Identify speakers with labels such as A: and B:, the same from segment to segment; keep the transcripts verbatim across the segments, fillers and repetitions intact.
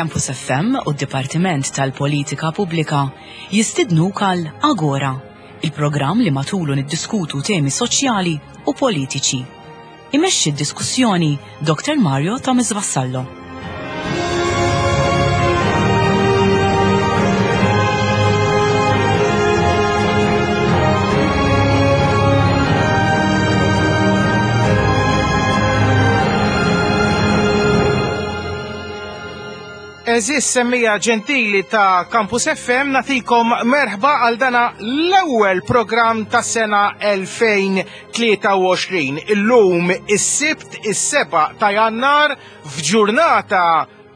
A: Campus F M u d-Dipartiment tal-Politika Pubblika jistidnuk għal Agora, il-programm li matulu niddiskutu temi soċjali u politiċi. Imexxi d-diskussjoni Doktor Mario Thomas Vassallo.
B: Għeżież semmiegħa ġentili ta' Campus F M, nagħtikom merħba għal dana l-ewwel programm ta' sena elfejn u tlieta u għoxrin. Illum is-Sibt, is-sebgħa ta' Jannar, f'ġurnata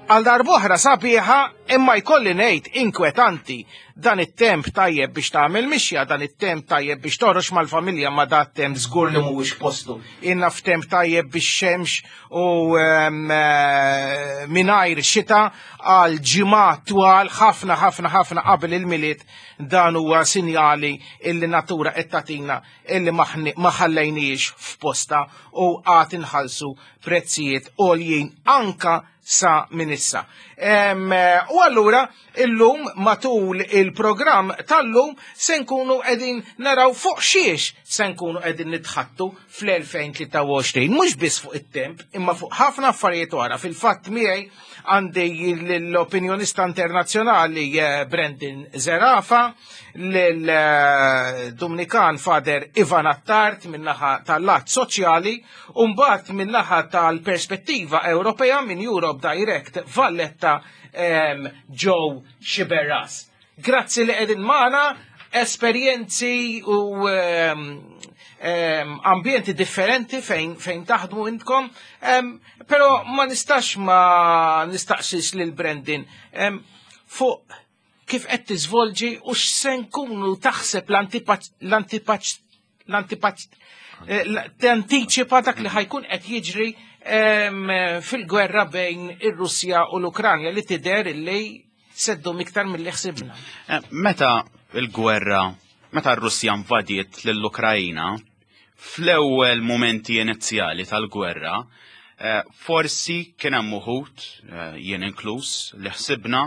B: għal darb'oħra sabiħa, imma jkolli ngħid inkwetanti. Dan it-temp tajjeb biex tagħmel mixja, dan it-temp tajjeb biex toħroġ mal-familja, ma dat temp żgur li mhuwiex postu. Inna f'temp tajjeb biex xemx u um, uh, mingħajr xita għal ġimgħat twal ħafna ħafna ħafna qabel il-Milied. Dan huwa sinjali illi natura qed tagħtina illi ma ħallejniex f'posta u għad inħallsu prezzijiet għoljin anka sa minn issa. U allura illum, matul il-programm tal-lum, se nkunu qegħdin naraw fuq xiex se nkunu qegħdin nitħattu fl-elfejn u tlieta u għoxrin, mhux biss fuq it-temp, imma fuq ħafna affarijiet oħra. Fil-fatt miegħi għandi l-opinjonista internazzjonali eh, Brendan Zerafa, l-Dumnikan Father Ivan Attard min-naħa tal-lat soċjali, u mbagħad min-naħa tal-perspettiva Ewropea, minn Europe Direct Valletta, Joe Sciberras. Grazzi li qegħdin magħna, esperjenzi u um, um, ambjenti differenti fejn, fejn taħdmu intkom, um, pero ma nistax ma nistaqsix lil Brendan um, fuq kif qed tiżvolġi u x'se nkunu taħseb l-antipaċ l-antipaċ tantiċipa dak li ħa jkun qed jiġri fil-gwerra bejn ir-Russja u l-Ukranja, li tidher illi se ddum iktar mill-li ħsibna.
C: Eh, meta il-gwerra, meta r-Russja invadiet lill-Ukrajina, fl-ewwel momenti inizjali tal-gwerra, eh, forsi kien hemm uħud, eh, jien inkluż, li ħsibna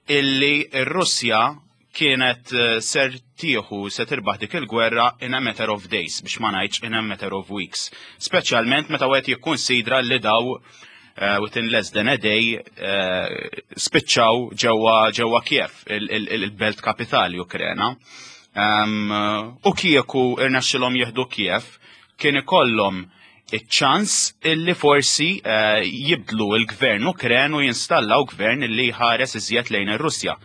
C: illi r-Russja kienet ser tieħu se tirbaħ dik il-gwerra in a matter of days, biex ma ngħidx in a matter of weeks. Speċjalment meta wieħed jikkunsidra li daw uh, within less than a day uh, spiċċaw ġewwa ġewwa Kiev, il-belt kapitali Ukrena. Um, u kieku irnexxilhom jieħdu Kiev, kien ikollhom iċ-ċans illi forsi uh, jibdlu il-gvern Ukren u jinstallaw gvern illi ħares iżjed lejn ir-Russja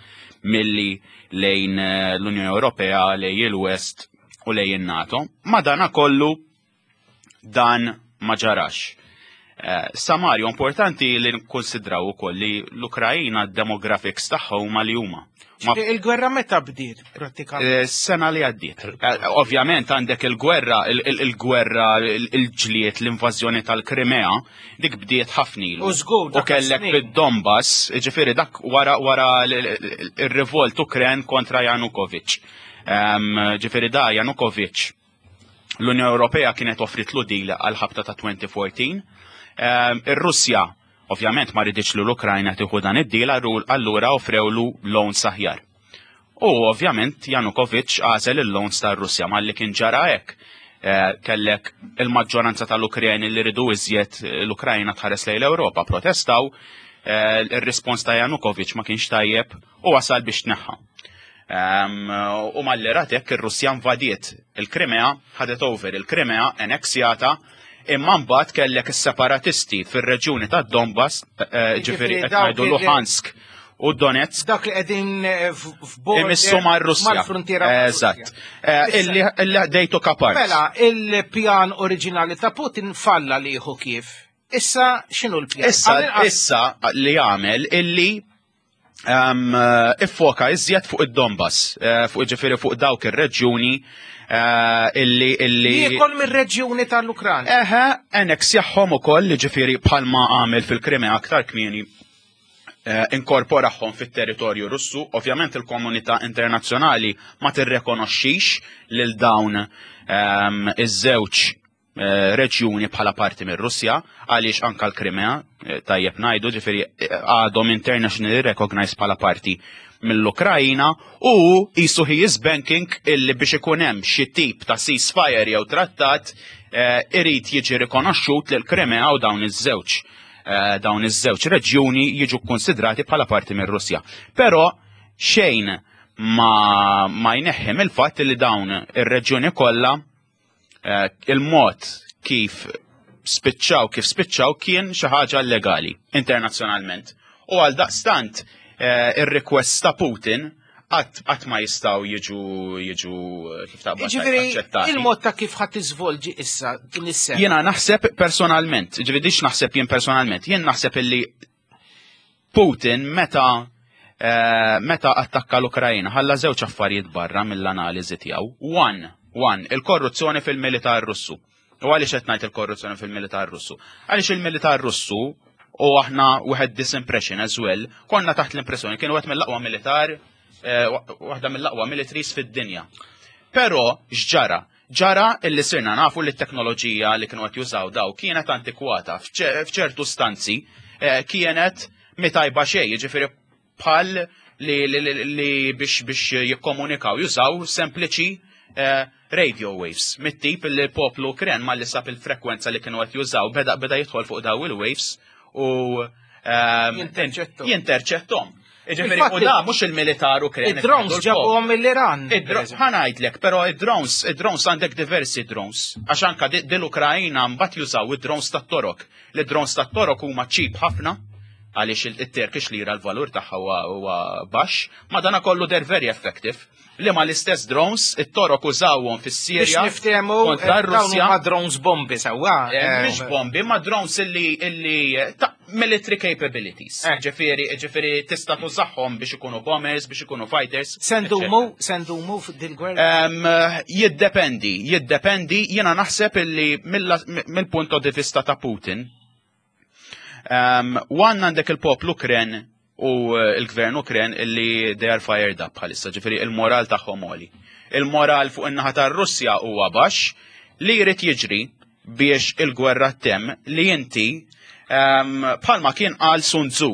C: milli lejn l-Unjoni Ewropea, lejn il-West u lejn il-NATO. Ma dana kollu dan ma ġarax. Eh, Samario, importanti li nkonsidraw ukoll li l-Ukrajina demographics tagħha huma li huma.
B: Il-gwerra meta bdiet prattikament?
C: Eh, sena li għaddiet. Eh, ovvjament għandek il-gwerra, il-gwerra, il-ġliet, l-invażjoni tal-Krimea, dik bdiet ħafna ilu.
B: U żgur.
C: U kellek bid-Donbass, ġifieri dak wara wara il-revolt Ukren kontra Janukovic. Ġifieri da Janukovic, l-Unjoni Ewropea kienet offritlu deal għal ħabta ta' elfejn u erbatax. Ir-Russja ovvjament ma riditx li l-Ukrajna tieħu dan id-deal, allura offrewlu loans aħjar. U ovvjament Janukovic għażel il-loans tar-Russja. Malli kien ġara hekk, eh, kellek il-maġġoranza tal-Ukreni li ridu iżjed l-Ukrajna tħares lejn l-Ewropa, protestaw, eh, il-rispons ta' Janukovic ma kienx tajjeb u wasal biex tneħħa. U malli ratek ir-Russja invadiet il-Krimea, ħadet over il-Krimea, anneksjata, imma mbagħad kellek is-separatisti fir-reġjuni ta' Donbass, eh, ġifieri qed ngħidu Luhansk u Donetsk.
B: Dak li qegħdin eh, f'border
C: Imissu mar-Russja.
B: Mal-frontiera.
C: Eżatt. Eh, illi illi took apart.
B: Mela, il-pjan oriġinali ta' Putin falla li jieħu Kiev. Issa x'inhu l-pjan?
C: Issa,
B: Għal-inqas-
C: issa li għamel illi um, iffoka iżjed fuq id-Donbass, eh, fuq, ġifieri, fuq dawk ir-reġjuni eh, illi illi
B: Jiekol mir-reġjuni tal-Ukranja.
C: Eħe, annex-jahom ukoll, ġifieri bħalma għamel fil-Krimea aktar kmieni, eh, inkorporahom fit-territorju Russu. Ovvjament il-komunità internazzjonali ma tirrekonoxxix lil dawn ehm, iż-żewġ eh, reġjuni bħala parti mir-Russja, għaliex anka l-Krimea, eh, tajjeb ngħidu, ġifieri eh, għadhom internationally recognized bħala parti mill-Ukrajina, u qisu he is banking illi biex ikun hemm xi tip ta' ceasefire jew trattat eh, irid jiġi rikonoxxut lil Krimea u dawn iż-żewġ eh, dawn iż-żewġ reġjuni jiġu konsidrati bħala parti mir-Russja. Però xejn ma, ma jneħħi mill-fatt li dawn ir-reġjuni kollha, eh, il-mod kif spiċċaw kif spiċċaw kien xi ħaġa illegali internazzjonalment. U għal daqstant eh, ir-request ta' Putin qatt qatt ma jistgħu jiġu jiġu eh, kif taqbad
B: Ġifieri,
C: aċċettati.
B: Il-mod ta' kif ħa tiżvolġi issa din is-sena.
C: Jiena naħseb personalment, ġifieri dix naħseb jien personalment, jien naħseb illi Putin meta eh, meta attakka l-Ukrajina ħalla żewġ affarijiet barra mill-analiżi tiegħu. One, one, il-korruzzjoni fil-militar Russu. U għaliex qed ngħid il-korruzzjoni fil-militar Russu? Għaliex il-militar Russu, u aħna we had this impression as well, konna taħt l-impressjoni kienu wieħed mill-aqwa militar, eh, waħda mill-aqwa militaries fid-dinja. Però x'ġara? Ġara illi sirna nafu li t-teknoloġija li kienu qed jużaw daw kienet antikwata f'ċertu stanzi, eh, kienet mhi tajba xejn, jiġifieri bħal li, li, li, li biex biex jikkomunikaw jużaw sempliċi eh, radio waves. Mit-tip li l-poplu Ukren malli sab il-frekwenza li kienu qed jużaw beda beda jidħol fuq daw il-waves u ehm,
B: Jinterċettom.
C: Jinterċettom. Ġifieri,
B: Infatti,
C: u da mhux il-militar Ukren.
B: Id-drones ġabuhom mill-Iran.
C: Ħa ngħidlek, però id-drones, id-drones għandek diversi drones. Għax anka di- dil-Ukrajina mbagħad jużaw id-drones tat-Torok. L-drones tat-Torok huma cheap ħafna, għaliex il-Turkish lira l-valur tagħha huwa huwa baxx, ma dana kollu they're very effective. Li ma l-istess drones, it-Torok użawhom
B: Biex
C: fis-Sirja
B: niftehmu,
C: kontra
B: eh, dawn
C: r-Russja.
B: huma drones bombi sewwa.
C: Eh, Mhix bombi, ma drones illi illi eh, ta' military capabilities.
B: Eh.
C: Ġifieri, ġifieri tista' tużahom biex ikunu bombers, biex ikunu fighters.
B: Se ndumu, se ndumu f'dil-gwerra.
C: Um, jiddependi, jiddependi, jiena naħseb illi mill- mill-punto di vista ta' Putin, um, one, għandek il-poplu Ukren u eh, il-gvern Ukren illi they are fired up bħalissa, ġifieri il-moral tagħhom għoli. Il-moral fuq in-naħa tar-Russja huwa baxx. Li jrid jiġri biex il-gwerra tem li inti um, bħalma kien qal Sun Tzu.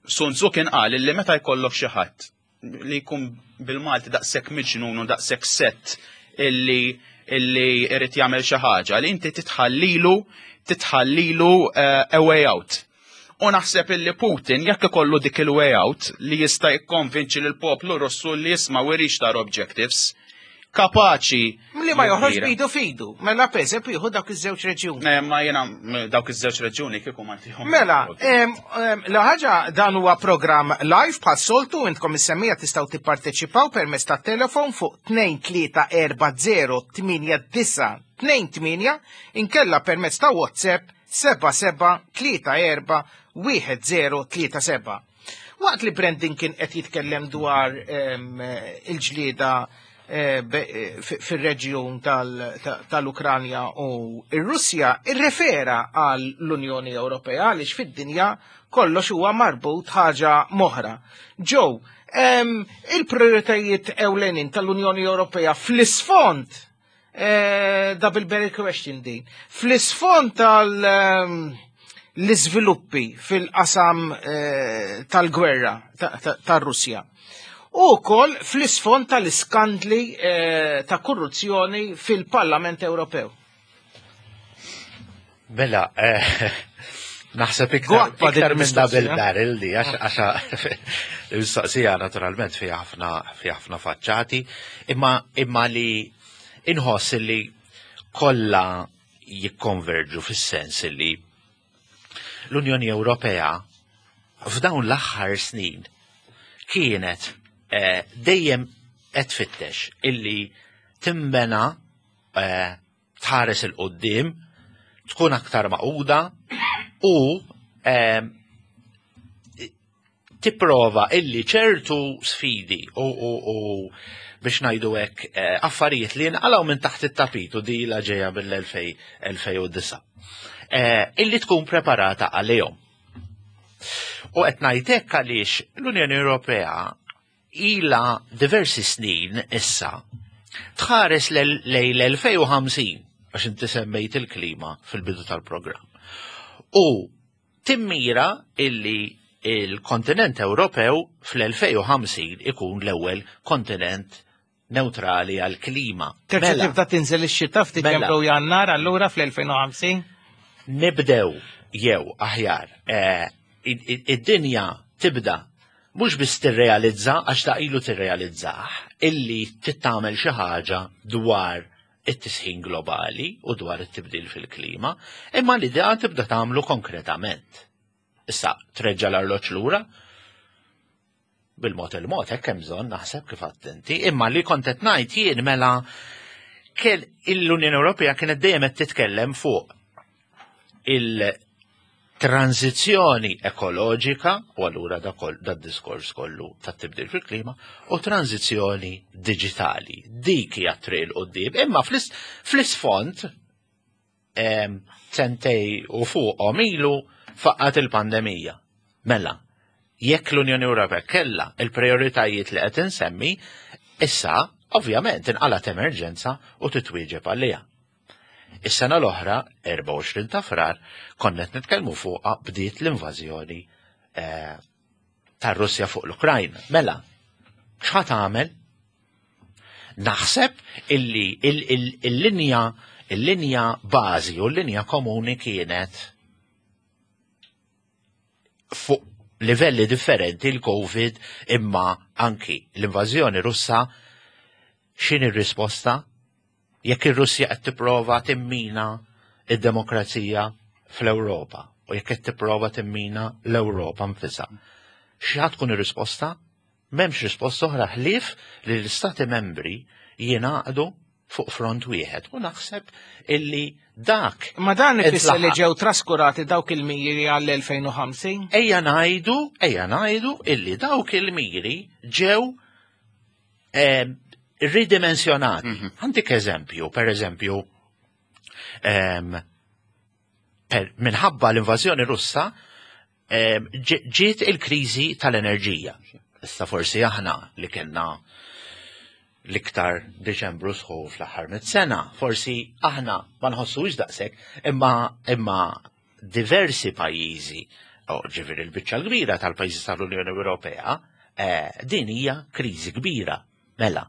C: Sun Tzu kien qal illi meta jkollok xi ħadd li jkun bil-Malti daqshekk miġnun u daqshekk set illi illi irid jagħmel xi ħaġa li inti titħallilu titħallilu uh, a way out. U naħseb illi Putin jekk ikollu dik il-way out li jista' jikkonvinċi lil poplu Russu li jisma' we reached our objectives, kapaċi
B: Li ma joħroġ
C: jirtira.
B: bidu fidu. Mela pereżempju jieħu dawk iż-żewġ reġjuni.
C: Eh, Ma jena m- dawk iż-żewġ reġjuni kieku ma ntihom.
B: Mela, em, em, la ħaġa, dan huwa program live bħas-soltu, intkom is-semmiegħa tistgħu tipparteċipaw permezz ta' telefon fuq tnejn tlieta erba' żero tmienja disgħa tnejn tmienja, inkella permezz ta' WhatsApp seba' seba' tlieta erba' wieħed żero tlieta seba'. Waqt li Brandon kien qed jitkellem dwar em, il-ġlieda eh, be- eh, fi- fir-reġjun tal- ta- tal-Ukranja u ir-Russja, irrefera għal l-Unjoni Ewropea, għaliex fid-dinja kollox huwa marbut ħaġa m'oħra. Joe, em, il-prioritajiet ewlenin tal-Unjoni Ewropea fl-isfond, eh, double barrel question din, fl-isfond tal- em, l-iżviluppi fil-qasam eh, tal-gwerra ta- ta- tar-Russja. U wkoll fl-isfond tal-iskandli eh, ta' korruzzjoni fil-Parlament Ewropew.
D: Mela, eh, naħseb iktar,
B: Gwappa din
D: iktar minn double
B: il-mistoqsija.
D: barrel di, għax għax il-mistoqsija naturalment fiha ħafna fiha ħafna faċċati, imma imma li inħoss li kollha jikkonverġu fis-sens li l-Unjoni Ewropea f'dawn l-aħħar snin kienet eh, dejjem qed tfittex illi timbena, eh, tħares 'il quddiem, tkun aktar magħquda u eh, tipprova illi ċertu sfidi u, u, u biex ngħidu hekk eh, affarijiet li nqalgħu minn taħt it-tapit u di la ġejja mill-elfejn u disgħa, eh, illi tkun preparata għalihom. U qed ngħidlek għaliex l-Unjoni Ewropea ila diversi snin issa tħares lejn l-elfejn u ħamsin. għax inti semmejt il-klima fil-bidu tal-programm. U timmira illi il-kontinent Ewropew fl-elfejn u ħamsin ikun l-ewwel kontinent neutrali għal-klima.
B: Terġa'
D: Mela,
B: tibda tinżel ix-xita f'Diċembru
D: Mela.
B: u Jannar allura fl-elfejn u ħamsin?
D: Nibdew jew aħjar, eh, id- id- id-dinja tibda mhux biss tirrealizza, għax ta' ilu tirrealizzah, illi tittamel xi ħaġa dwar it-tisħin globali u dwar it-tibdil fil-klima, imma l-idea tibda tagħmlu konkretament. Issa, treġġa l-arloġġ lura, bil-mod il-mod, hekk hemm bżonn naħseb kif attenti, imma li kont qed ngħid jien, mela kell l-Unjoni Ewropea kienet dejjem qed titkellem fuq il-tranzizzjoni ekoloġika, u allura da kol, da diskors kollu tat-tibdil fil-klima, u tranzizzjoni digitali. Dik hija triq 'il quddiem, imma fl-is- fl-isfond em, sentejn u fuqhom ilu faqqat il-pandemija. Mela, jekk l-Unjoni Ewropea kella il-prioritajiet li qed insemmi, issa ovvjament inqalat emerġenza u titwieġeb għaliha. Is-sena l-oħra, erbgħa u għoxrin ta' Frar, konna qed nitkellmu fuqha, bdiet l-invażjoni eh, tar-Russja fuq l-Ukrajna. Mela, x'ħa tagħmel? Naħseb illi il- il- il-linja il-linja bażi u l-linja komuni kienet fuq livelli differenti l-Covid imma anki l-invażjoni Russa. X'inhi r-risposta? Jekk ir-Russja qed tipprova timmina id-demokrazija fl-Ewropa u jekk qed tipprova timmina l-Ewropa nfisha, x'ħa tkun ir-risposta? M'hemmx risposta oħra ħlief li l-Istati membri jingħaqdu fuq front wieħed u naħseb illi dak
B: Ma dan ifisser li
D: intlaħaq.
B: ġew traskurati dawk il-miri għall-elfejn u ħamsin?
D: Ejja ngħidu, ejja ngħidu illi dawk il-miri ġew eh, ridimensjonati. Ħa ntik eżempju, per eżempju, em, per, minħabba l-invażjoni Russa em, ġi- ġiet il-kriżi tal-enerġija. Issa forsi aħna li kellna l-iktar Deċembru sħun fl-aħħar mit sena, forsi aħna ma nħossux daqshekk, imma imma diversi pajjiżi, o ġifieri l-biċċa l-kbira tal-pajjiżi tal-Unjoni Ewropea, eh, din hija kriżi kbira. Mela,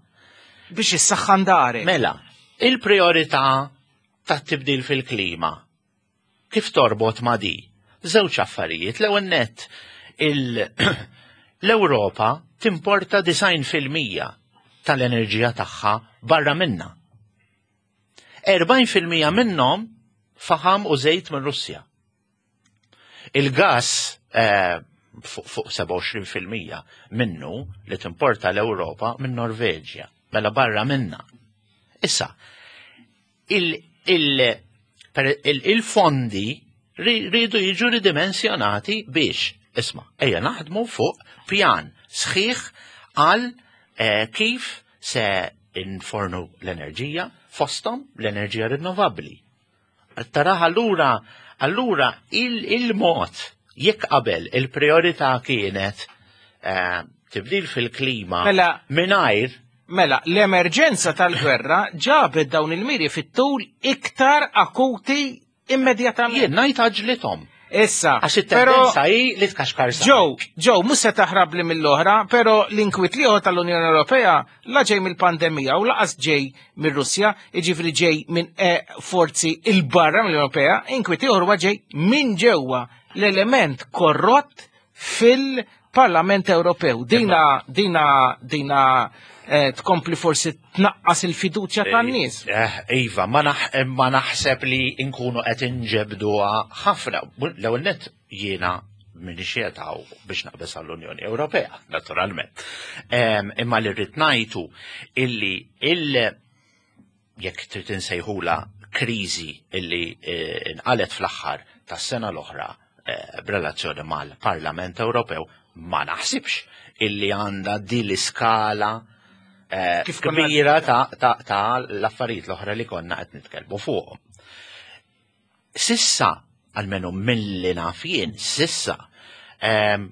B: Biex issaħħan dari.
D: Mela, il-priorità tat-tibdil fil-klima kif torbot ma' di? Żewġ affarijiet. L-ewwel nett, il- l-Ewropa timporta disgħin fil-mija tal-enerġija tagħha barra minna. erbgħin fil-mija minnhom faħam u żejt minn Russja. Il-gas eh, fuq fuq sebgħa u għoxrin fil-mija minnu li timporta l-Ewropa minn Norveġja, mela barra minna. Issa, il- il- per- il- il-fondi ri- ridu jiġu ridimensjonati biex, isma', ejja naħdmu fuq pjan sħiħ għal eh, kif se infornu l-enerġija, fostom l-enerġija rinnovabbli. Taraħ allura, allura il- il-mod, jekk qabel il-priorità kienet eh, tibdil fil-klima
B: Mela-
D: mingħajr
B: Mela, l-emerġenza tal-gwerra ġabet dawn il-miri fit-tul iktar akuti immedjatament.
D: Jien ngħid għaġlithom.
B: Issa,
D: Għax
B: pero
D: it-tendenza hi li tkaxkar sa.
B: Joe, Joe, mhux se taħrab li mill-oħra, pero l-inkwiet l-ieħor tal-Unjoni Ewropea la ġej mill-pandemija u lanqas ġej mir-Russja, jiġifieri ġej minn eh, forzi il-barra mill-Unjoni Ewropea, inkwiet ieħor huwa ġej minn ġewwa, l-element korrott fil-Parlament Ewropew. Dina, dina, dina eh, tkompli forsi tnaqqas il-fiduċja tan-nies.
D: Eh, Iva, ma, naħ, ma naħseb li nkunu qed inġebduha ħafna. L-ewwel nett jiena minn xietaw biex naqbes għall-Unjoni Ewropea, naturalment. Em, Imma li rrid ngħidu illi il jekk trid insejħula kriżi illi eh, inqalet fl-aħħar tas-sena l-oħra eh, b'relazzjoni mal-Parlament Ewropew, ma naħsibx illi għandha din l-iskala eh,
B: Kif konna-
D: kbira ta', ta, ta l-affarijiet l-oħra li konna qed nitkellmu fuqhom. Sissa, almenu mill-li naf jien, sissa, em,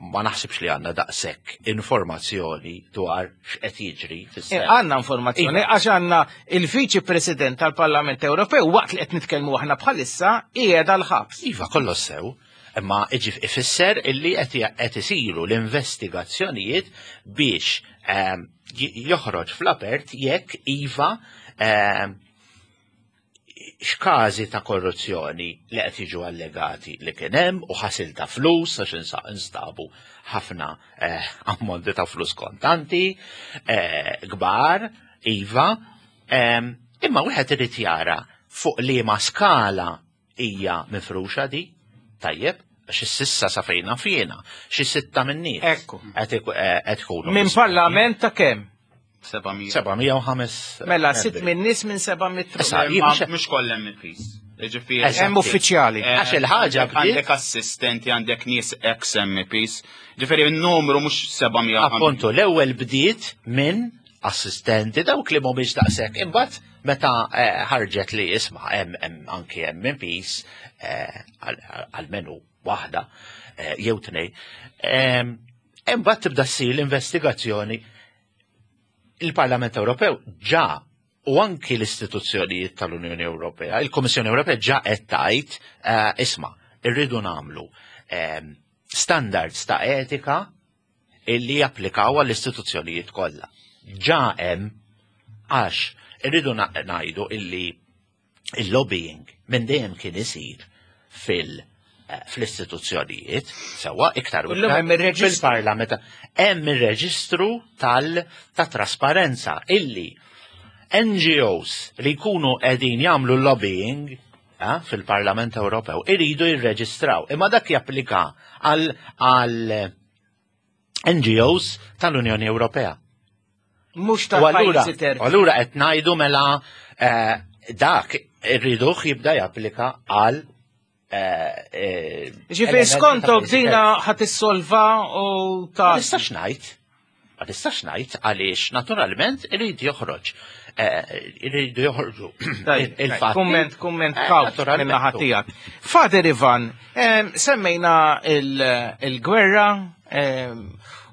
D: Ma naħsibx li għandna daqshekk informazzjoni dwar x'qed jiġri fis-seħħ.
B: Għandna informazzjoni għax għandna il-Viċi President tal-Parlament Ewropew waqt li qed nitkellmu aħna bħalissa qiegħed għall-ħabs.
D: Iva, kollox sew, imma iġif ifisser illi qed isiru l-investigazzjonijiet biex ehm, joħroġ fl-apert jekk iva ehm, x'każi ta' korruzzjoni li qed jiġu allegati li kien hemm u ħasil ta' flus għax instabu ħafna eh, ammonti ta' flus kontanti eh, kbar, iva, ehm, imma wieħed irid jara fuq liema skala hija mifruxa di, tajjeb, għax s'issa sa fejna fjena, xi sitta minn nies.
B: Ekku.
D: Qed eh, ikunu.
B: Minn parlament ta' kemm?
C: seba' mija.
D: seba' mija u ħames.
B: Mela, sitt minn nies minn seba' mitt.
D: Issa,
C: Mhux kollha M Ps. Ġifieri
B: Hemm uffiċjali.
C: Eh,
D: Għax il-ħaġa bdiet-
C: Għandek assistenti, għandek nies ex-M Ps. Ġifieri n-numru mhux seba' mija.
D: Appuntu, l-ewwel bdiet minn assistenti dawk li mhumiex daqshekk. Imbagħad meta eh, ħarġet li isma' hemm hemm anki M Ps eh, għal-menu waħda eh, jew tnejn. Em, Imbagħad tibda ssir l-investigazzjoni. Il-Parlament Ewropew ġa u anki l-istituzzjonijiet tal-Unjoni Ewropea, il-Kommissjoni Ewropea ġa qed tgħid eh, isma' irridu nagħmlu em, standards ta' etika illi japplikaw għall-istituzzjonijiet kollha. Ġa hemm, għax irridu na- ngħidu illi il-lobbying minn dejjem kien isir fil- eh, fl-istituzzjonijiet, sewwa iktar u
B: Illum
D: iktar
B: hemm ir-reġistru.
D: fil-parlament. Hemm ir-reġistru tal ta' trasparenza illi N G Os li jkunu qegħdin jagħmlu lobbying eh, fil-Parlament Ewropew iridu jirreġistraw. Imma dak japplika għal għal N G Os tal-Unjoni Ewropea.
B: Mhux
D: U allura,
B: tal-pajjiżi terzi.
D: allura qed ngħidu mela eh, dak irriduh jibda japplika għal eh, eh,
B: Ġifieri
D: elementi ta'
B: skontok
D: pajjiżi
B: dina
D: terzi.
B: ħa tissolva u
D: Ma
B: ta'
D: nistax ngħid. Ma nistax ngħid għaliex naturalment irid joħroġ. Eh, Iridu joħorġu il-fatti.
B: Kumment, kumment
D: Eh,
B: kawt
D: naturalment.
B: minn naħa tiegħek. Father Ivan, em, semmejna il- il-gwerra em,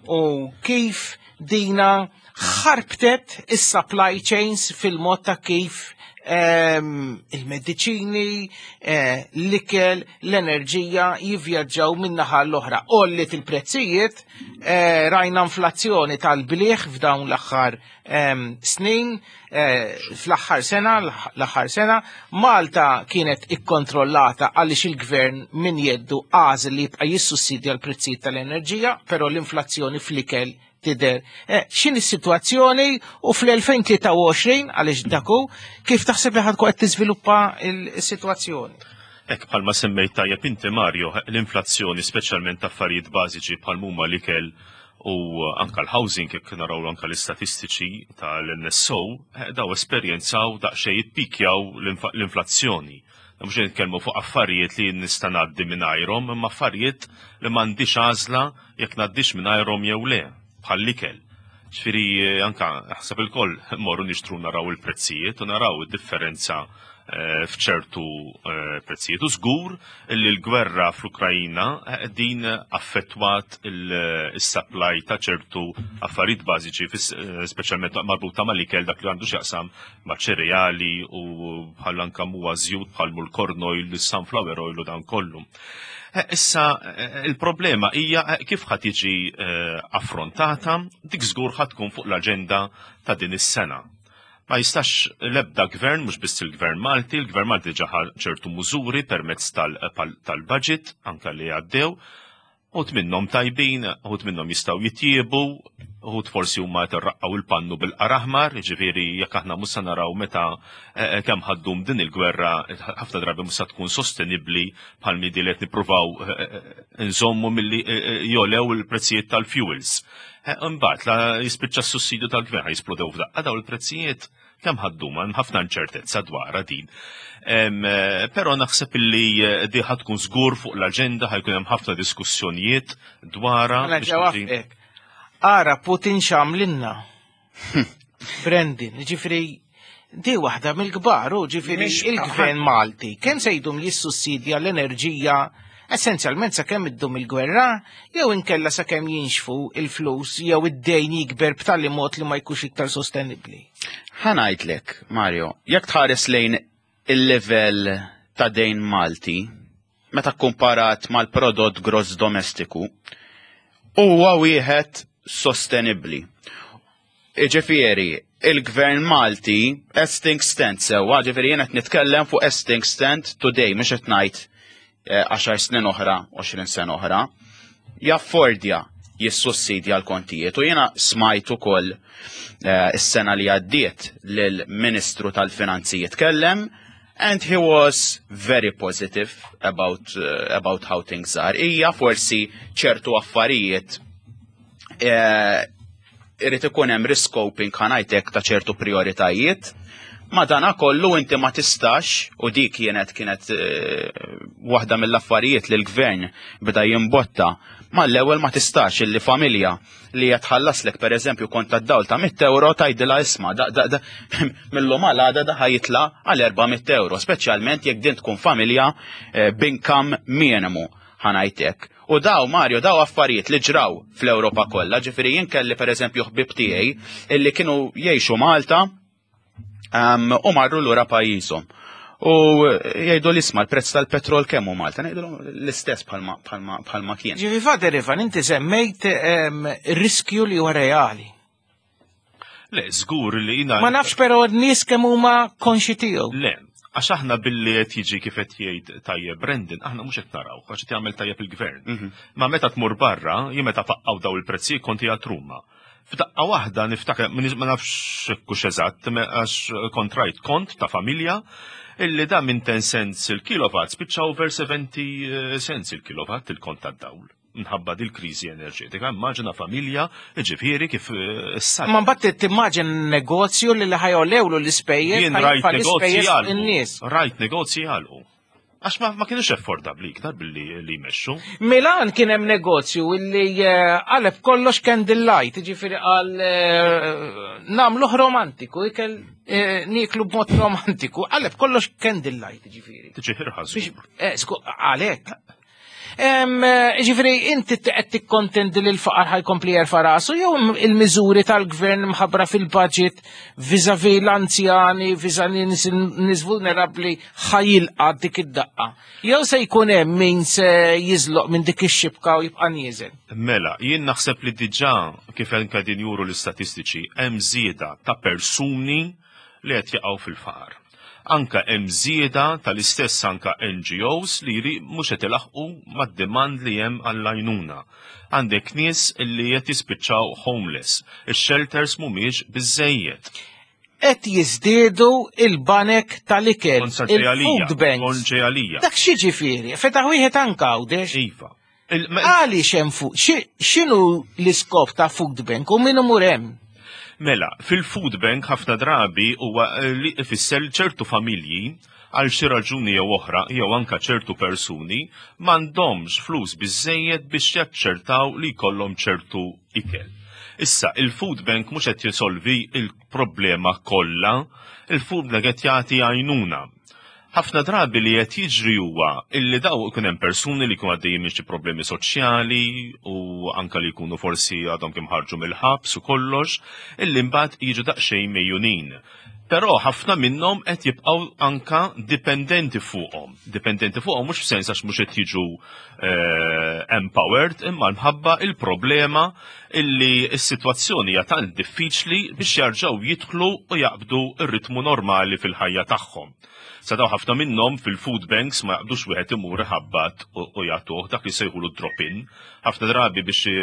B: u kif dina ħarbtet is-supply chains fil-mod ta' kif em, il-mediċini, eh, l-ikel, l-enerġija jivvjaġġaw minn naħa l-oħra. Għolliet il-prezzijiet, eh, rajna inflazzjoni tal-bliħ f'dawn l-aħħar em, snin, eh, fl-aħħar sena, l-aħħar sena, Malta kienet ikkontrollata għaliex il-gvern minn jeddu għażel li jibqa' jissussidja l-prezzijiet tal-enerġija, però l-inflazzjoni fl-ikel tidher. Eh, X'inhi s-sitwazzjoni u fl-elfejn tlieta u għoxrin, għaliex daku, kif taħseb li ħa tkun qed tiżviluppa il-sitwazzjoni?
E: Ek bħalma semmejt tajjeb inti, Mario, l-inflazzjoni, speċjalment ta' affarijiet bażiċi bħal huma l-ikel u anka l-housing, jekk naraw anka l-istatistiċi tal-N S O, eh, daw esperjenzaw daqsxejn jippikjaw l-infa- l-inflazzjoni. Mhux nitkellmu fuq affarijiet li nista' ngħaddi mingħajrhom, imma affarijiet li m'għandix għażla jekk ngħaddix mingħajrhom jew le, bħall-ikel. Ġifieri eh, anka ħsab il-koll morru nixtru, naraw il-prezzijiet u naraw id-differenza eh, f'ċertu eh, prezzijiet. U żgur li l-gwerra fl-Ukrajina eh, din affettwat il-supply ta' ċertu affarijiet bażiċi, fis- eh, speċjalment marbuta mal-ikel, dak li għandu x'jaqsam ma' ċereali u bħal anka muwa żjut bħal l-corn oil, il-sunflower oil u dan kollu. Eh, Issa, eh, il-problema hija eh, kif ħa tiġi eh, affrontata, dik żgur ħa tkun fuq l-aġenda ta' din is-sena. Ma jistax l-ebda gvern, mhux biss il-gvern Malti, il-gvern Malti ġa ħa ċertu mużuri permezz tal- pal- tal-budget, anka li għaddew, uħud minnhom tajbin, uħud minnhom jistgħu jitjiebu, uħud forsi huma qed il-pannu bil-qaraħmar, ġifieri jekk aħna mhux se naraw meta eh, kemm ħa ddum din il-gwerra, ħafna drabi mhux se tkun sostenibbli bħal midi li qed nippruvaw eh, eh, nżommu milli eh, eh, jogħlew il-prezzijiet tal-fuels. Eh, Imbagħad la jispiċċa s-sussidju tal-gvern, jisplodew f'daqqa daw il-prezzijiet, kemm ħa ddum, hemm ħafna inċertezza dwarha din. Em, eh, Però naħseb illi eh, di ħa tkun żgur fuq l-aġenda, ħa jkun hemm ħafna diskussjonijiet dwarha.
B: Mela
E: biex
B: ġewwa
E: tiġi-
B: fek. Ara Putin x'għamlinna. Brandon, ġifieri di waħda mill-kbar, u ġifieri
F: Mhix-
B: il-gvern Malti, kemm se jdum jissussidja l-enerġija Essenzjalment sakemm iddum il-gwerra, jew inkella sakemm jinxfu il-flus jew id-dejn jikber b'tali mod li ma jkunx iktar sostenibbli.
C: Ħa ngħidlek, Mario, jekk tħares lejn il-level ta' dejn Malti, meta komparat mal-prodott gross domestiku, huwa wieħed sostenibbli. Iġifieri, il-gvern Malti as things stand sewwa, ġifieri jien qed nitkellem fuq as things stand today, mhux qed ngħid eh, għaxar snin oħra, għoxrin sena oħra, jaffordja jissussidja l-kontijiet. U jiena smajt ukoll eh, is-sena li għaddiet lill-Ministru tal-Finanzi jitkellem and he was very positive about, uh, about how things are. Ija forsi ċertu affarijiet eh, irrid ikun hemm rescoping, ħa ngħidlek, ta' ċertu prioritajiet. Ma dana kollu inti ma tistax, u dik kienet kienet eh, waħda mill-affarijiet li l-gvern beda jimbotta mal-ewwel, ma tistax illi familja li qed tħallaslek, pereżempju, kont tad-dawl ta' mitt euro, tgħidilha, "Isma', da, da, da, mill-lum għal għada da ħa jitla' għal erba' mitt euro", speċjalment jekk din tkun familja eh, b'income minimu, ħa ngħidlek. U daw, Mario, daw affarijiet li ġraw fl-Ewropa kollha, ġifieri jien kelli pereżempju ħbib tiegħi illi kienu jgħixu Malta um, u marru lura pajjiżhom. U jgħidu li, "Isma', l-prezz tal-petrol kemm hu Malta?" Ngħidu l-istess bħalma bħalma bħalma kien.
B: Ġifi Father Ivan, inti semmejt em, riskju li huwa reali.
E: Le, żgur li jina.
B: Ma nafx però n-nies kemm huma konxi tiegħu.
E: Le, għax aħna billi qed jiġi kif qed jgħid tajjeb Brendan, aħna mhux qed naraw, għax qed jagħmel tajjeb il-gvern.
C: Mhm.
E: Ma meta tmur barra, jien meta faqqaw daw il-prezzi konti għat Ruma. F'daqqa waħda niftakar, ma nafx kux eżatt, għax kont rajt kont ta' familja illi da minn ten cents il-kilowatt spiċċa over seventy cents il-kilowatt il-kont tad-dawl minħabba dil-kriżi enerġetika. Immaġina familja, ġifieri kif issa.
B: Ma mbagħad timmaġin negozju li li ħa jogħlewlu l-ispejjeż.
E: Jien rajt
B: ħa jitfa'
E: negozji
B: l-ispejjeż
E: jagħlqu.
B: in-nies.
E: Rajt negozji jagħlqu. Għax ma, ma kienux affordabli iktar billi li jmexxu.
B: Milan kien hemm negozju illi eh, qaleb kollox candlelight, ġifieri qal eh, nagħmluh romantiku, ikel eh, nieklu b'mod romantiku, qaleb kollox candlelight, ġifieri.
E: Tiġi irħas.
B: Biex, eh, sku, għalek. Em, eh, Ġifieri, inti qed tikkontendi li l-faqar ħa jkompli jerfa' rasu jew il-miżuri tal-gvern mħabbra fil-budget vis-à-vis l-anzjani, vis-à-vis nies vulnerabbli ħa jilqa' dik id-daqqa? Jew se jkun hemm min se jiżloq minn dik ix-xibka u jibqa' nieżel?
E: Mela, jien naħseb li diġà, kif anke din juru l-istatistiċi, hemm żieda ta' persuni li qed jaqgħu fil-faqar. Anka hemm żieda tal-istess anka N G Os li jri mhux qed ilaħqu mad-demand li hemm għall-għajnuna. Għandek nies li qed jispiċċaw homeless. Ix-shelters mhumiex biżejjed.
B: Qed jiżdiedu il-banek tal-ikel,
E: Kont ġej għalija,
B: il-food banks.
E: Kont ġej għalija.
B: Dak xi ġifieri, fetaħ wieħed anka Għawdex.
E: Iva. Il- ma-
B: Għaliex hemm food? X'inhu l-iskop ta' food bank u min imur hemm?
E: Mela, fil-food bank ħafna drabi huwa eh, li ifisser ċertu familji għal xi raġuni jew oħra jew anka ċertu persuni m'għandhomx flus biżejjed biex jaċċertaw li jkollhom ċertu ikel. Issa, il-food bank mhux qed jisolvi il-problema kollha, il-food bank qed jagħti għajnuna. Ħafna drabi li qed jiġri huwa illi daw ikun hemm persuni li jkunu għaddejjin minn xi problemi soċjali u anka li jkunu forsi għadhom kemm ħarġu mill-ħabs u kollox, illi mbagħad jiġu daqsxejn megħjunin. Però ħafna minnhom qed jibqgħu anka dipendenti fuqhom. Dipendenti fuqhom mhux f'sens għax mhux qed jiġu eh, empowered, imma minħabba il-problema illi s-sitwazzjoni hija tant diffiċli biex jarġgħu jidħlu u jaqbdu r-ritmu normali fil-ħajja tagħhom. Sa daw ħafna minnhom fil-food banks ma jaqbdux wieħed imur iħabbat u u jagħtuh dak li sejħulu drop-in. Ħafna drabi biex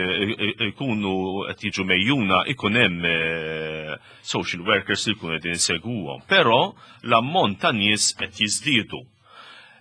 E: ikunu qed jiġu megħjuna ikun hemm eh, social workers li jkunu qegħdin insegwuhom. Però l-ammont ta' nies qed jiżdiedu.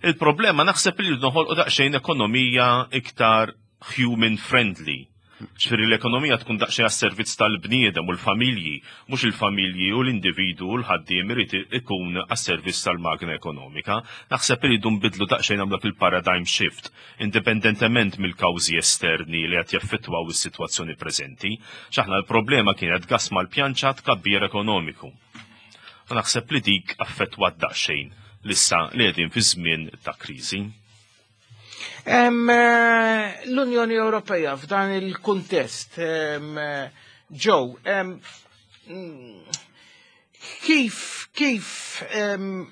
E: Il-problema naħseb li noħolqu daqsxejn ekonomija iktar human friendly. Ġifieri l-ekonomija tkun daqsxejn għas-servizz tal-bniedem u l-familji, mhux il-familji u l-individu u l-ħaddiem irid ikun għas-servizz tal-magna ekonomika. Naħseb li rridu nbidlu daqsxejn, nagħmlu il-paradigm shift, indipendentement mill-kawżi esterni li qed jaffettwaw is-sitwazzjoni preżenti. X'aħna l-problema kienet gas mal-pjanċa, tkabbir ekonomiku. U naħseb li dik affettwat daqsxejn lissa li qegħdin fi żmien ta' kriżi.
B: Em, eh, L-Unjoni Ewropea f'dan il-kuntest, em, eh, Joe, em, mm, kif kif em,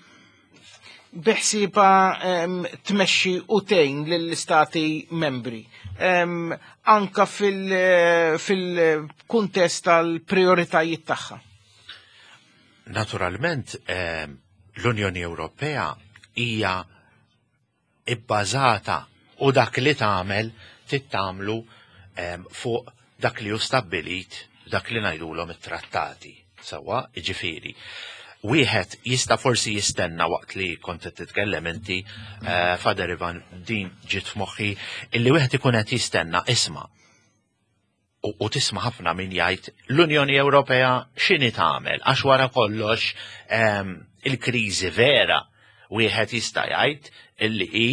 B: biħsiebha em, tmexxi u tgħin lill-istati membri em, anka fil- fil-kuntest tal-prioritajiet tagħha?
D: Naturalment, ehm, l-Unjoni Ewropea hija ibbażata u dak li tagħmel tittamlu ehm, fuq dak li hu stabbilit, dak li ngħidulhom it-trattati. Sewwa, jiġifieri. Wieħed jista' forsi jistenna waqt li kont qed titkellem inti, eh, Father Ivan, din ġiet f'moħħi, illi wieħed ikun qed jistenna isma' u, u tisma' ħafna min jgħid l-Unjoni Ewropea x'inhi tagħmel għax wara kollox ehm, il-kriżi vera wieħed jista' jgħid illi hi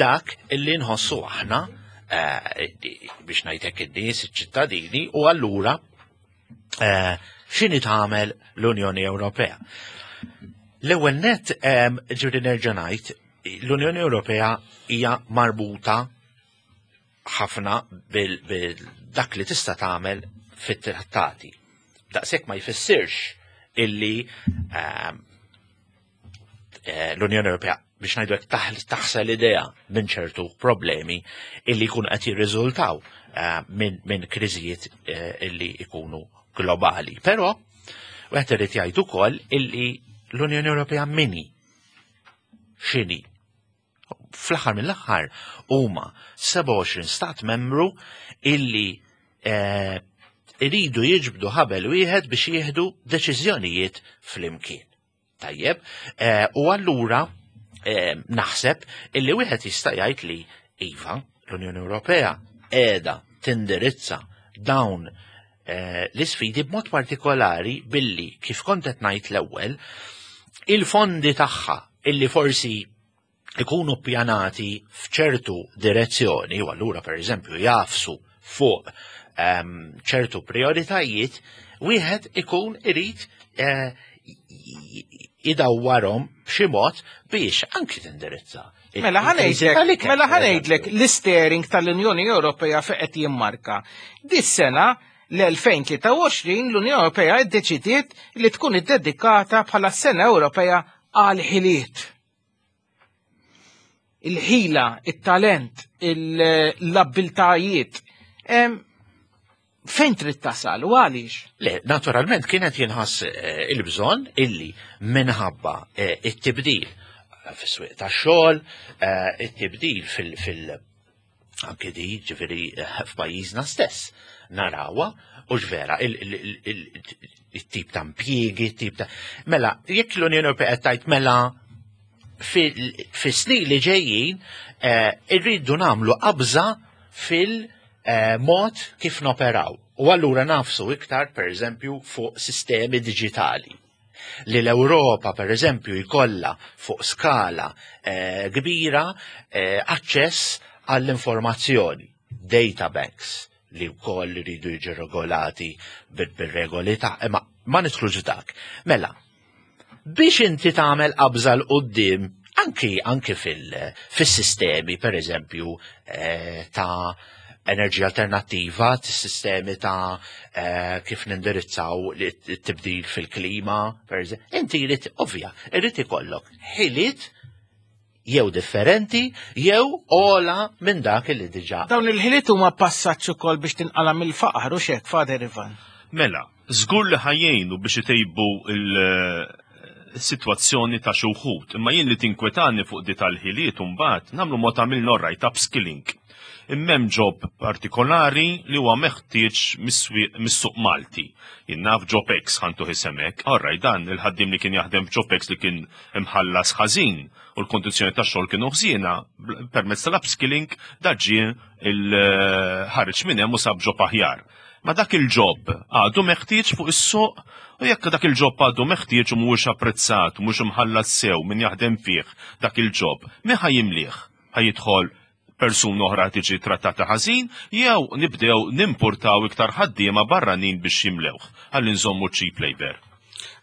D: dak illi nħossu aħna eh, biex ngħidlek in-nies, iċ-ċittadini u allura eh, x'inhi tagħmel l-Unjoni Ewropea. L-ewwel net ehm, ġifieri nerġa' ngħid l-Unjoni Ewropea hija marbuta ħafna bil, bil dak li tista' tagħmel fit-trattati. Daqshekk ma jfissirx illi ehm, eh, l-Unjoni Ewropea biex ngħidu hekk taħ- taħsel idejha minn ċertu problemi illi jkunu qed jirriżultaw eh, minn min kriżijiet eh, illi jkunu globali. Però wieħed irid jgħid ukoll illi l-Unjoni Ewropea min hi x'inhi fl-aħħar mill-aħħar huma sebgħa u għoxrin stat membru illi eh, iridu jiġbdu ħabel wieħed biex jieħdu deċiżjonijiet flimkien. Tajjeb, eh, u allura eh, naħseb illi wieħed jista' jgħid li iva, l-Unjoni Ewropea qiegħda tindirizza dawn eh, l-isfidi b'mod partikolari billi kif kont qed ngħid l-ewwel il-fondi tagħha illi forsi ikunu ppjanati f'ċertu direzzjoni, u allura per eżempju jagħfsu fuq ehm, ċertu prioritajiet, wieħed ikun irid eh, idawwarhom b'xi mod biex anki tindirizza il-
B: Mela
D: il-kriżi
B: ħa ngħidlek,
D: tal-ikel,
B: mela
D: per eżempju.
B: ħa ngħidlek l-steering tal-Unjoni Ewropea fejn qed jimmarka. Dis-sena l-elfejn tlieta u għoxrin l-Unjoni Ewropea iddeċidiet li tkun iddedikata bħala sena Ewropea għal ħiliet. Il-ħila, il-talent, l-abbiltajiet. Em, Fejn trid tasal u għaliex?
D: Le, naturalment kienet jinħass eh, il-bżonn illi minħabba eh, it-tibdil fis-swieq tax-xogħol, eh, it-tibdil fil- fil- anke di ġifieri eh, f'pajjiżna stess narawha u ġvera il-tip ta' impjiegi, it-tip ta' Mela, jekk l-Unjoni Ewropea qed tgħid mela fis-snin li ġejjin eh, irridu nagħmlu qabża fil-mod kif noperaw. U allura nagħfsu iktar, per eżempju, fuq sistemi digitali li l-Ewropa, per eżempju, jkollha fuq skala eh, kbira eh, aċċess għall-informazzjoni, data banks li wkoll iridu jiġu regolati bil- bil-regoli ta' imma ma nidħlux dak. Mela, biex inti tagħmel qabża 'l quddiem anki anki fil- fis-sistemi per eżempju eh, ta' enerġija alternattiva, sistemi ta' eh, kif nindirizzaw it-tibdil fil-klima, per eżempju, inti jrid ovvja, irid ikollok ħiliet jew differenti jew ogħla minn dak li diġà.
B: Dawn il-ħiliet huma passaġġ ukoll biex tinqala mill-faqar u xek, Father Ivan.
E: Mela, żgur li ħa jgħinu biex itejbu il-situazzjoni ta' xi wħud, imma jien li tinkwetani fuq di tal-ħiliet mbagħad nagħmlu mod għamilna right upskilling. Imma hemm job partikolari li huwa meħtieġ mis-suq Malti. Jien naf job X ħa ntuh isem hekk, alright, dan il-ħaddim li kien jaħdem f'job X li kien imħallas ħażin u l-kondizzjoni tax-xogħol kienu ħżiena, permezz tal-upskilling da ġie il-ħareġ minn hemm u sab job aħjar. Ma dak il-job għadu meħtieġ fuq is-suq u jekk dak il-job għadu meħtieġ u mhuwiex apprezzat, u mhux imħallas sew min jaħdem fih dak il-job, min ħa jimlih? Ħa jidħol persuna oħra tiġi trattata ħażin jew nibdew nimportaw iktar ħaddiema barranin biex jimlewh ħalli nżommu cheap labor?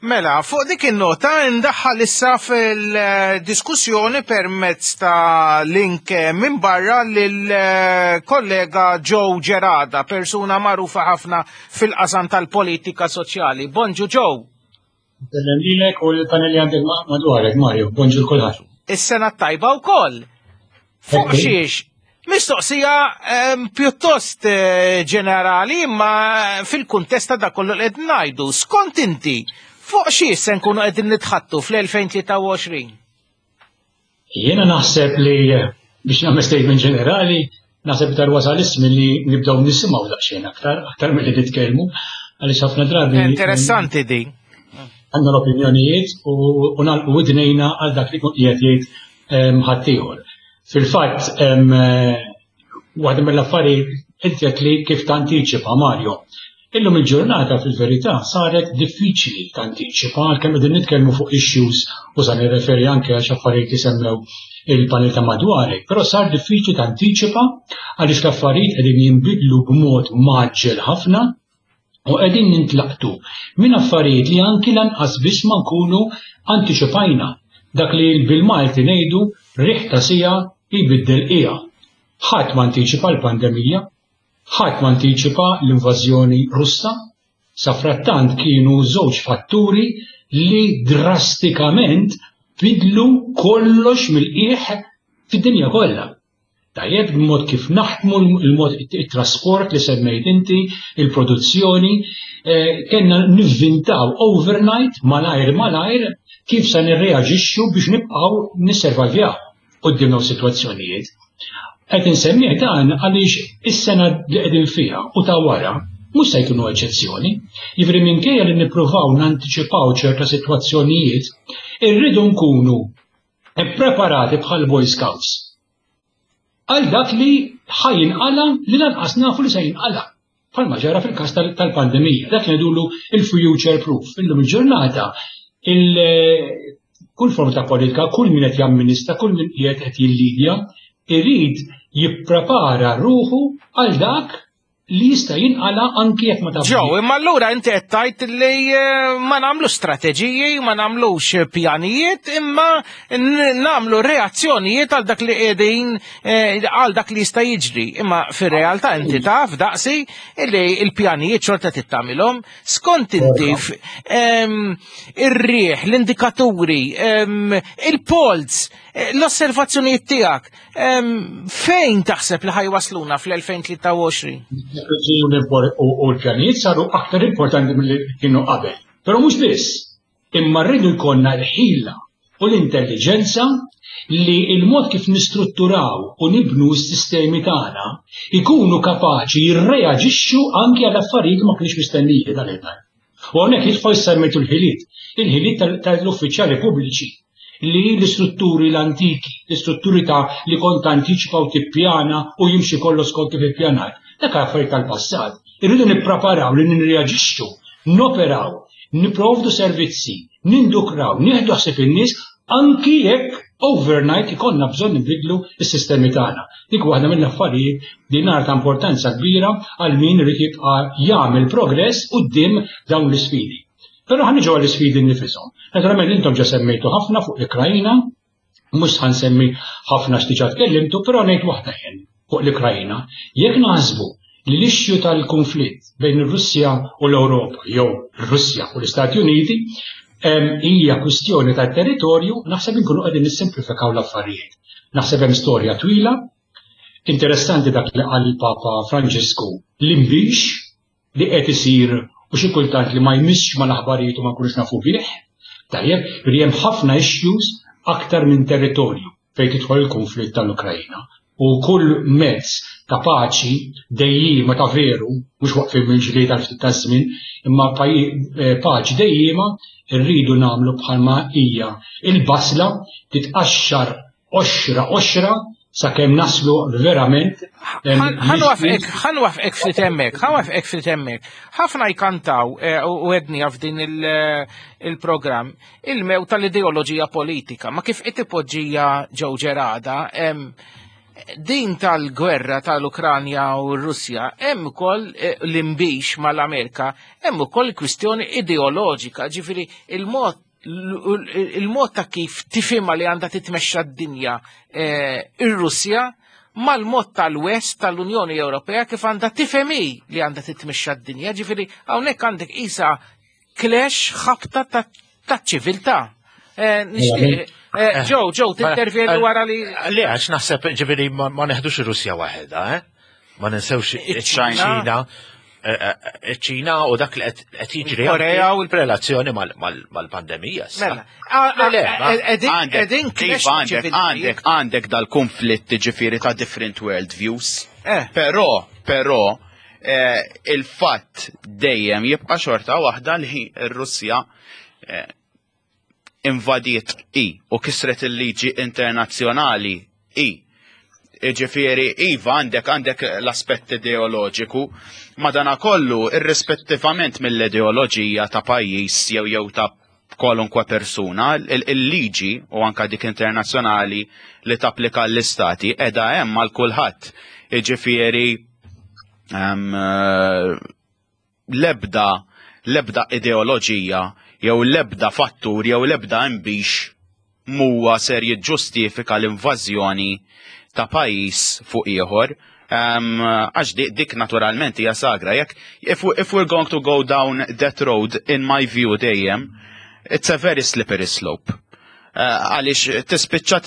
B: Mela, fuq dik in-nota ndaħħal issa fil-diskussjoni permezz ta' link minn barra lil kollega Joe Gerada, persuna magħrufa ħafna fil-qasam tal-politika soċjali. Bonġu, Joe.
F: Sellem lilek u l-panel li għandek madwarek, Mario. Bonġu 'l kulħadd.
B: Is-sena tajba wkoll. Fuq xiex? Mistoqsija pjuttost eh, ġenerali, imma fil-kuntest ta' dak kollu li qed ngħidu. Skont inti, fuq xiex se nkunu qegħdin nitħattu fl-elfejn tlieta u għoxrin?
F: Jiena naħseb li, biex nagħmel statement ġenerali, naħseb tar wasal iż-żmien li nibdew nisimgħu daqsxejn aktar, aktar milli nitkellmu, għaliex ħafna drabi
B: Interessanti di.
F: għandna l-opinjonijiet u nagħlqu widnejna għal dak li qiegħed jgħid ħaddieħor. Fil-fatt, waħda mill-affarijiet inti li kif tantiċipa, Mario. Illum il-ġurnata fil-verità saret diffiċli tantiċipa, għalkemm qegħdin nitkellmu fuq issues u sa nirreferi anke għal affarijiet li semmew il-panel ta' madwarek, però sar diffiċli tantiċipa għaliex l-affarijiet qegħdin jinbidlu b'mod mgħaġġel ħafna u qegħdin nintlaqtu minn affarijiet li anki lanqas biss ma nkunu antiċipajna, dak li bil-Malti ngħidu riħ ta' siegħa jbiddel qiegħa. Ħadd ma antiċipa l-pandemija, ħadd ma antiċipa l-invażjoni Russa, sa frattant kienu żewġ fatturi li drastikament bidlu kollox mill-qiegħ fid-dinja kollha. Tajjeb, il-mod kif naħdmu, il-mod it-trasport li semmejt inti, il-produzzjoni, eh, kellna nivvintaw overnight, malajr malajr, kif se nirreaġixxu biex nibqgħu nisservajvjaw quddiem dawn sitwazzjonijiet. Qed insemmih dan għaliex is-sena li qegħdin fiha u ta' wara mhux se jkunu eċċezzjoni. Jiġifieri, minkejja li nippruvaw nantiċipaw ċerta sitwazzjonijiet, irridu nkunu preparati bħal Boy Scouts għal dak li ħa jinqala li lanqas nafu li se jinqala. Bħalma ġara fil-każ tal-pandemija, dak li ngħidulu il-future proof. Illum il-ġurnata il kull forma ta' politika, kull min qed jamministra, kull min qiegħed qed jillidja, irid jipprepara ruħu għal dak li jista' jinqala anki jekk ma tafx.
B: Joe, imma allura inti qed tgħid li eh, ma nagħmlu strateġiji, ma nagħmlux pjanijiet, imma nagħmlu reazzjonijiet għal dak li qegħdin eh, għal dak li jista' jiġri. Imma fir-realtà inti taf daqsi li l-pjanijiet xorta tittamilhom. Skont inti, ir-riħ, l-indikaturi, il-polls, eh, l-osservazzjonijiet tiegħek, fejn taħseb li ħa jwassluna fl-elfejn tlieta u għoxrin?
F: U l-pjanijiet saru aktar importanti mill-li kienu qabel. Però mhux biss, imma rridu jkollna l-ħila u l-intelligenza li il-mod kif nistrutturaw u nibnu s-sistemi tagħna ikunu kapaċi jirreaġixxu anki għal affarijiet ma kienx mistennija dan il. U hawnhekk jidħol, semmejtu l-ħiliet, il-ħiliet tal-uffiċjali pubbliċi, li l-istrutturi l-antiki, l-istrutturi ta' li kont antiċipa u tippjana u jimxi kollu skont kif ippjanat. Dak affarijiet tal-passat. Irridu nippreparaw li nirreaġixxu, noperaw, niprovdu servizzi, nindukraw, nieħdu ħsieb in-nies anki jekk overnight ikollna bżonn nibidlu s-sistemi tagħna. Dik waħda mill-affarijiet li nar ta' importanza kbira għal min irid jibqa' jagħmel progress quddiem dawn l-isfidi. Però ħa niġu għall-isfidi nfishom. Naturalment intom ġa semmejtu ħafna fuq l-Ukrajina, mhux ħa nsemmi ħafna x'diġà tkellimtu, però ngħid waħda jien fuq l-Ukrajina. Jekk naħsbu li l-issue tal-konflitt bejn ir-Russja u l-Ewropa jew ir-Russja u l-Istati Uniti hija kwistjoni ta' territorju, naħseb inkunu qegħdin nissimplifikaw l-affarijiet. Naħseb hemm storja twila, interessanti dak li qal il-Papa Franġisku, l-imbix li qed isir u xi kultant li ma jmissx mal-aħbarijiet u ma nkunux nafu bih. Tajjeb, li hemm ħafna issues aktar minn territorju fejn tidħol il-konflitt tal-Ukrajna. U kull mezz ta' paċi dejjima ta' veru, mhux waqfin minn ġlied għal ftit ta' żmien, imma eh, paċi dejjima, rridu nagħmlu bħalma hija il-basla, titqaxxar qoxra qoxra sakemm naslu verament.
B: Ħa nwaqqfek ftit hemmhekk, ħa nwaqqfek ftit hemmhekk. Ħafna jkantaw eh, u għedni f'din il-programm il-mew tal-ideoloġija politika, ma kif qed ipoġġija Joe Gerada, Din tal-gwerra tal-Ukranja u r-Russja hemm ukoll eh, l-imbix mal-Amerika, hemm ukoll kwistjoni ideoloġika, ġifieri il-mod il-mod ta' kif tifhimha li għandha titmexxa d-dinja eh, ir-Russja mal-mod tal-West tal-Unjoni Ewropea kif għandha tifhem hi li għandha titmexxa d-dinja, ġifieri hawnhekk għandek isa clash, ħabta ta' ċiviltà. Eh, nixtieq, eh, Joe, Joe, tintervjeni wara li.
D: Le, għax naħseb, ġifieri, ma ma neħdux ir-Russja waħedha, eh? Ma ninsewx
B: Iċ-Ċina.
D: Iċ-Ċina u dak li qed qed jiġri
B: Il-Korea u l-
D: relazzjoni mal-pandemija. issa.
B: Mela,
D: Le, le, ma-
B: edin
C: Għandek,
B: edin clash
C: iva, għandek,
B: ċivili.
C: għandek, għandek dal-konflitt, ġifieri, ta' different world views.
B: Eh.
C: Però, però, eh, il-fatt dejjem jibqa' xorta waħda li r-Russja eh, invadiet i u kisret il-liġi internazzjonali i. Ġifieri, iva, għandek għandek l-aspett ideoloġiku, madana kollu, irrispettivament mill-ideoloġija ta' pajjiż jew jew ta' kwalunkwe persuna, il- il-liġi u anka dik internazzjonali li tapplika l-istati edha hemm għal kulħadd. Ġifieri, em, eh, lebda lebda ideoloġija jew lebda fattur jew lebda imbix muwa ser jiġġustifika l-invażjoni ta' pajjiż fuq ieħor. Um, għax dik, dik naturalment hija sagra. Jekk if, we, if we're going to go down that road, in my view dejjem, it's a very slippery slope. Eh, Għaliex tispiċċa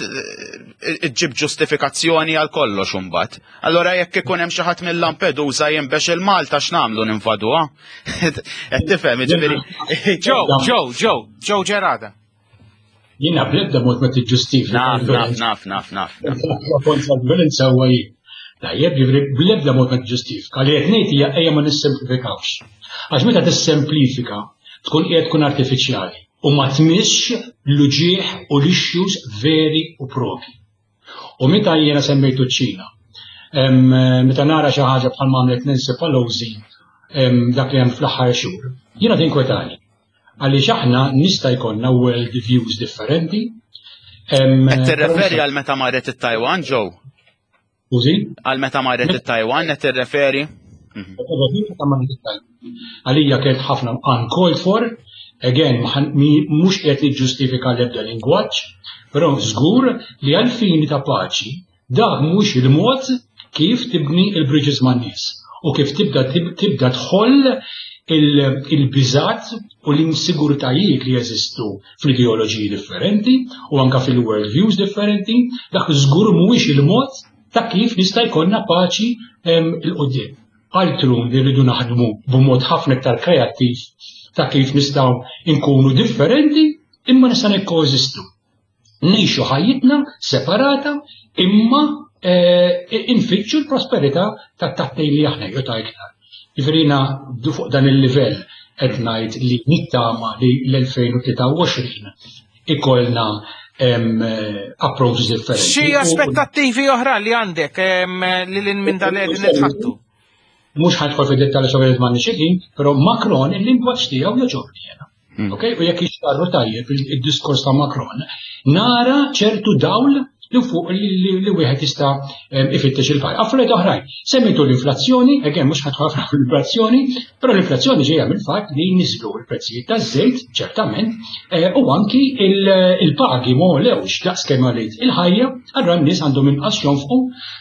C: ġib ġustifikazzjoni għal kollox imbagħad. Allora jekk ikun hemm xi ħadd mill-Lampedusa jinbex il-Malta, x'nagħmlu, ninvaduha? Qed tifhem, ġifieri.
B: Joe, Joe, Joe, Joe Gerada.
F: Jiena bl-ebda mod ma tiġġustifika.
C: Naf, naf, naf, naf, naf.
F: Kontra l-violenza huwa jien. Tajjeb, jiġifieri bl-ebda mod ma tiġġustifika. Li qed ngħid hija ejja ma nissemplifikawx. Għax meta tissemplifika tkun qiegħed tkun artifiċjali u ma tmissx l-uġieħ u l-issues veri u propi. U meta jiena semmejtu ċ-Ċina, em, meta nara xi ħaġa bħal għamlet Nancy Pelosi em, dak li hemm fl-aħħar xhur, jiena tinkwetani. Għaliex aħna nista' jkollna world views differenti. Em,
C: Qed tirreferi għal meta marret it-Taiwan, Joe?
F: Skużi?
C: Għal meta marret it-Taiwan qed tirreferi?
F: Għalija kienet ħafna uncalled for, again, mhux qed niġġustifika l-ebda lingwaġġ, però żgur li għal-fini ta' paċi, dak mhux il-mod kif tibni il-bridges man-nies u kif tibda tibda tħoll il-biżat u l-insigurtajiet li jeżistu fl-ideoloġiji differenti u anka fil-world views differenti, dak żgur mhuwiex il-mod ta' kif nista' jkollna paċi 'l quddiem. Altru li rridu naħdmu b'mod ħafna iktar kreattiv ta' kif nistgħu nkunu differenti imma nista' nikkoeżistu. Ngħixu ħajjitna separata imma eh, infittxu l-prosperità ta' tat-tnejn li aħna jew ta' iktar. Jiġifieri fuq dan il-livell qed ngħid li nittama li l-elfejn u tlieta u għoxrin ikollna approaches differenti.
B: Xi aspettattivi oħra li għandek li l minn dan qegħdin nitħattu?
F: Mhux ħa nidħol fid-dettall xogħol m'għandniex ħin, però Macron il-lingwaġġ tiegħu jogħġobni jiena. Hmm. Ok, u jekk jixtarru tajjeb il-diskors ta' Macron, nara ċertu dawl li fuq li wieħed jista' ifittex il-paj. Affarijiet oħrajn. Semmejtu l-inflazzjoni, again mhux ħa nidħol l-inflazzjoni, però l-inflazzjoni ġejja mill-fatt li niżlu l-prezzijiet taż-żejt, ċertament, eh, u anki il-pagi ma għolewx daqs kemm għoliet il-ħajja, allura n-nies għandhom inqas jonfqu,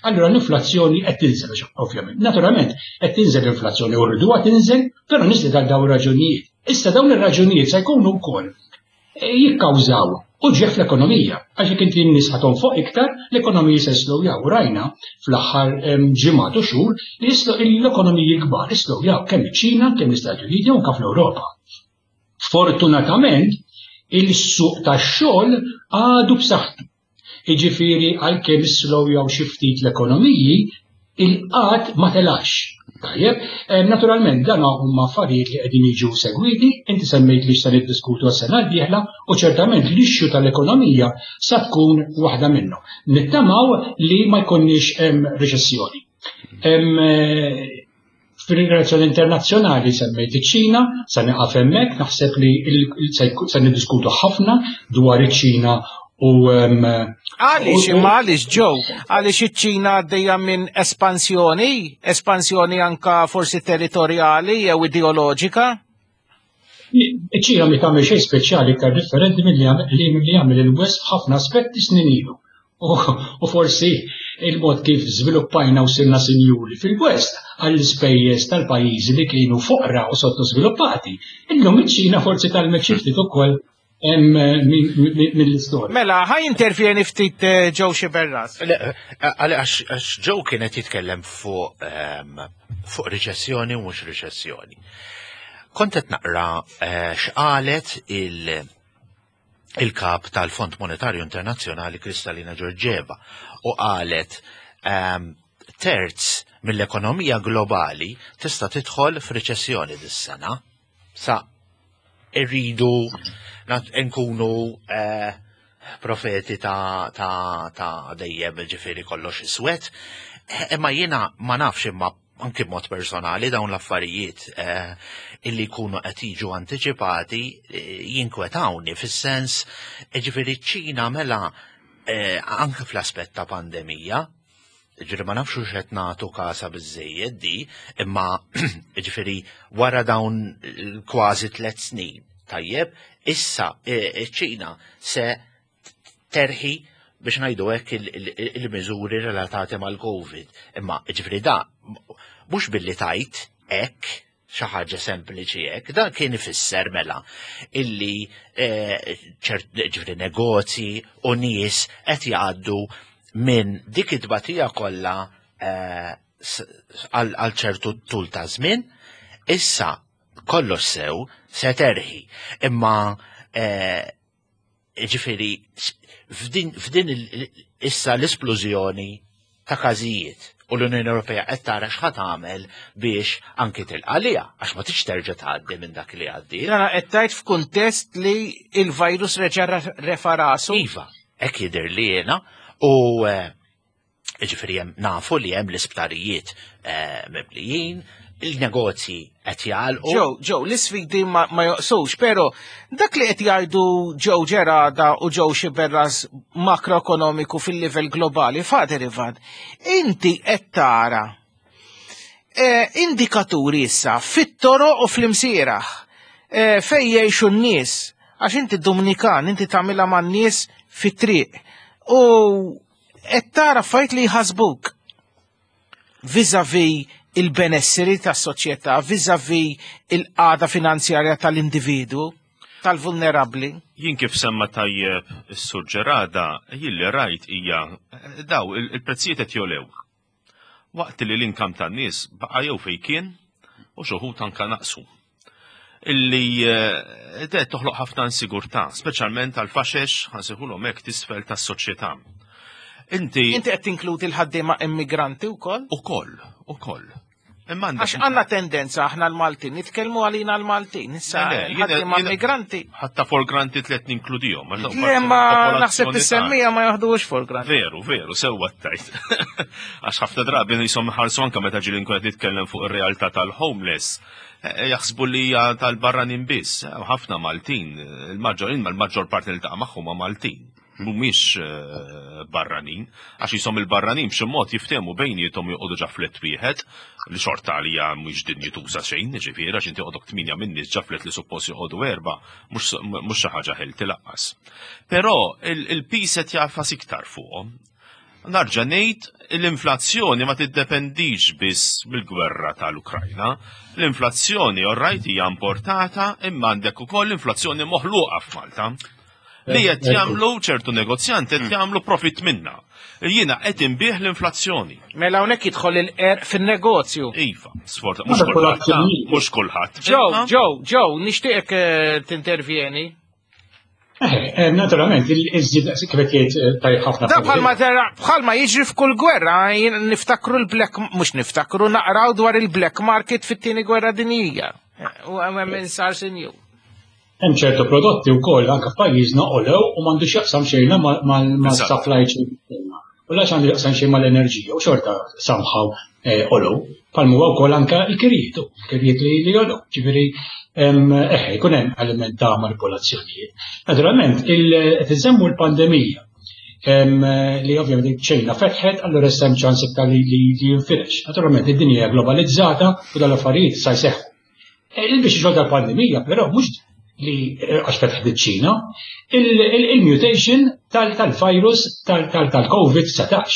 F: allura l-inflazzjoni qed tinżel ovvjament. Naturalment qed tinżel l-inflazzjoni u rriduha tinżel, però niżlet għal dawn raġunijiet. Issa dawn ir-raġunijiet se jkunu wkoll eh, jikkawżaw uġigħ fl-ekonomija. Għax jekk inti n-nies ħa tonfoq iktar, l-ekonomija se slowjaw. Rajna fl-aħħar ġimgħat u xhur li l-ekonomiji kbar slowjaw kemm iċ-Ċina, kemm l-Istati Uniti u anke fl-Ewropa. Fortunatament, il-suq tax-xogħol għadu b'saħħtu. Jiġifieri għalkemm slowjaw xi ftit l-ekonomiji, il-qgħad ma telax. Tajjeb, eh, naturalment dan huma affarijiet li qegħdin jiġu segwiti, inti semmejt li x'se niddiskutu għas-sena d-dieħla u ċertament l-issue tal-ekonomija sa tkun waħda minnhom. Nittamaw li ma jkunniex hemm riċessjoni. Eh, fil-relazzjoni internazzjonali semmejt iċ-Ċina, sa nieqaf hemmhekk, naħseb li se niddiskutu ħafna dwar iċ-Ċina U
B: Għaliex imma għaliex ġew, għaliex iċ-Ċina għaddejja minn espansjoni, espansjoni anka forsi territorjali jew ideoloġika?
F: Iċ-Ċina mi tagħmel xejn speċjali iktar differenti milli jagħmel il-West f'ħafna aspetti snin ilu. U forsi il-mod kif żviluppajna u sirna sinjuri fil-West għall-ispejjeż tal-pajjiżi li kienu foqra u sottosviluppati. Illum iċ-Ċina forsi tgħallmet xi ftit ukoll mill-istorja.
B: Mela, ħa jintervjeni ftit Joe Sciberras.
D: Għax Joe kienet jitkellem fuq fuq riċessjoni u mhux riċessjoni. Kont qed naqra x'qalet il- il-kap tal-Fond Monetarju Internazzjonali Kristalina Georgieva u qalet terz mill-ekonomija globali tista' tidħol f'riċessjoni dis-sena. Sa irridu nkunu eh, profeti ta' ta' ta' dejjem ġifieri kollox iswed. Imma jiena ma nafx imma anki b'mod personali dawn l-affarijiet eh, illi jkunu qed jiġu antiċipati eh, jinkwetawni fis-sens ġifieri ċ-Ċina mela eh, anke fl-aspett ta' pandemija, ġifieri ma nafx x'qed nagħtu kasa biżejjed di, imma ġifieri wara dawn kważi tliet snin, tajjeb, issa ċ-Ċina se terħi biex ngħidu hekk il-miżuri relatati mal-Covid. Imma ġifieri da mhux billi tajt hekk xi ħaġa sempliċi hekk, dan kien ifisser mela illi ġifieri negozji u nies qed jgħaddu minn dik it-tbatija kollha għal ċertu tul ta' żmien, issa kollox sew se terħi. Imma ġifieri f'din issa l-esplużjoni ta' każijiet u l-Unjoni Ewropea qed tara x'ħa tagħmel biex anki tilqalija għax ma tix terġa' tgħaddi minn dak li għaddi.
B: Jiena qed tgħid f'kuntest li il-virus reġa' refa' rasu.
D: Iva, hekk jidher li jiena u ġifieri hemm nafu li hemm l-isptarijiet mimlijin, il-negozji qed jagħlqu.
B: Joe, Joe, l-isfidi ma, ma joqsux, pero dak li qed jgħidu Joe Gerada u Joe Sciberras makroekonomiku fil-livell globali, Father Ivan, inti qed tara eh, indikaturi issa fit-toroq u fl-imsieraħ eh, fej jgħixu n-nies, għax inti Dominikan, inti tagħmilha man-nies fit-triq u qed tara affarijiet li jħasbuk vis-a-vis il-benesseri tas-soċjetà, vis-a-vis il-qagħda finanzjarja tal-individu, tal-vulnerabli.
E: Jien kif semma tajjeb is-Sur Gerada, jien li rajt hija daw il-prezzijiet qed jolew. Waqt li l-income tan-nies baqa' jew fejn kien u xi wħud anka naqsu. Illi eh, toħloq ħafna insigurtà, speċjalment għal faxex ħa nsejħulhom hekk t'isfel tas-soċjetà. Inti
B: Inti qed tinkludi l-ħaddiema immigranti wkoll?
E: Ukoll, ukoll. Imma
B: Għax għandna tendenza aħna l-Maltin, nitkellmu għalina l-Maltin, issa
E: Le, le, jiena-
B: ħaddiema
E: jiena-
B: immigranti.
E: Ħatta for granted li qed ninkludihom. għax dawk
B: Le
E: parti
B: ma
E: mill-popolazzjoni
B: naħseb
E: tagħna.
B: is-semmija ma jaħduhux for granted.
E: Veru, veru, sewwa tajt. Għax ħafna drabi jisom ħarsu anka meta ġieli nkun qed nitkellem fuq ir-realtà tal-homeless. eh, Jaħsbu li hija tal-barranin biss. Eh, Ħafna Maltin, il-maġġor il-maġġor parti li taqa' magħhom huma Maltin. Mhumiex eh, barranin, għax jisom il-barranin b'xi mod jiftehmu bejniethom joqogħdu ġa flat wieħed, li xorta għalija mhux dinjituża xejn, ġifieri għax inti joqogħdok tminja minn nies ġa flat li suppost joqogħdu erba', mhux mhux xi ħaġa healthy lanqas. Però il-piż qed jagħfas iktar fuqhom. Narġa' ngħid l-inflazzjoni ma tiddependix biss mill-gwerra tal-Ukrajna. L-inflazzjoni orrajt hija importata imma għandek ukoll l-inflazzjoni moħluqa f'Malta. Li qed jagħmlu ċertu negozjanti qed jagħmlu profit minna. Jiena qed inbih l-inflazzjoni.
B: Mela hawnhekk jidħol il-qerq fin-negozju.
E: Iva, sforta, mhux kulħadd, mhux kulħadd.
B: Joe, Joe, Joe, nixtieqek eh, tintervjeni.
F: Eh, eh, naturalment, il-żid kif qed jgħid tajjeb ħafna.
B: Da bħalma tara, bħalma jiġri f'kull gwerra, jien niftakru l-black, mhux niftakru, naqraw dwar il-black market fit-tieni gwerra dinjija. U hemm min sar sinjur.
F: Hemm ċertu prodotti wkoll anke f'pajjiżna olew u m'għandux jaqsam xejn mal-supply chain. U la għandu jaqsam xejn mal-enerġija u xorta somehow għolew. Bħalma huwa wkoll anke l-kirijiet, il-kirijiet li li għolew. Ġifieri eħe, jkun hemm element ta' manipolazzjonijiet. Naturalment, qed insemmu l-pandemija li ovvjament ċ-Ċina fetħet, allura issa hemm ċans iktar li jinfirex. Naturalment, id-dinja hija globalizzata u dal-affarijiet sa jseħħu. Il-biex xogħol tal-pandemija, però mhux li għax fetħet iċ-Ċina, il-mutation tal-virus tal-COVID dsatax.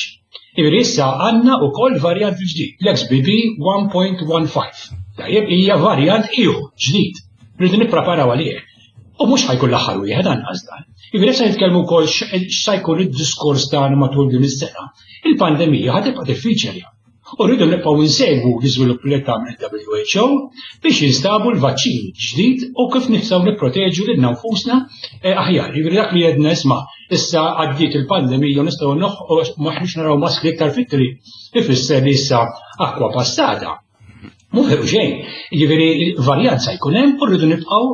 F: Ġifieri issa għandna wkoll varjant ġdid, l-X B B one point one five. Tajjeb, hija varjant ieħor ġdid. Rridu nippreparaw għalih. U mhux ħa jkun l-aħħar wieħed anqas dan. Ġifieri issa nitkellmu wkoll x'sa jkun id-diskors tagħna matul din is-sena. Il-pandemija ħa tibqa' diffiċli. U rridu nibqgħu nsegwu l-iżvilupp li tagħmel il-W H O biex jinstabu l-vaċċin ġdid u kif nistgħu nipproteġu lil nfusna aħjar. Jiġifieri dak li għedna, isma', issa għaddiet il-pandemija u nistgħu maħniex naraw maskri iktar fit-triq. Ifisser li issa acqua passata. Mhu veru xejn. Jiġifieri varjant sa jkun hemm u rridu nibqgħu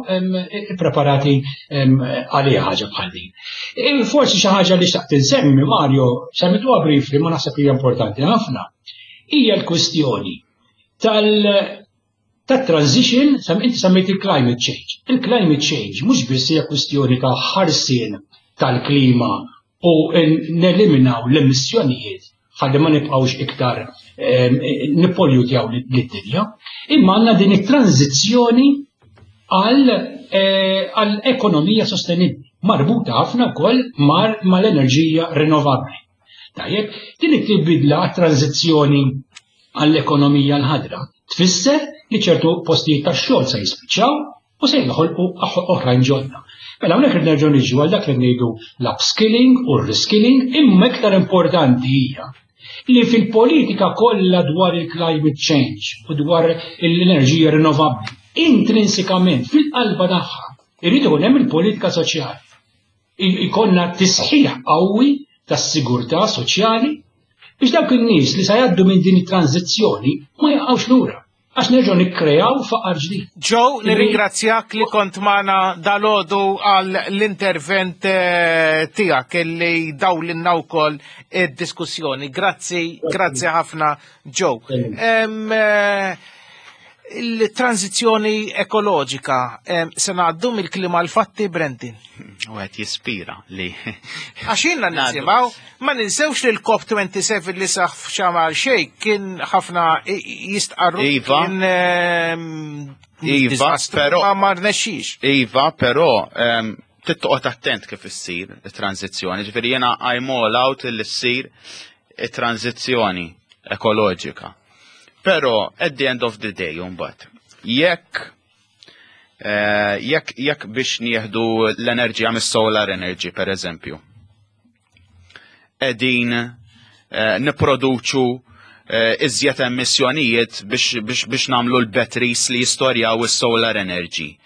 F: preparati għalija ħaġa bħal din. Forsi xi ħaġa li xtaqt insemmi, Mario, semmituha briefly, ma naħseb hija importanti ħafna, hija l-kwistjoni tal tat-transition, sam inti semmejt il-climate change. Il-climate change mhux biss hija kwistjoni ta' ħarsien tal-klima u neliminaw l-emissjonijiet ħalli ma nibqgħux iktar nippollutjaw lid-dinja, imma għandna din it-tranzizzjoni għal għal ekonomija sostenibbli marbuta ħafna wkoll mal-enerġija rinnovabbli. Tajjeb, din it-tibdila għat-tranzizzjoni għall-ekonomija l-ħadra tfisser li ċertu postijiet tax-xogħol se jispiċċaw u se jinħolqu oħrajn ġodda. Mela hawnhekk nerġgħu niġu għal dak li ngħidu l-upskilling u r-reskilling, imma iktar importanti hija li fil-politika kollha dwar il-climate change u dwar l-enerġija rinnovabbli, intrinsikament fil-qalba tagħha irid ikun hemm il-politika soċjali. Ikollna tisħiħ qawwi tas-sigurtà soċjali biex dawk in-nies li sa jgħaddu minn din it-tranzizzjoni ma jaqgħux lura għax nerġgħu nikkrejaw faqar ġdid.
B: Joe, nirringrazzjak li kont magħna dalgħodu għal l-intervent eh, tiegħek illi dawlilna wkoll id-diskussjoni. Grazzi, grazzi ħafna, Joe. Em, eh, Il-tranzizjoni ekoloġika, em, se ngħaddu mill-klima l-fatti, Brentin?
C: U għet jispira li.
B: Għax ilna nisimgħu, ma ninsewx li l-COP twenty-seven li seħħ f'Sharm el-Sheikh kien ħafna jistqarru
C: Iva.
B: kien ehm,
C: Iva,
B: diżastru,
C: però-
B: ma ma rnexxix.
C: Iva, però um, tittoqgħod attent kif issir it-tranzizzjoni. Ġifieri jiena I'm all out li ssir it-tranzizzjoni ekoloġika. Però at the end of the day, mbagħad, jekk eh, jekk jekk biex nieħdu l-enerġija mis-solar energy, per eżempju, qegħdin eh, nipproduċu eh, iżjed emissjonijiet biex, biex, biex nagħmlu l-batteries li jistorjaw is-solar energy.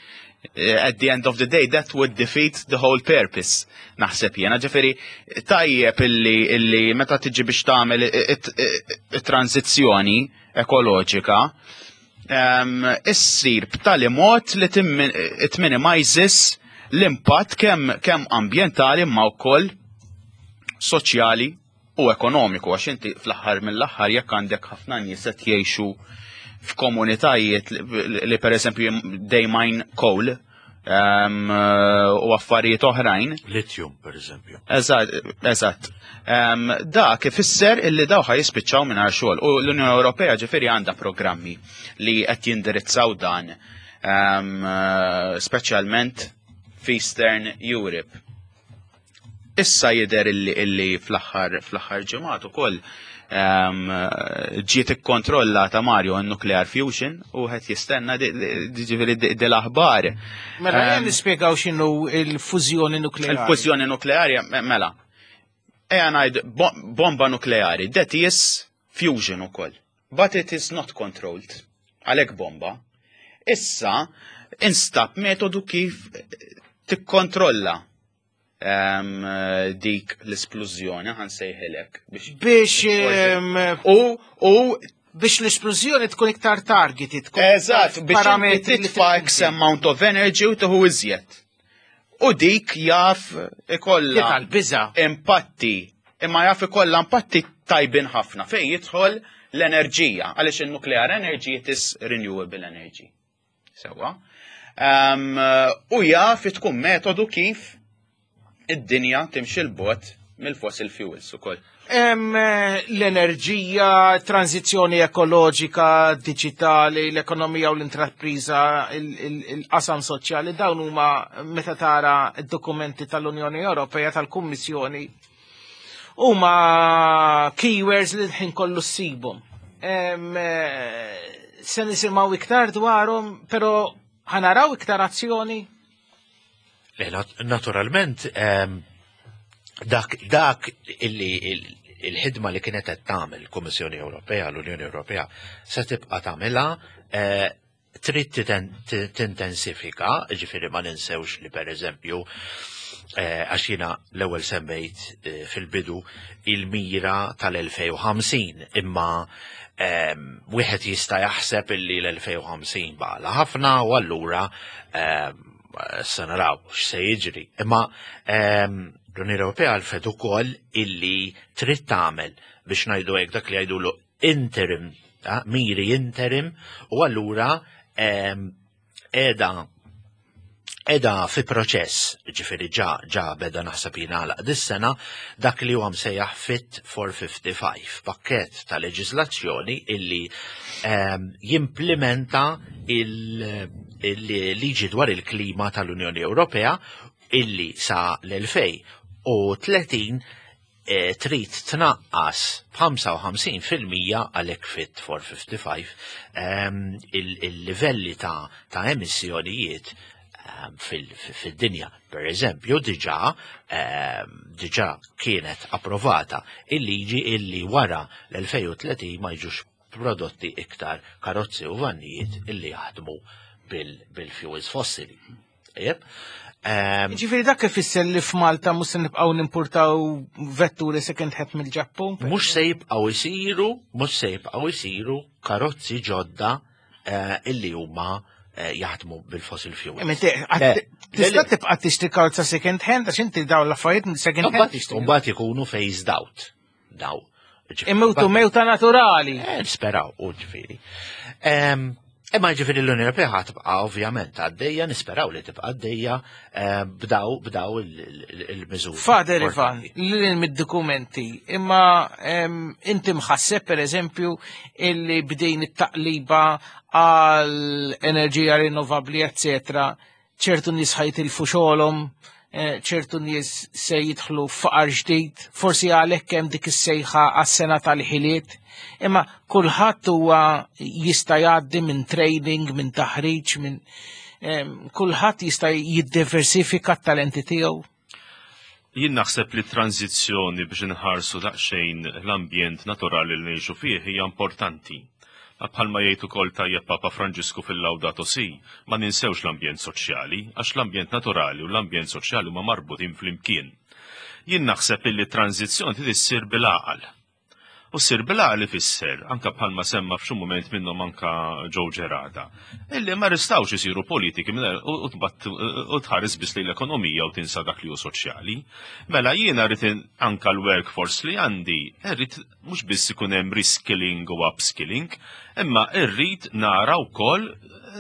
C: Eh, At the end of the day, that would defeat the whole purpose, naħseb jena. Ġifieri, tajjeb illi, illi meta tiġi biex tagħmel it-tranzizzjoni ekoloġika, um, issir b'tali mod li it minimizes l-impatt kemm kemm ambjentali ma wkoll soċjali u ekonomiku, għax inti fl-aħħar mill-aħħar jekk għandek ħafna nies qed jgħixu f'komunitajiet li, li per eżempju they mine coal um, u affarijiet oħrajn.
D: Lithium, per eżempju.
C: Eżatt, eżatt. Um, dak ifisser illi daw ħa jispiċċaw mingħajr xogħol. U l-Unjoni Ewropea ġifieri għandha programmi li qed jindirizzaw dan, um, speċjalment f'Eastern Europe. Issa jidher illi, illi fl-aħħar fl-aħħar ġimgħat ukoll um, ġiet ikkontrollata, Mario, n-nuclear fusion u qed jistenna ġifieri di l-aħbar.
B: Mela um, nispjegaw x'inhu il-fużjoni nukleari.
C: Il-fużjoni nukleari, mela. Ejja ngħid bomba nukleari, that is fusion ukoll. But it is not controlled. Għalhekk bomba. Issa instab metodu kif tikkontrolla um, dik l-esplużjoni, ħa nsejħilek.
B: Biex um,
C: u u
B: biex l-esplużjoni tkun iktar targeted. Tkun
C: Eżatt, biex parametri li titfa' X amount of energy u tuħu iżjed. U dik jaf ikolla
B: tal-biża.
C: Impatti Imma jaf ikollha impatti tajbin ħafna fejn jidħol l-enerġija, għaliex il-nuclear energy it is renewable energy. Sewwa. Um, u jaf tkun metodu kif id-dinja timxi 'l bogħod mill-fossil fuels ukoll.
B: Hemm eh, l-enerġija, tranzizjoni ekoloġika, digitali, l-ekonomija u l-intrapriża, il-qasam soċjali, dawn huma meta tara d-dokumenti tal-Unjoni Ewropea tal-Kummissjoni huma keywords li l-ħin kollu ssibhom. Em, eh, Se nisimgħu iktar dwarhom, però ħa naraw iktar azzjoni.
D: Le, nat- Naturalment, em, dak, dak illi il- il-ħidma li kienet qed tagħmel il-Kummissjoni Ewropea, l-Unjoni Ewropea, se tibqa' tagħmilha eh, trid titen- t- tintensifika, ġifieri ma ninsewx li pereżempju eh, għax jiena l-ewwel semmejt eh, fil-bidu il-mira tal-elfejn u ħamsin, imma em, wieħed jista' jaħseb illi l-elfejn u ħamsin baqgħalha ħafna u allura em, se naraw x'se jiġri. Imma em, l-Unjoni Ewropea għarfet ukoll illi trid tagħmel biex ngħidu hekk dak li jgħidulu interim, ah, miri interim, u allura em, qiegħda qiegħda fi proċess, ġifieri ġa, ġa beda naħseb jingħalaq dis-sena, dak li huwa msejjaħ Fit for fifty-five, pakket ta' leġislazzjoni illi um, jimplementa il-liġi dwar il-klima tal-Unjoni Ewropea illi sa l-elfejn u tletin eh, trid tnaqqas b'ħamsa u ħamsin fil-mija, għalhekk Fit for fifty-five, ehm, il-livelli ta', ta' emissjonijiet ehm, fil-dinja. Per eżempju, diġà ehm, diġà kienet approvata il-liġi illi wara l-elfejn u tletin ma jiġux prodotti iktar karozzi u vannijiet illi jaħdmu bil-fuels fossili. Jep.
B: Ġifieri dak ifisser li f'Malta mhux se nibqgħu nimpurtaw vetturi second hand mill-Ġappun?
D: Mhux se jibqgħu jsiru, mhux se jibqgħu jsiru karozzi ġodda eh, illi huma eh, jaħdmu bil-fossil fuels.
B: Tista' tibqa' tixtri karozza second hand għax inti dawn l-affarijiet second hand tixtri.
D: Mbagħad ikunu phased out. Daw.
B: Imewtu mewta naturali.
D: Eh, nisperaw, u ġifieri. Imma ġifieri l-Unjoni Ewropea ħa tibqa' ovvjament għaddejja, nisperaw li tibqa' għaddejja b'daw b'daw il-miżuri.
B: Father Ivan, lil mid-dokumenti, imma inti mħasseb per eżempju illi bdejn it-taqliba għal enerġija rinnovabbli, eccetera, ċertu nies ħa jitilfu xogħolhom, eh, ċertu nies se jidħlu faqar ġdid, forsi għalhekk hemm dik is-sejħa għas-sena tal-ħiliet, imma kulħadd huwa jista' jgħaddi minn training, minn taħriġ, minn kulħadd jista' jiddiversifika t-talenti tiegħu.
E: Jien naħseb li tranzizzjoni biex inħarsu daqsxejn l-ambjent naturali li ngħixu fih hija importanti. Bħalma jgħid ukoll tajjeb Papa Franġisku fil-Laudato Si, ma ninsewx l-ambjent soċjali, għax l-ambjent naturali u l-ambjent soċjali huma marbutin flimkien. Jien naħseb illi tranzizzjoni trid issir bil-għaqal. U ssir bil-għaqal ifisser, anka bħalma semma f'xi mument minnhom anka Joe Gerada, illi ma ristawx isiru politiki u u tħares biss lejn l-ekonomija u tinsa dak li hu soċjali. Mela jiena rrid anka l-workforce li għandi, rrid mhux biss ikun hemm reskilling u upskilling, imma rrid nara wkoll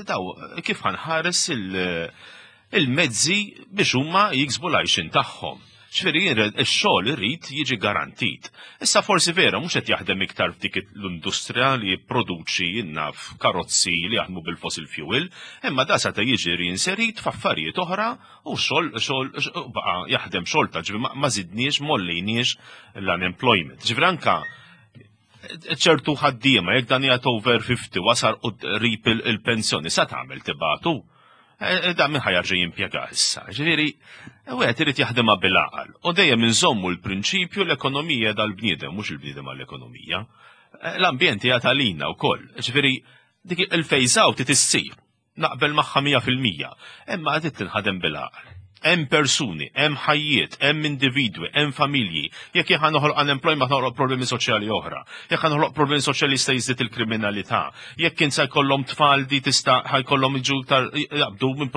E: daw kif ħa nħares il-mezzi biex huma jiksbu l-għajxin tagħhom. Ġifieri ix-xogħol irid jiġi garantit. Issa forsi vera mhux qed jaħdem iktar f'dik l-industrija li jipproduċi naf karozzi li jaħdmu bil-fossil fuel, imma da seta' jiġi reinserit f'affarijiet oħra u xogħol xogħol baqa' jaħdem xogħol ta' ġifieri ma żidniex m'għollejniex l-unemployment. Ġifieri anka ċertu ħaddiema jekk dan jgħat over fifty wasal u qrib il-pensjoni sa tagħmel tibagħtu. E, e, da min ħa jerġa' jimpjega issa. Ġifieri, wieħed irid jaħdimha bil-għaqal. U dejjem inżommu l-prinċipju l-ekonomija dal-bniedem, mhux il-bniedem għall-ekonomija. E, l-ambjent hija talina wkoll. Ġifieri, dik il-phase out issir. Naqbel magħha mija fil-mija. Imma qed tinħadem bil-għaqal. Hemm persuni, hemm ħajjiet, hemm individwi, hemm familji. Jekk jekk noħloq unemployment noħloq problemi soċjali oħra. Jekk noħloq problemi soċjali jista' jiżdied il-kriminalità. Jekk insa jkollhom tfal di tista' ħa jkollhom iġu iktar jaqbdu minn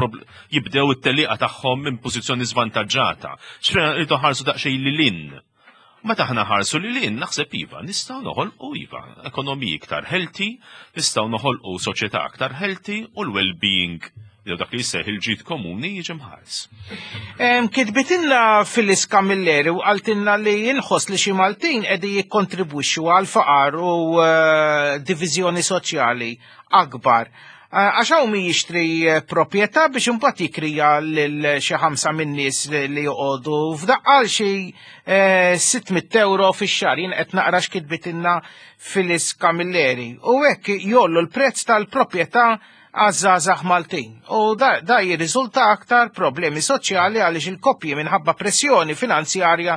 E: jibdew it-telliqa tagħhom minn pożizzjoni żvantaġġata. Ġifieri rridu ħarsu daqsxejn lil hinn. Meta aħna nħarsu lil hinn, naħseb iva, nistgħu noħolqu iva, ekonomiji iktar healthy, nistgħu noħolqu soċjetà aktar healthy u l-well-being jew dak li jissejjaħ il-ġid komuni jiġi mħares.
B: Kitbitilna Phyllis Camilleri u qaltilna li inħoss li xi Maltin qegħdin jikkontribwixxu għal faqar u eh, diviżjoni soċjali akbar. Eh, għax hawn min jixtri eh, proprjetà biex imbagħad jikrija lil xi ħamsa min-nies li joqogħdu f'daqqa għal xi sitt mitt euro fix-xahar. Jien qed naqra x'kitbitilna Phyllis Camilleri. U hekk jgħollu l-prezz tal-proprjetà għaż-żgħażagħ Maltin. U da, da jirriżulta aktar problemi soċjali għaliex il-koppji minħabba pressjoni finanzjarja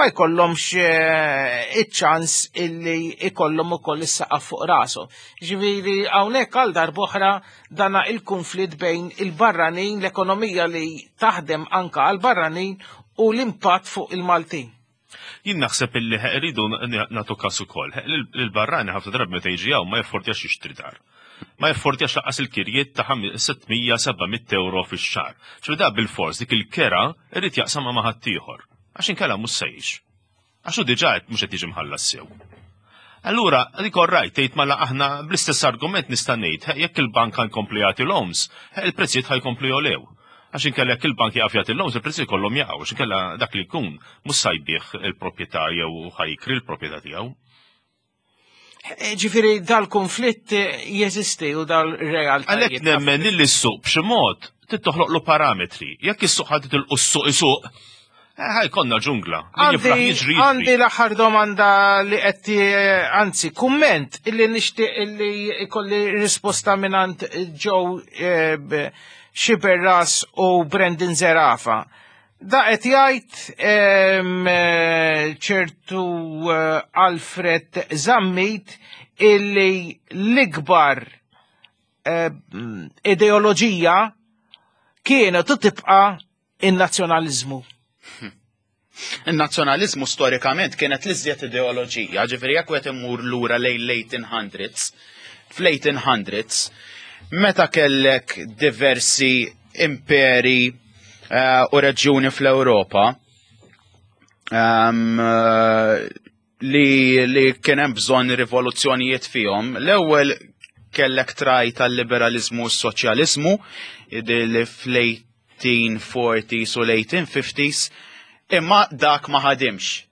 B: ma jkollhomx eh, iċ-ċans illi ikollhom ukoll is-saqaf fuq rashom. Ġifieri hawnhekk għal darb'oħra dana il-konflitt bejn il-barranin, l-ekonomija li taħdem anka għal barranin u l-impatt fuq il-Maltin.
E: Jien naħseb illi rridu nagħtu każ ukoll. Il-barrani ħafna drabi meta jiġi hawn ma jaffordjax jixtri dar. Ma jaffordjax lanqas il-kirjiet ta' sitt mija seba' mitt euro fix-xahar. Ċu da bil-fors dik il-kera irid jaqsamha ma' ħaddieħor. Għax inkella mhux se jgħix. Għax hu diġà qed mhux qed jiġi mħallas sew. Allura, dik orrajt, tgħid mela aħna bl-istess argument nista' ngħid, jekk il-bank ħa jkompli jagħti loans, il-prezzijiet ħa jkompli jogħlew. Għax inkella jekk il-bank jaqaf jagħti loans, il-prezzijiet kollhom jaqgħu, għax inkella dak li jkun mhux se jbigħ il-proprjetà jew ħa jikri l-proprjetà tiegħu.
B: Eh, Ġifieri dal-konflitt jeżisti u dal-realtà.
E: Għalhekk nemmen li s-suq b'xi mod trid toħloqlu parametri. Jekk is-suq ħadd tilqu s-suq isuq, eh, ħa jkollna ġungla. Min jiflaħ
B: Għandi
E: jiġri
B: għandi
E: jiġri.
B: l-aħħar domanda li qed eh, anzi kumment illi nixtieq illi ikolli risposta mingħand Joe eh, b- Xiberras u Brendan Zerafa. Da qed jgħid em, eh, ċertu eh, Alfred Zammit illi l-ikbar eh, ideoloġija kienet u tibqa' in-nazzjonaliżmu.
C: Il-nazzjonalizmu storikament kienet l-iżjed ideoloġija, ġifieri jekk qed imur lura lejn l-eighteen hundreds, fl-eighteen hundreds, meta kellek diversi imperi eh, u reġjuni fl-Ewropa um, eh, li, li kien hemm bżonn rivoluzzjonijiet fihom, l-ewwel kellek traj tal-liberalizmu u s-soċjalizmu li fl-eighteen forties u l-eighteen fifties, imma dak ma ħadimx.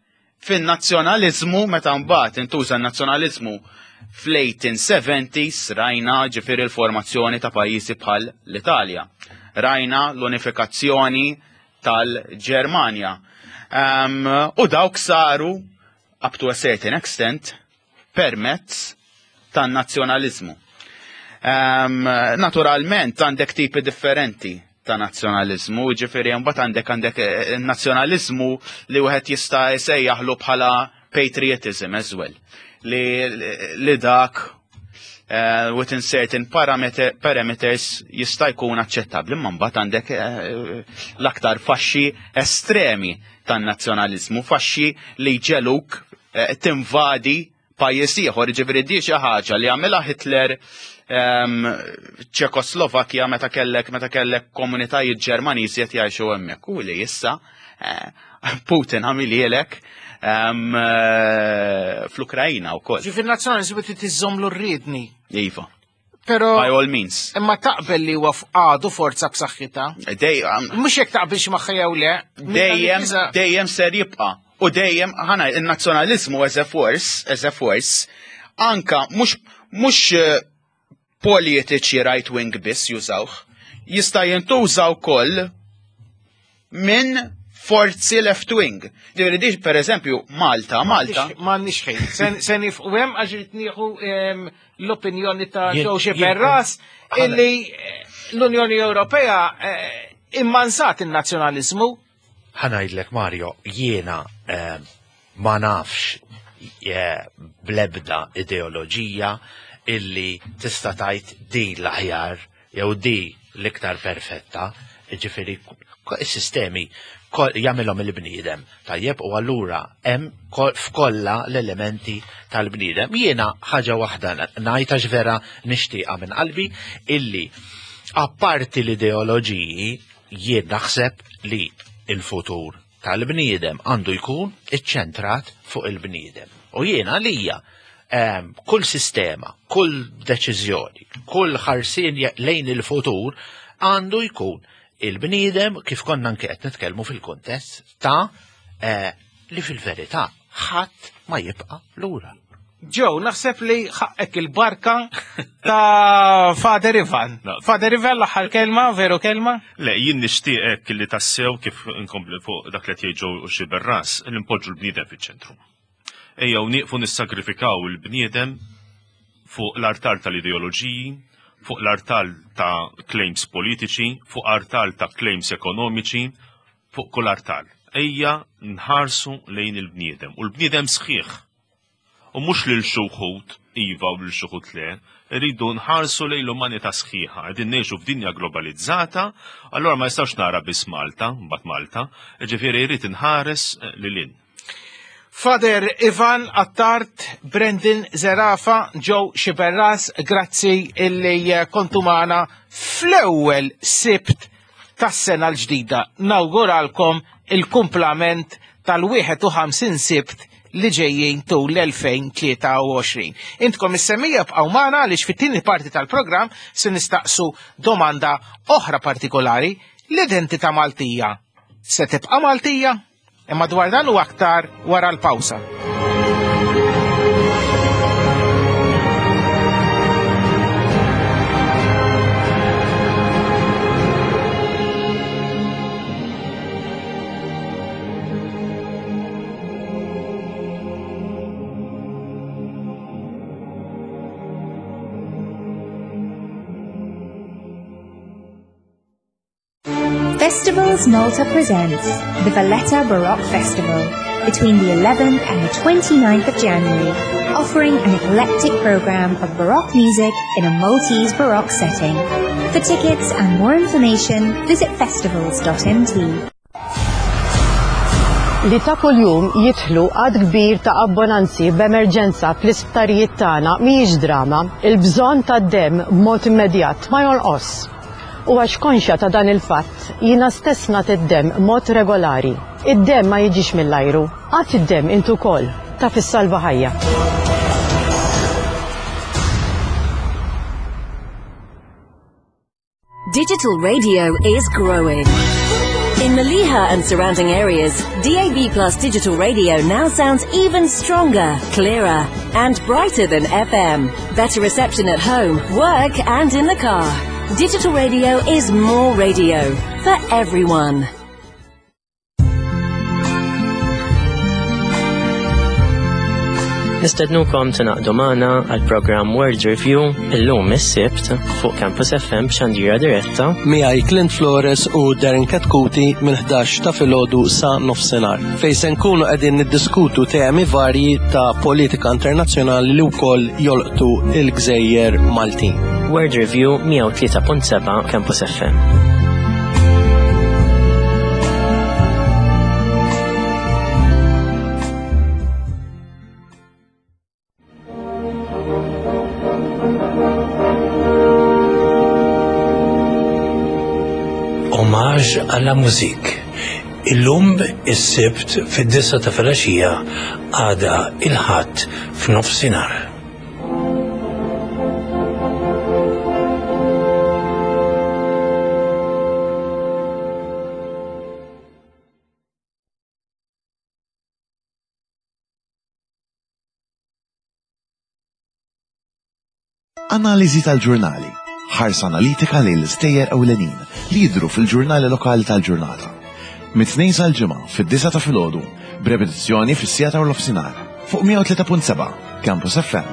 C: Fin-nazzjonalizmu, meta mbagħad intuża n-nazzjonalizmu fl-eighteen seventies, rajna ġifieri l-formazzjoni ta' pajjiżi bħal l-Italja. Rajna l-unifikazzjoni tal-Ġermanja. Um, u dawk saru up to a certain extent permezz tan-nazzjonalizmu. Um, naturalment għandek tipi differenti ta' nazzjonalizmu, ġifieri mbagħad għandek għandek eh, nazzjonalizmu li wieħed jista' jsejjaħlu bħala patriotism as well. Li, li dak uh, within certain parameter, parameters jista' jkun aċċettabbli, imma mbagħad għandek uh, l-aktar faxxi estremi tan-nazzjonalizmu, faxxi li jġegħluk uh, tinvadi pajjiż ieħor, ġifieri di xi ħaġa li għamilha Hitler um, Ċekoslovakkja meta kellek meta kellek komunitajiet Ġermaniżi qed jgħixu hemmhekk u li issa eh, Putin għamilhielek um, eh, fl-Ukrajina wkoll.
B: Ġifieri nazzjonalizmu trid iżżommlu r-riedni.
C: Iva,
B: Pero
C: by all means.
B: Imma taqbel li huwa għadu forza b'saħħitha.
C: Dejjem
B: Mhux jekk taqbilx magħha jew le.
C: Dejjem dejjem ser jibqa'. U dejjem ħana il-nazzjonalizmu as a force, as a force, anka mhux mhux eh, politiċi right wing biss jużawh, jista' jintuża wkoll minn forzi left wing. Ġifieri di per eżempju Malta, Malta.
B: M'għandniex ħin. Se- Se nieqfu hemm għax irid nieħu em, l-opinjoni ta'
D: Jien-
B: Joe
D: jien-
B: Xiberras
D: ħana-
B: illi eh, l-Unjoni Ewropea eh, immansat il-nazzjonalizmu.
D: Ħa ngħidlek, Mario, jiena eh, ma nafx eh, blebda ideoloġija illi tista' tgħid di l-aħjar jew di l-iktar perfetta, ġifieri is-sistemi jagħmilhom il-bniedem. Tajjeb, u allura hemm f'kollha l-elementi tal-bniedem. Jiena ħaġa waħda ngħid għax vera nixtieqa minn qalbi illi apparti l-ideoloġiji jien naħseb li il-futur tal-bniedem għandu jkun iċċentrat fuq il-bniedem. U jiena għalija ehm, kull sistema, kull deċiżjoni, kull ħarsien lejn il-futur għandu jkun il-bniedem kif konna anke qed nitkellmu fil-kuntest ta' eh, li fil-verità ħadd ma jibqa' lura.
B: Joe, naħseb li ħaqqek il-barka ta' Father Ivan. Father Ivan l-aħħar kelma, veru kelma?
E: Le, jien nixtieqek li tassew kif inkompli fuq dak li qed jgħid Sciberras, li npoġġu l-bniedem fiċ-ċentru. Ejjew nieqfu nissagrifikaw il-bniedem fuq l-artal tal-ideoloġiji, fuq l-artal ta' claims politiċi, fuq artal ta' claims ekonomiċi, fuq kull artal. Ejja nħarsu lejn il-bniedem. U l-bniedem sħiħ. U mhux lil xi wħud iva u lil xi wħud le, rridu nħarsu lejn l-umanità sħiħa. Qegħdin ngħixu f'dinja globalizzata, allora ma jistax nara biss Malta, mbagħad Malta, ġifieri jrid inħares lil hinn.
B: Father Ivan Attard, Brendan Zerafa, Joe Sciberras, grazzi illi kontu magħna fl-ewwel Sibt tas-sena l-ġdida. Nawguralkom il-kumplament tal-wieħed u ħamsin Sibt li ġejjin tul l-elfejn tlieta u għoxrin. Intkom is-semmija bqgħu magħna għaliex fit-tieni parti tal-programm se nistaqsu domanda oħra partikolari: l-identità Maltija se tibqa' Maltija? Imma dwar dan u aktar wara l-pawsa.
G: Festivals Malta presents the Valletta Baroque Festival between the eleventh and the twenty-ninth of January, offering an eclectic program of Baroque music in a Maltese Baroque setting. For tickets and more information, visit festivals dot m t.
H: Li ta' kuljum jidħlu għad kbir ta' abbonanzi b'emerġenza fl-isptarijiet tagħna mhijiex drama. Il-bżonn tad-demm b'mod immedjat ma jonqos. U għax konxja ta' dan il-fatt, jiena stess nagħti d-demm b'mod regolari. Id-demm ma jiġix mill-ajru. Għad id-demm intu wkoll, taf issalva ħajja.
I: Digital radio is growing. In Mellieħa and surrounding areas, D A B Plus digital radio now sounds even stronger, clearer, and brighter than F M. Better reception at home, work, and in the car. Digital radio is more radio for everyone.
J: Nistednukom tingħaqdu magħna għal programm World Review illum is-Sibt fuq Campus F M b'xandira diretta
K: miegħi Clint Flores u Darren Katkuti minn ħdax ta' filgħodu sa nofsinhar, fejn se nkunu qegħdin niddiskutu temi varji ta' politika internazzjonali li wkoll jolqtu il-gżejjer Maltin.
J: World Review mija u tlieta punt seba' Campus F M.
L: Omaġġ għalla mużik. Illum is-Sibt fid-disgħa ta' filgħaxija, għada il-Ħadd f'nofsinhar.
M: Analiżi tal-ġurnali. Ħarsa analitika lejn l-istejjer ewlenin li jidhru fil-ġurnali lokali tal-ġurnata. Mit-tnejn sal-ġimgħa fid-disgħa ta' filgħodu, b'repetizzjoni fis-siegħa ta' nofsinhar fuq mija u tlieta punt seba' Campus F M.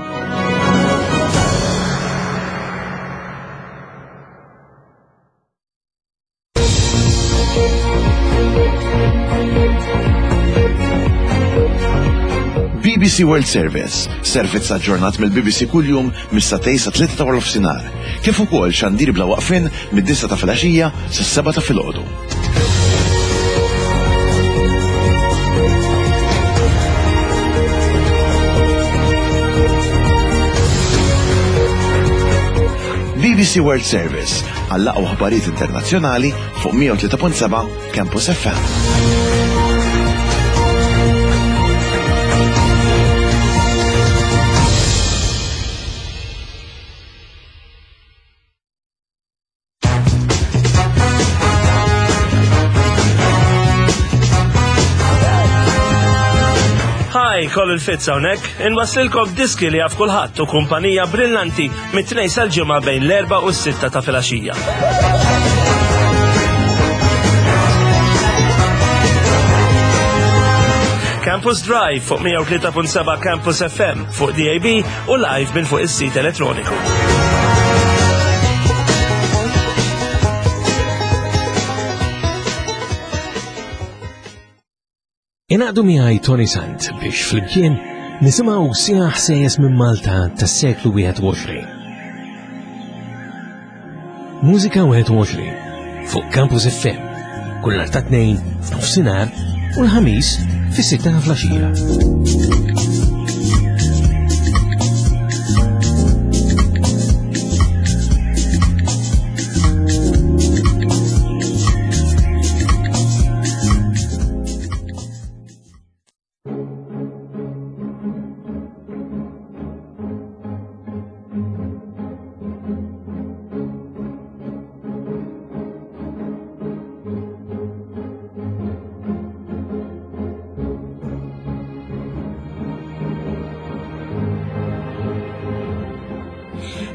M: B B C World Service, servizz aġġornat mill-B B C kuljum mis-satej sa tlieta ta' nofsinhar, kif ukoll xandir bla waqfien mid-disgħa ta' filgħaxija sas-sebgħa ta' filgħodu. B B C World Service għall-aqwa aħbarijiet internazzjonali fuq mija u tlieta punt seba' Campus F M.
N: Colin Fitz hawnhekk, inwaslilkom diski li jaf kulħadd u kumpanija brillanti mit-tnejn sal-ġimgħa bejn l-erba' u s-sitta ta' filgħaxija. Campus Drive fuq mija u tlieta punt seba' Campus F M fuq D A B u live minn fuq is-sit elettroniku.
L: Ingħaqdu miegħi Tony Sant biex flimkien nisimgħu sieħ ħsejjes minn Malta tas-seklu wieħed u għoxrin. Mużika wieħed u għoxrin fuq Campus F M kull nhar ta' tnejn f'nofsinhar u l-ħamis fis-sitta ta' flaxija.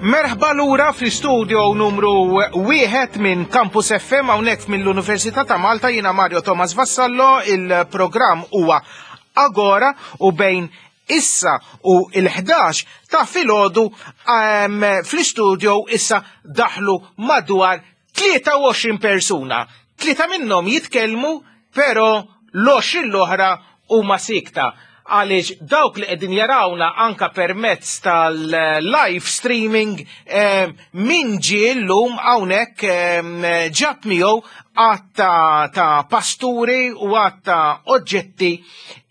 B: Merħba lura fl-istudio numru wieħed minn Campus F M hawnhekk mill-Università ta' Malta. Jiena Mario Thomas Vassallo, il-programm huwa Agora u bejn issa u l-ħdax ta' filgħodu, ehm, fl-istudio issa daħlu madwar tlieta u għoxrin persuna. Tlieta minnhom jitkellmu, però l-għoxrin l-oħra huma sikta. Għaliex dawk li qegħdin jarawna anka permezz tal-live streaming, eh, min ġie llum hawnhekk, eh, ġab miegħu għadd ta', ta' pasturi u għadd ta' oġġetti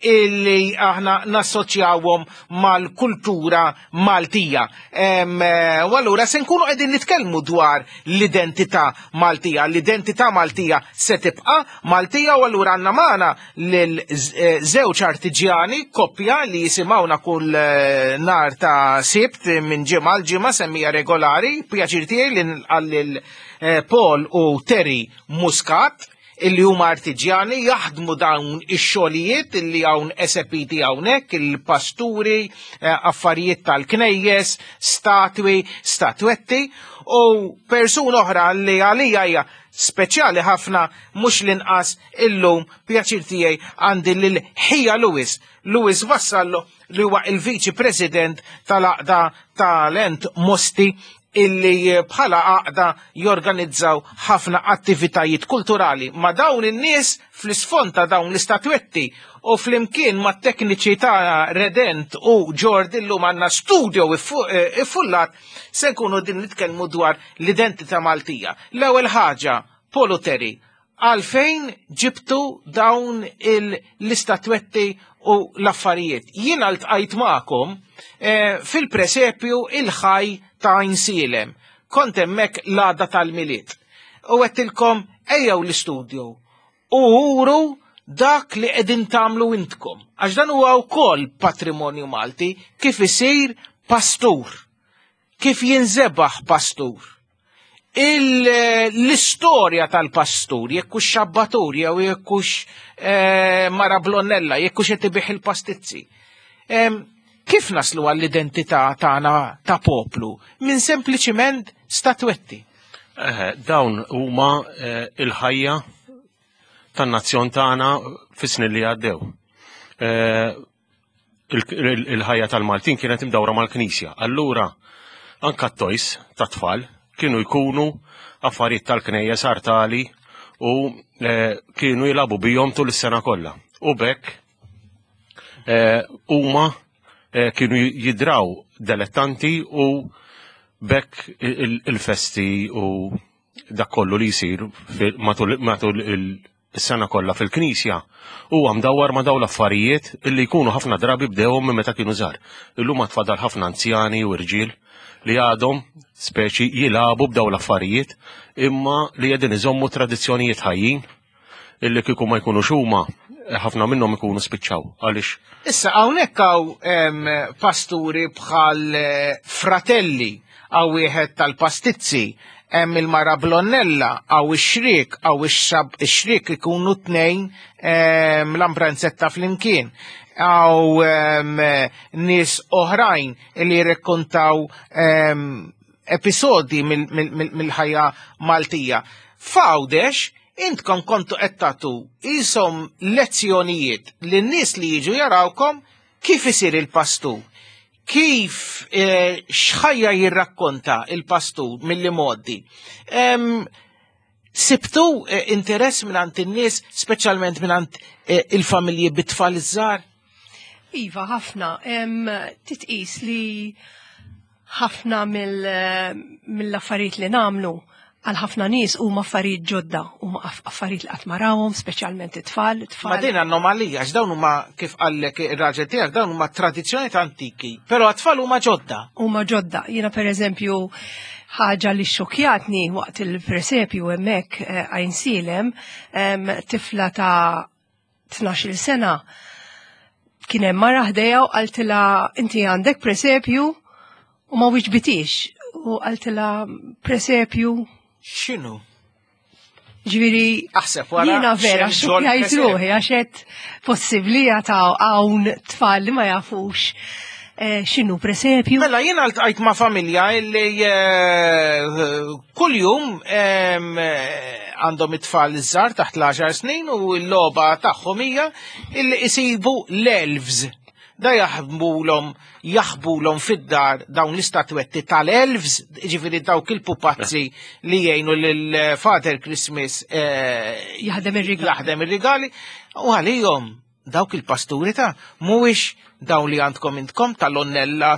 B: illi aħna nassoċjawhom mal-kultura Maltija. Em, eh, u allura se nkunu qegħdin nitkellmu dwar l-identità Maltija. L-identità Maltija se tibqa' Maltija u allura għandna magħna lil z-, eh, żewġ artiġjani, koppja li jisimgħuna kull, eh, nhar ta' Sibt minn ġimgħa għal ġimgħa semmija regolari. Pjaċir tiegħi li nilqa' lil, eh, Paul u Terry Muscat, illi huma artiġjani jaħdmu dawn ix-xogħlijiet illi hawn esepiti hawnhekk, il-pasturi, eh, affarijiet tal-knejjes, statwi, statwetti, u persuna oħra li għalija hija speċjali ħafna mhux l-inqas illum pjaċir tiegħi għandi lil Ħija Lewis, Lewis Vassallo, li huwa il-Viċi President tal-Għaqda Talent Mosti, illi bħala għaqda jorganizzaw ħafna attivitajiet kulturali ma' dawn in-nies fl-isfond ta' dawn l-istatwetti u flimkien ma' tekniċi ta' Redent u Ġord illum għandna studio iffu-, eh, iffullat se nkunu din nitkellmu dwar l-identità Maltija. L-ewwel ħaġa, Paul u Terry, għalfejn ġibtu dawn il-, l-istatwetti u l-affarijiet? Jiena ltqajt magħkom, eh, fil-presepju il-ħaj ta' Għajnsielem. Kont hemmhekk l-għada tal-Milied. U għedtilkom ejjew l-istudio u uru dak li qegħdin tagħmlu intkom. Għax dan huwa wkoll patrimonju Malti, kif isir pastur, kif jinżebaħ pastur. Il-, l-istorja tal-pastur, jekk hux xabbatur, jew jekk hux, eh, mara blonnella, jekk hux qed ibih il-pastizzi. Em, kif naslu għall-identità tagħna ta' poplu minn sempliċiment statwetti?
E: Eh, dawn huma, eh, il-ħajja tan-nazzjon tagħna fis-snin li għaddew. Eh, il-, il-, il-ħajja tal-Maltin kienet imdawra mal-Knisja. Allura anka t-tojs tat-tfal kienu jkunu affarijiet tal-knejjes artali u, eh, kienu jilagħbu bihom tul is-sena kollha. U bekk, eh, huma, eh, kienu jidraw delettanti u bekk il-, il-festi u dak kollu li jsir fil-, matul, matul il-, is-sena kollha fil-Knisja huwa mdawwar ma' dawn l-affarijiet illi jkunu ħafna drabi bdewhom minn meta kienu żgħar. Illum ma tfadal ħafna anzjani u rġiel li għadhom speċi jilagħbu b'dawn l-affarijiet imma li qegħdin iżommu tradizzjonijiet ħajjin illi kieku ma jkunux huma ħafna minnhom ikunu spiċċaw għaliex.
B: Issa hawnhekk hawn, em, pasturi bħal, eh, fratelli, hawn wieħed tal-pastizzi, Hemm il-mara blonnella, għaw ix-xrik, għaw ix-xrik ikunu tnejn l-ambranzetta flimkien. Għaw nies oħrajn li jirrakkontaw episodi mill-ħajja Maltija. F'Għawdex, intkom kontu qed tagħtu isom lezzjonijiet lin-nies li jiġu jarawkom kif isir il-pastur, kif x'ħajja jirrakkonta il-pastur mill-modi. Sibtu interess mingħand in-nies, speċjalment mingħand il-familji bit-tfal iż-żgħar?
O: Iva, ħafna. Titqis li ħafna mill-affarijiet li nagħmlu għal ħafna nies huma affarijiet ġodda, huma affarijiet li qatt ma rawhom, speċjalment it-tfal, it-tfal.
B: Ma din anomalija, għax dawn huma kif qallek ir-raġel tiegħek, dawn huma tradizzjonijiet antiki, però għat-tfal huma ġodda.
O: Huma ġodda. Jiena pereżempju ħaġa li xokjatni waqt il-presepju hemmhekk Għajnsielem, tifla ta' tnax-il sena kien hemm mara ħdejha u qaltilha inti għandek presepju u ma wiġbitix. U qaltilha presepju
B: x'inhu?
O: Ġifieri,
B: aħseb wara.
O: Jiena vera xokjajt ruħi għax qed possibbli ta' hawn tfal li ma jafux x'inhu presepju.
B: Mela jiena ltqajt ma' familja li kuljum għandhom it-tfal iż-żgħar taħt l-għaxar snin u l-logħba tagħhom hija illi isibu l-elves. Da jaħbulhom jaħbulhom fid-dar dawn l-istatwetti tal-elves, ġifieri dawk il-pupazzi li jgħinu lil Father Christmas
O: jaħdem ir-rigali.
B: Jaħdem ir-rigali u għalihom dawk il-pasturi ta' mhuwiex dawn li għandkom intkom tal-onnella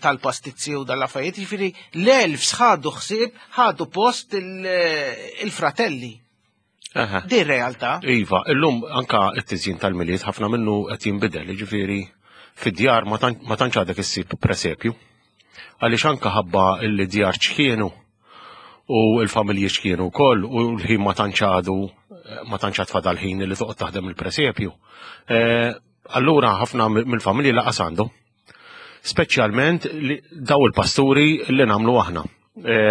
B: tal-pastizzi u dal-affarijiet, ġifieri l-elves ħadu ħsieb, ħadu post il-fratelli. Din realtà.
P: Iva, illum anka t-tiżjin tal-Milied ħafna minnu qed jinbidel, ġifieri fid-djar ma tantx għadek issib presepju. Għaliex anka ħabba li djar ċkienu u l-familji ċkienu wkoll u l-ħin ma tantx għadu ma tantx għad fadal ħin li toqgħod taħdem il-presepju. Allura ħafna mill-familji laqas għandhom. Speċjalment daw il-pasturi li nagħmlu aħna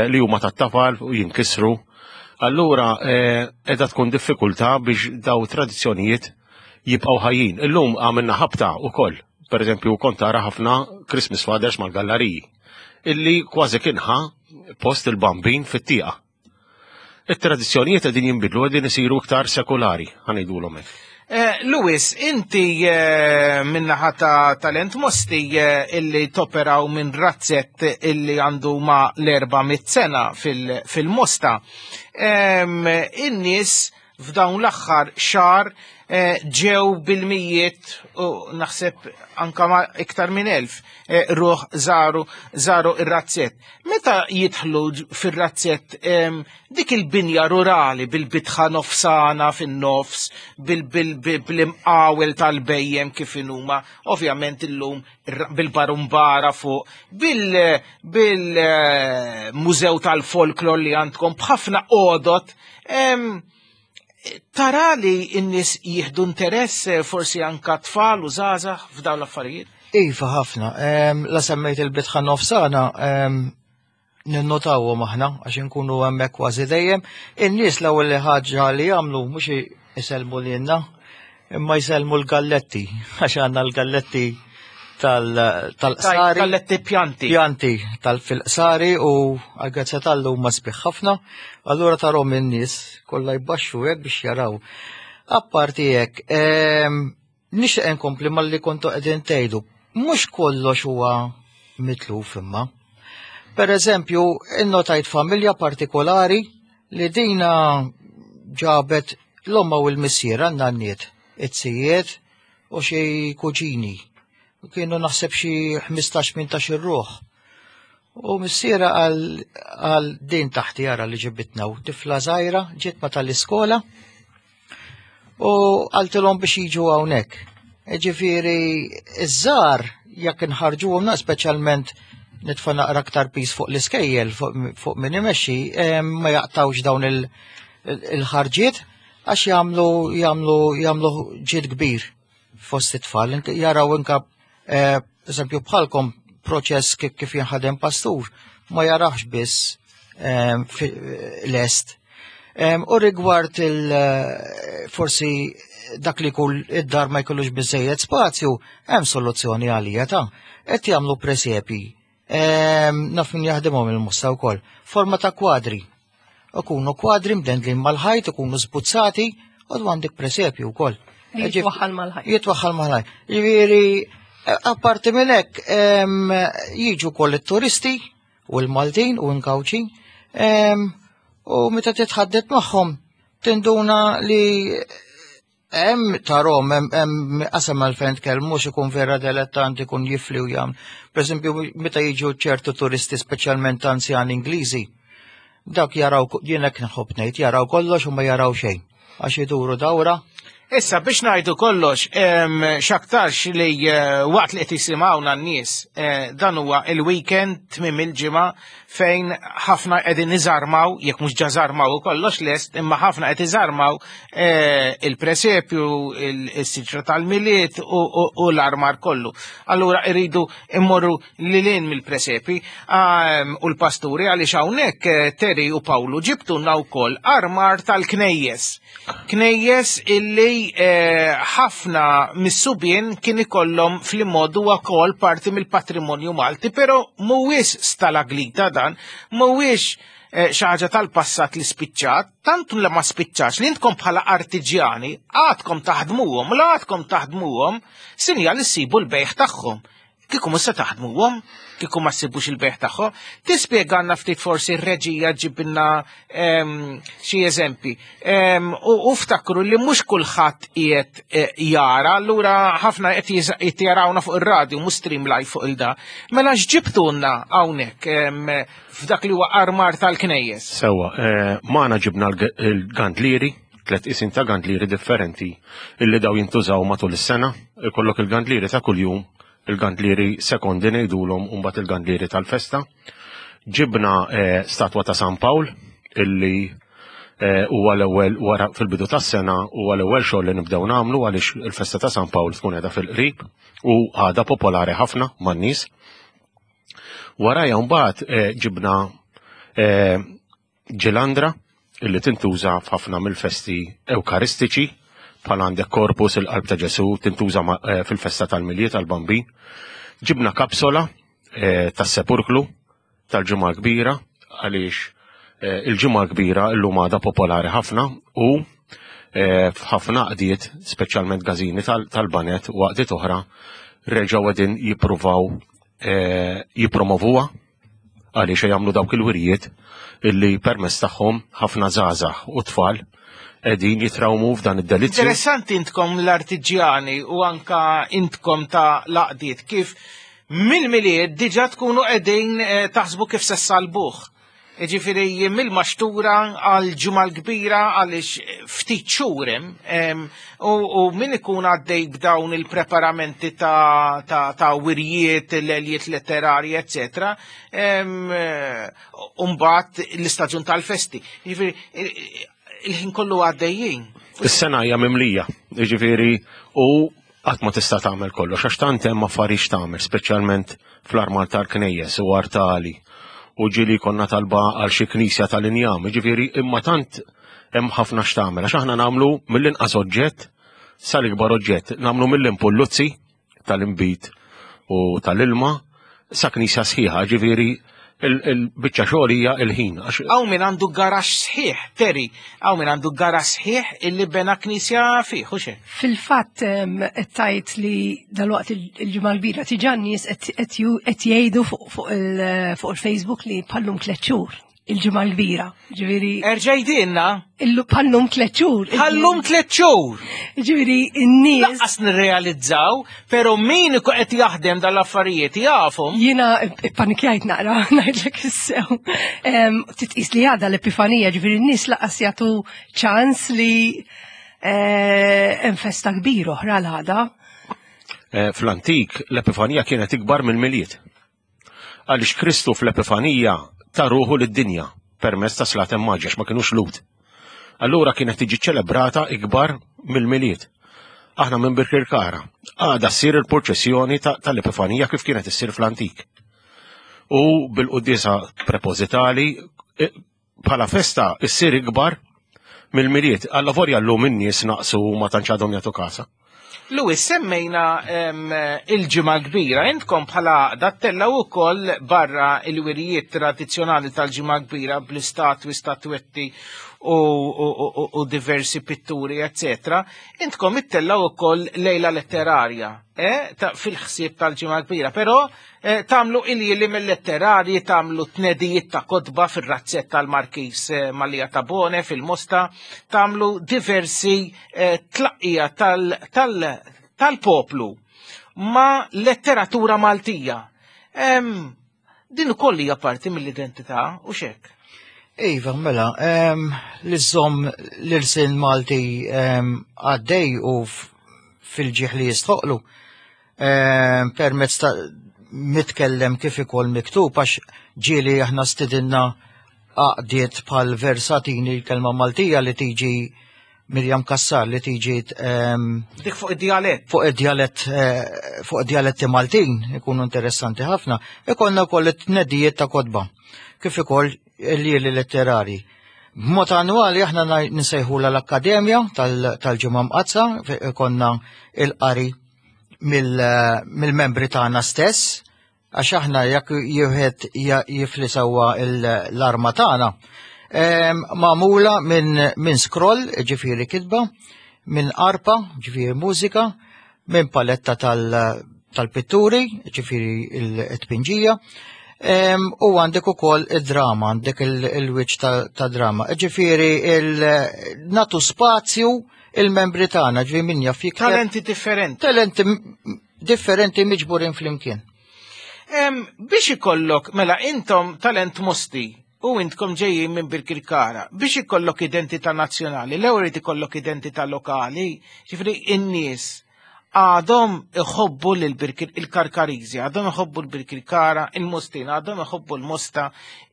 P: li huma tat-tafal u jinkisru. Allura qiegħda tkun diffikultà biex daw tradizzjonijiet jibqgħu ħajjin. Illum għamilna ħabta wkoll. Per eżempju, kont tara ħafna Christmas Fathers mal-galleriji illi kważi kienħa post il-bambin fit-tieqa. It-tradizzjonijiet qegħdin jinbidlu, qegħdin isiru iktar sekulari, ħanejdulhom hekk.
B: Louis, inti minnaħa ta' Talent Mosti illi toperaw minn razzett illi għandu ma' l-erba' mitt sena fil-Mosta. In-nies f'dawn l-aħħar xahar ġew bil-mijiet u naħseb anka ma iktar minn elf ruħ żaru żaru ir-razzett. Meta jidħlu fir-razzett dik il-binja rurali bil-bitħa nofsana fin-nofs, bil-imqawel tal-bejjem kif inhuma, ovvjament illum bil-barumbara fuq, bil-mużew tal-folklor li għandkom b'ħafna għodot, tara li n-nies jieħdu interess forsi anka tfal u żgħażagħ f'dawn l-affarijiet?
Q: Iva, ħafna. La semmejt il-bitħa nofsana, ninnotawhom aħna għax inkunu hemmhekk kważi dejjem. In-nies l-ewwel ħaġa li jagħmlu mhux isellmu lilna, imma jsellmu l-galletti, għax għandna l-galletti tal-qsari.
B: Galletti pjanti.
Q: Pjanti tal-fil-qsari u għal-grazzja tal-lum huma sbieħ ħafna. Allura tarhom in-nies kollha jbaxxu hekk biex jaraw. Apparti hekk, nixtieq inkompli malli kontu qegħdin tgħidu. Mhux kollox huwa mitluf imma. Per eżempju, innotajt familja partikolari li dina ġabet l-omma u l-missier għan-nanniet, it-sijiet u xi kuġini. Kienu naħseb xi ħmistax tmintax ir-ruħ. U missiera għal din taħti jara li ġibitna u tifla żgħira ġiet ma tal-iskola u qaltilhom biex jiġu hawnhekk. Ġifieri iż-żgħar jekk inħarġuhom speċjalment nitfa' naqra aktar pis fuq l-iskejjel fuq min imexxi, ma jaqtawx dawn il-ħarġiet għax jagħmlu jagħmlu jagħmlu ġid kbir fost it-tfal. Jaraw inka eżempju bħalkom proċess kif jinħadem pastur, ma jarax biss em, fi- lest. Em, U rigward il eh, forsi dak li kull id-dar ma jkollux biżejjed spazju, hemm soluzzjoni għalija ta' qed jagħmlu presepi. Em, Naf min jaħdimhom il-Mosta wkoll. Forma ta' kwadri. Ikunu kwadri mdendlin mal-ħajt, ikunu sbuzzati, u għandek presepju wkoll.
O: Li jitwaħħal mal-ħajt.
Q: Jitwaħħal mal-ħajt. Ġifieri, eh, apparti minn hekk, em, jiġu wkoll it-turisti u l-Maltin u n-Kawċi, em, u meta titħaddet magħhom tinduna li hemm tarahom hemm hemm qasam għalfejn tkellmux ikun vera dilettant ikun jifli u jagħmel. Pereżempju meta jiġu ċertu turisti speċjalment anzjani Ingliżi, dak jaraw jien hekk nħobb ngħid jaraw kollox u ma jaraw xejn għax iduru dawra.
B: Issa biex ngħidu kollox, em, x'aktarx li eh, waqt li qed jisimgħuna n-nies, eh, dan huwa il-weekend tmiem il-ġimgħa fejn ħafna qegħdin iżarmaw, jekk mhux ġa żarmaw u kollox lest, imma ħafna qed iżarmaw eh, il-presepju, il-siġra tal-Milied u, u, u l-armar kollu. Allura irridu immorru lilin mill-presepi ehm, u l-pasturi għaliex hawnhekk eh, Terry u Pawlu ġibtulna wkoll armar tal-knejjes. Knejjes illi eh, ħafna mis-subien kien ikollhom fl-immodu wkoll parti mill-patrimonju Malti, però mhuwiex stalaglita dan, mhuwiex eh, xi ħaġa tal-passat li spiċċat, tant li ma spiċċax li intkom bħala artiġjani għadkom taħdmuhom, la għadkom taħdmuhom, sinjal li ssibu l-bejħ tagħhom. Kieku mhux se taħdmuhom, kieku ma ssibux il-bejħ tagħhom. Tispjegana ftit forsi r-reġija ġibilna em, xi eżempi. Em, U u ftakru li mhux kulħadd qiegħed eh, jara, allura ħafna qed jiż- qed jarawna fuq ir-radju, mhux stream live fuq il-da. Mela x'ġibtulna hawnhekk em, f'dak li huwa armar tal-knejjes?
P: Sewwa, eh, magħna ġibna l- il-gandlieri, tlet isin ta' gandlieri differenti illi daw jintużaw matul is-sena. Ikollok il-gandlieri ta' kuljum, il-gandlieri sekondi ngħidulhom u mbagħad il-gandlieri tal-festa. Ġibna eh, statwa ta' San Pawl illi eh, huwa l-ewwel wara fil-bidu tas-sena huwa l-ewwel xogħol li nibdew nagħmlu għaliex il-festa ta' San Pawl tkun qiegħda fil-qrib u għadha popolari ħafna man-nies. Warajja mbagħad eh, ġibna eh, ġilandra illi tintuża f'ħafna mill-festi ewkaristiċi bħal għandek Corpus il-qalb ta' Ġesu tintuża ma- eh, fil-festa tal-Milied tal-Bambin. Ġibna kapsola eh, tas-sepulklu tal-Ġimgħa Kbira għaliex eh, il-Ġimgħa Kbira llum għadha popolari ħafna u eh, f'ħafna għaqdiet, speċjalment każini tal- tal-baned u għaqdiet oħra, reġgħu qegħdin jippruvaw eh, jippromovuha għaliex jagħmlu dawk il-wirjiet illi permezz tagħhom ħafna żgħażagħ u tfal qegħdin jitrawmu f'dan id-delizzju.
B: Interessanti intkom l-artiġjani u anka intkom ta' l-għaqdiet kif mill-Milied diġa tkunu qegħdin eh, taħsbu kif se ssalbuh. Ġifieri mill-maxtura għal Ġimgħa l-Kbira għaliex ftit xhur hemm, em, u, u min ikun għaddej b'dawn il-preparamenti ta', ta, ta' wirjiet, l-għeljiet letterari, eccetera. em, eh, U mbagħad l-istaġun tal-festi. Ġifieri il-ħin kollu għaddejjin.
P: Is-sena hija mimlija, jiġifieri u qatt ma tista' tagħmel kollox għax tant hemm affarijiet tagħmel, speċjalment fl-armar tal-knejjes u artali u ġieli konna talba għal xi knisja tal-injam, jiġifieri imma tant hemm ħafna x'tagħmel għax aħna nagħmlu mill-inqas oġġett sal-ikbar oġġett, nagħmlu mill-impulluzzi tal-inbid u tal-ilma sa knisja sħiħa, ġifieri il-biċċa xogħol hija il-ħin. għax
B: Hawn min għandu garaxx sħiħ, Terry, hawn min għandu garaxx sħiħ illi bena knisja fih, u xe?
O: Fil-fatt em, qed tajt li dalwaqt il- il-Ġimgħa l-Kbira diġà n-nies qed qed ju- qed jgħidu fuq fuq il- fuq il-Facebook li bħallum tliet xhur il-Ġimgħa l-Kbira. Ġifieri
B: Erġa' għidilna?
O: Illu bħallum tliet xhur.
B: Bħallum tliet xhur.
O: Ġifieri n-nies
B: Lanqas nirrealizzaw, però min ikun qed jaħdem dal-affarijiet jafhom.
O: Jiena panikjajt naqra, ngħidlek is-sew. Em, Titqis li għada l-Epifanija, ġifieri n-nies lanqas jagħtu ċans li eh, hemm festa kbira oħra l-għada.
P: Eh, Fl-antik l-Epifanija kienet ikbar mill-Milied. Għaliex Kristu fl-Epifanija ta ruħu lid-dinja permezz ta' slaten maġi għax ma kienux Lhud. Allura kienet tiġi ċelebrata ikbar mill-Milied. Aħna minn Birkirkara. Għada ssir il-purċessjoni ta- tal-Epifanija kif kienet issir fl-antik. U bil-quddiesa prepożitali bħala festa issir ikbar mill-Milied. Allavolja llum in-nies naqsu u ma tantx għadhom jagħtu kasha.
B: Louis, semmejna il-Ġimgħa Kbira, intkom bħala għaqda ttellgħu wkoll barra il-wirijiet tradizzjonali tal-Ġimgħa Kbira bl-istatwi, statwetti u diversi pitturi, eccetera. Intkom ittellgħu wkoll lejla letterarja eh, fil-ħsieb tal-Ġimgħa Kbira, però eh, tagħmlu iljieli mill-letterarji, tagħmlu tnedijiet ta' kotba fir-razzett tal-Markis eh, Mallia Tabone fil-Mosta, tagħmlu diversi tlaqqija tal-poplu ma' letteratura Maltija. Din ukoll hija parti mill-identità u xek.
Q: Iva, mela, li żżomm l-ilsien Malti għaddej u fil-ġieħ li jistħoqlu permezz ta' mitkellem kif ukoll miktub, għax ġieli aħna stidinna għaqdiet bħal Versatini, l-kelma Maltija li tiġi Mirjam Kassar li tiġi
B: dik fuq id-dialett.
Q: Fuq id-dialett, fuq id-dialetti Maltin ikunu interessanti ħafna. Ikollna wkoll it-tnedijiet ta' kotba kif ukoll il-lili letterari. B'mod annwali aħna nsejħula l-Akkademja tal-Ġimgħa Mqaddsa, konna il-qari mill-membri tagħna stess, għax aħna jekk jieħed jifli sewwa l-arma tagħna, magħmula minn scroll, ġifieri kitba, minn arpa, ġifieri mużika, minn paletta tal-pitturi, ġifieri il-tpinġija, u għandek ukoll id-drama, għandek il-wiċċ ta' drama. Ġifieri natu spazju il-membri tagħna, ġifieri min jaf jikteb.
B: Talenti differenti.
Q: Talenti differenti miġburin flimkien.
B: Biex ikollok, mela intom talent Mosti u intkom ġejjin minn Birkirkara, biex ikollok identità nazzjonali, l-ewwel irid ikollok identità lokali, ġifieri in-nies għadhom iħobbu il-Karkariżi, għadhom iħobbu l-Birkirkara, il-Mostin, għadhom iħobbu l-Mosta,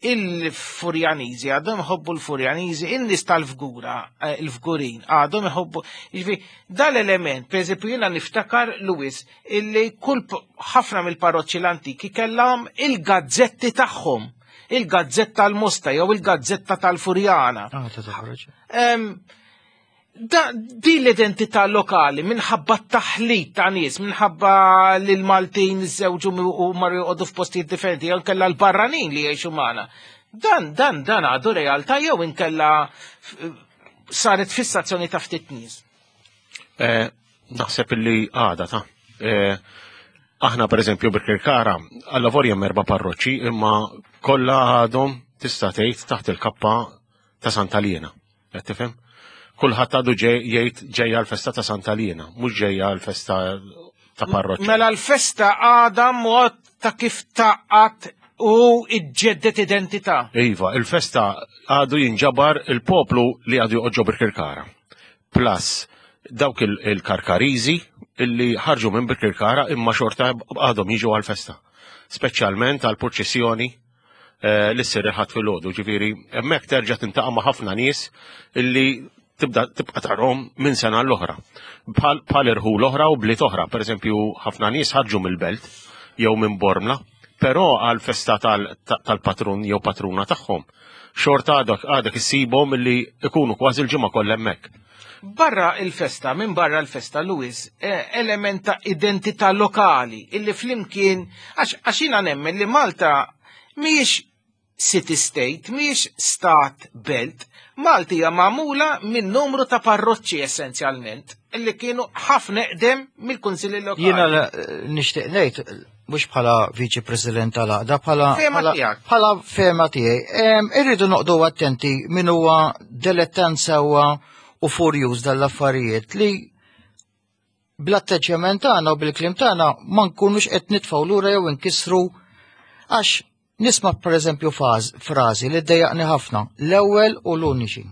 B: il-Furjaniżi, għadhom iħobbu l-Furjaniżi, in-nies tal-Fgura, il-Fgurin, għadhom iħobbu. Ġifieri dal-element, pereżempju jiena niftakar Louis, illi kull ħafna mill-parroċċi l-antiki kellhom il-gazzetti tagħhom, il-gazzetta tal-Mosta jew il-gazzetta tal-Furjana.
Q: Ah, ta' toħroġ.
B: Da, di l-identità lokali minħabba t-taħlit ta' nies, minħabba li l-Maltin żewġu u marru joqogħdu f'postijiet differenti, jew inkella l-barranin li jgħixu magħna. Dan, dan, dan għadu realtà jew inkella saret fissazzjoni ta' ftit nies.
P: Eh, naħseb illi għada ta' eh, aħna per eżempju Birkirkara, għall-lavorja hemm erba' parroċċi, imma kollha għadhom tista' tgħid taħt il-kappa ta' Santa Liena. Qed tifhem? Kulħadd għadu jgħid ġejja l-festa ta' Santa Liena, mhux ġejja l-festa ta' parroċċa.
B: Mela l-festa għadha mod ta' kif taqgħad u iġġeddet identità.
P: Iva, il-festa għadu jinġabar il-poplu li għadu joqgħod ġo Birkirkara. Plus dawk il-Karkariżi illi ħarġu minn Birkirkara imma xorta għadhom jiġu għal-festa. Speċjalment għal-purċissjoni li ssir il-Ħadd filgħodu. Ġifieri hemmhekk terġa' tintaqa' ma' ħafna nies illi tibda tibqa' tarhom minn sena l-oħra. Bħal irħul oħra u bliet oħra, pereżempju ħafna nies ħarġu mill-belt jew minn Bormla, però għal festa tal-patrun jew patruna tagħhom. Xorta għadek għadek issibhom illi ikunu kważi l-ġimgħa kollha hemmhekk.
B: Barra il-festa, minn barra l-festa, Louis, element ta' identità lokali illi flimkien, għax jiena nemmen li Malta mhijiex city state, mhijiex stat belt, Malta hija magħmula minn numru ta' parroċċi essenzjalment, illi kienu ħafna eqdem mill-kunsilli lokali.
Q: Jiena nixtieq ngħid mhux bħala viċi president tal-għaqda, bħala bħala fehma tiegħi. Irridu noqogħdu attenti min huwa dilettant sewwa u furjuż dal-affarijiet li bl-atteġġjament tagħna u bil-kliem tagħna ma nkunux qed nitfgħu lura jew inkissru, għax nisma' pereżempju frażi li ddejjaqni ħafna, l-ewwel u l-uniċi.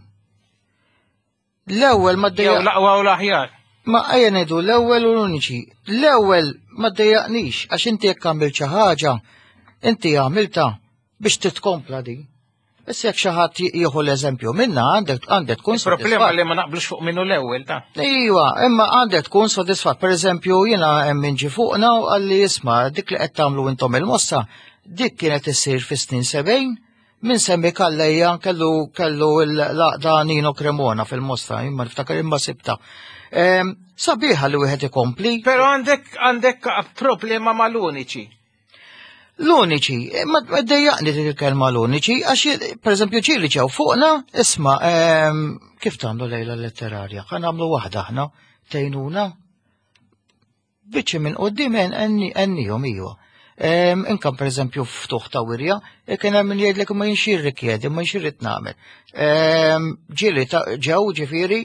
Q: L-ewwel ma ddejjaq.
B: Jew l-aqwa u l-aħjar.
Q: Ma ejja ngħidu l-ewwel u l-uniċi. L-ewwel ma ddejjaqnix għax inti jekk għamilt xi ħaġa, inti għamilta biex titkompla din. Issa jekk xi ħadd jieħu l-eżempju minna għandek għandek tkun
B: Il-problema li ma naqblux fuq minnu l-ewwel ta'.
Q: Iva, imma għandek tkun sodisfatt. Pereżempju jiena hemm min ġie fuqna u qalli isma' dik li qed tagħmlu intom il-mossa, dik kienet issir fis-snin sebgħin Min semmi Calleja kellu kellu l-għaqda Nino Cremona fil-Mosta, imma niftakar imma sibta. Ehm, sabiħa li wieħed ikompli.
B: Però għandek għandek problema mal-uniċi.
Q: L-uniċi, eh, ma dejjaqni dik il-kelma l-uniċi, għax per eżempju ġieli ġew fuqna, isma' ehm, kif tagħmlu lejla letterarja, ħa nagħmlu waħda aħna, tgħinuna. Biċċi minn qudiem għennihom iva. Ehm, Inkam per eżempju ftuħ ta' wirja, e kien hemm min jgħidlek ma jinx jirrikjedi, ma jinx irrid nagħmel. Ehm, Ġieli ġew ġifieri,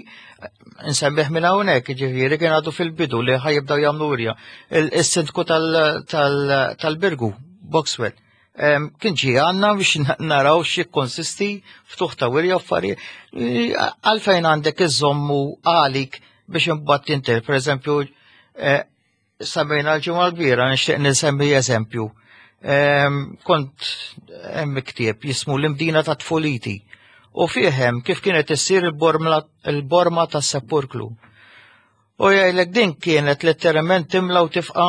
Q: nsemmih minn hawnhekk, ġifieri kien għadu fil-bidu li ħa jibdew jagħmlu wirja. Il-sindku tal-Birgu, Boxwell, ehm, kien ġie għandna biex naraw xi konsisti ftuħ ta' wirja affarijiet. Għalfejn għandek iżommu għalik biex imbagħad tinter, per eżempju, eh, semmejna l-Ġimgħa l-Kbira, nixtieq nisemmi eżempju. Ehm, kont hemm ktieb jismu l-Imdina ta' Tfuliti u fih hemm kif kienet issir il-borma tas-sepulkru. U jgħidlek din kienet letteralment timla u tifqa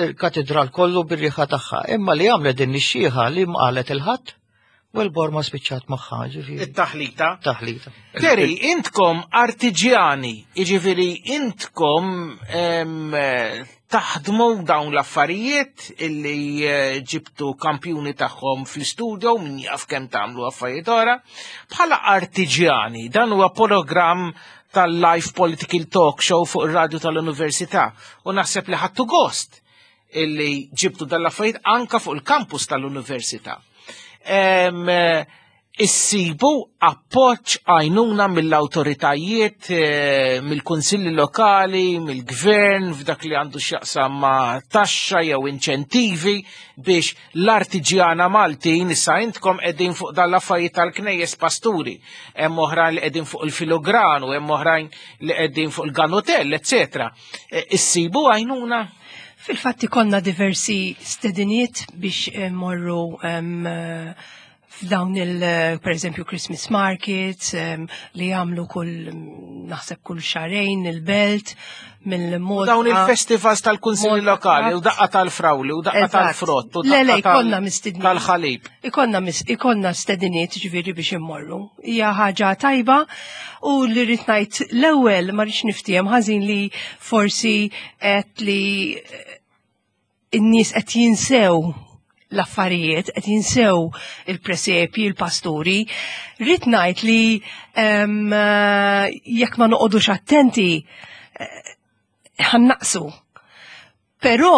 Q: il-katedral kollu bir-riħa tagħha. Imma li għamlet din ix-xieħa li mqalet il-ħadd u l-borma spiċċat magħha, ġifieri.
B: It-taħlita.
Q: Taħlita.
B: Terry, intkom artiġjani, jiġifieri intkom taħdmu dawn l-affarijiet illi eh, ġibtu kampjuni tagħhom fl-istudio min jaf kemm tagħmlu affarijiet oħra. Bħala artiġjani, dan huwa programm tal-Live Political Talk Show fuq ir-radju tal-Università u naħseb li ħadtu gost illi ġibtu dal-affarijiet anka fuq il-kampus tal-Università. Issibu appoġġ għajnuna mill-awtoritajiet, eh, mill-kunsilli lokali, mill-gvern, f'dak li għandu x'jaqsam ma' taxxa jew inċentivi biex l-artiġjana Maltin issa intkom qegħdin fuq dan l-affarijiet tal-knejjes pasturi, hemm oħrajn li qegħdin fuq il-filogranu, hemm oħrajn li qegħdin fuq il-ganutell, eċetera. Eh, issibu għajnuna?
O: Fil-fatt ikollna diversi stediniet biex eh, morru f'dawn il, per eżempju, Christmas markets li jagħmlu kull naħseb kull xahrejn il-belt mill-mod.
B: Dawn il-festivals tal-kunsilli lokali u daqqa tal-frawli u daqqa tal-frott u daqqa tal-ħalib.
O: Ikollna ikollna stediniet ġifieri biex immorru. Hija ħaġa tajba u li rrid ngħid l-ewwel ma rridx niftiehem ħażin li forsi qed li n-nies qed jinsew l-affarijiet, qed jinsew il-presepji, il-pasturi. Rrid ngħid li jekk ma noqogħdux attenti ħa naqsu. Però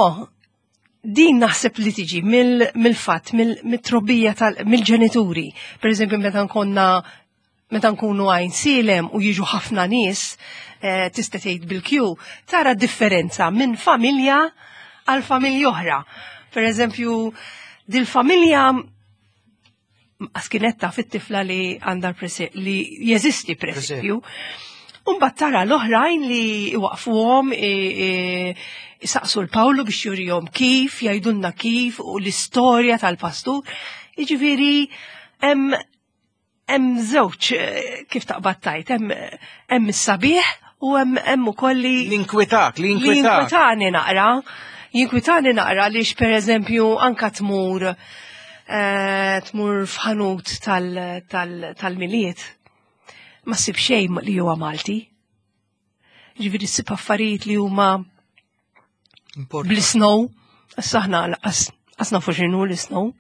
O: din naħseb li tiġi mill-fatt, mill-trobbija mill-ġenituri. Per eżempju, meta nkonna meta nkunu Għajnsielem u jiġu ħafna nies, tista' tgħid bil-kju, tara differenza minn familja għal familja oħra. Per eżempju, dil-familja għas kienet taf it-tifla li għandha li jeżisti presepju. Umbat tara l-oħrajn li waqfuhom isaqsu l-Pawlu biex jurihom kif, jgħidulna kif u l-istorja tal-pastur. Jiġifieri hemm żewġ kif taqbad tajt, hemm is-sabiħ u hemm ukoll li
B: L-inkwitak, l-inkwitak.
O: L-inkwitani naqra. Jinkwitani naqra għaliex per eżempju anka tmur tmur f'ħanut tal-Milied. Ma ssib xejn li huwa Malti. Ġifieri ssib affarijiet li huma bl-snow. Issa aħna qas nafu x'inhu l-snow.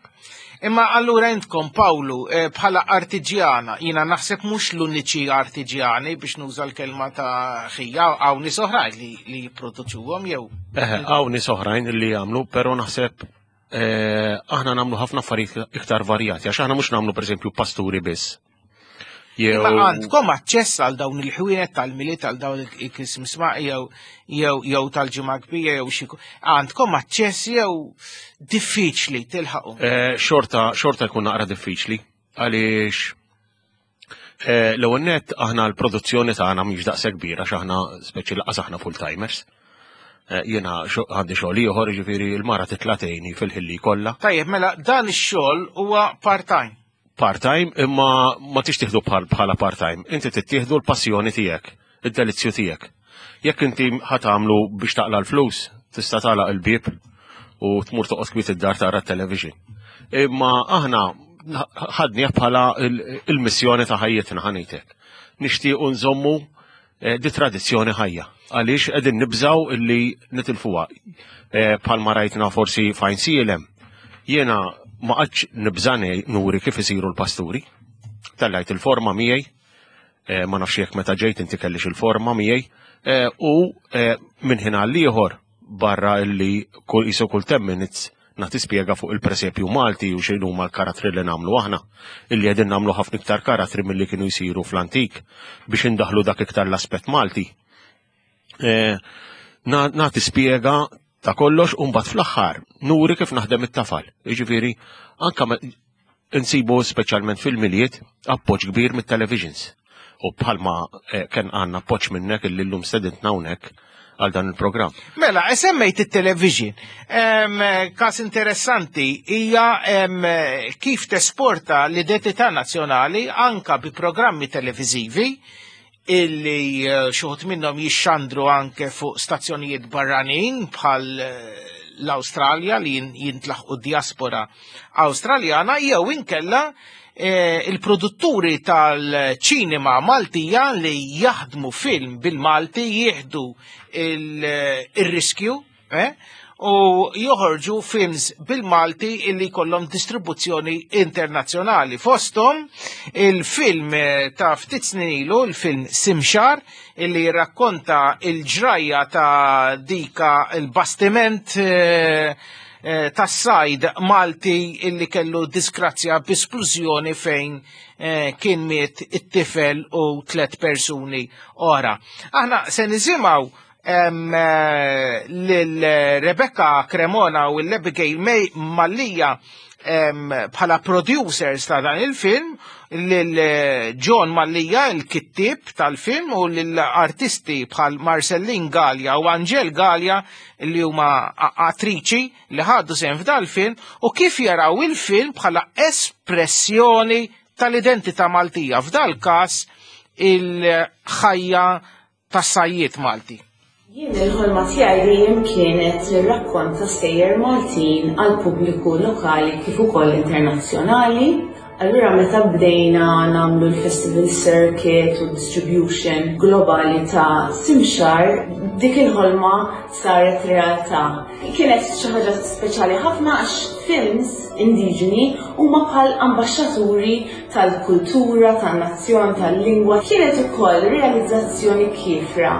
B: Imma allura intkom, Pawlu, bħala artiġjana, jina naħseb mhux l-uniċi artiġjani biex nuża l-kelma ta' ħija, hawn nies oħrajn li, li jipproduċuhom jew.
P: Eħe, hawn nies oħrajn li jagħmlu, però naħseb eh, aħna nagħmlu ħafna affarijiet iktar varjati, għax aħna mhux nagħmlu pereżempju pasturi biss. Jew
B: Imma għandkom aċċess għal dawn il-ħwienet tal-Milied, għal dawn il-Christmas ma jew jew jew tal-Ġimgħa Kbira jew xi għandkom aċċess jew diffiċli tilħaqu?
P: Eh, xorta, xorta jkun naqra diffiċli għaliex eh, l-ewwel nett aħna l-produzzjoni tagħna mhix daqshekk kbira għax aħna speċi laqas aħna full-timers. Eh, jiena għandi xogħol ieħor, jiġifieri l-mara titla' tgħinni fil-ħilli kollha.
B: Tajjeb, mela dan ix-xogħol huwa part-time.
P: Part-time, imma ma tix tieħdu bħala part-time. Inti tittieħdu l-passjoni tiegħek, id-delizzju tiegħek. Jekk inti ħa tagħmlu biex taqla l-flus, tista' tagħlaq il-bieb u tmur toqgħod kwiet id-dar tara t-television. Imma aħna ħadnieh bħala il-missjoni ta' ħajjitna, ħa ngħidlek. Nixtiequ nżommu di tradizzjoni ħajja, għaliex qegħdin nibżaw illi nitilfuha. Bħalma rajtna forsi f'Għajnsielem, jiena ma qgħadx nibża' nuri kif isiru l-pasturi. Tellajt il-forma miegħi, ma nafx jekk meta ġejt inti kellix il-forma miegħi, u minn ħin għal ieħor barra illi kull qisu kull ten minutes nagħti spjega fuq il-presepju Malti u xejn huma l-karattri li nagħmlu aħna, illi qegħdin nagħmlu ħafna iktar karattri milli kienu jsiru fl-antik biex indaħlu dak iktar l-aspett Malti. Nagħti spjega ta' kollox u mbagħad fl-aħħar nuri kif naħdem it-tafal. Jiġifieri anke insibu speċjalment fil-Milied appoġġ kbir mit-televisions. U bħalma kien għandna appoġġ minnek illi llum stedintna hawnhekk għal dan il-programm.
B: Mela, semmejt it-television. Kas interessanti hija kif tesporta l-identità nazzjonali anka bi programmi televizivi illi xuħut minnhom jixxandru anke fuq stazzjonijiet barranin bħal l-Awstralja li jintlaħqu diaspora Awstraljana, jew inkella il-produtturi tal-ċinema Maltija li jaħdmu film bil-Malti jieħdu il-riskju u joħorġu films bil-Malti illi kollhom distribuzzjoni internazzjonali. Fosthom il-film ta' ftit snin ilu, il-film Simxar, illi rakkonta il-ġrajja ta' dika il-bastiment tas-sajd Malti illi kellu disgrazzja b'esplużjoni fejn kien miet it-tifel u tliet persuni oħra. Aħna se nisimgħu lil Rebecca Cremona u l-Abigail May Mallia bħala producers ta' dan il-film, lil John Mallia, il-kittib tal-film, u l-artisti bħal Marcellin Gallia u Angel Gallia li huma attriċi li ħadu sehem f'dal film, u kif jaraw il-film bħala espressjoni tal-identità Maltija, f'dal każ il-ħajja tas-sajjiet Malti.
R: Jien il-ħolma tiegħi dejjem kienet li rrakkonta stejjer Maltin għal pubbliku lokali kif ukoll internazzjonali. Allura meta bdejna nagħmlu l-festival circuit u distribution globali ta' Simxar, dik il-ħolma saret realtà. Kienet xi ħaġa speċjali ħafna għax films indiġeni huma bħal ambaxxaturi tal-kultura, tan-nazzjon, tal-lingwa. Kienet ukoll realizzazzjoni kiefra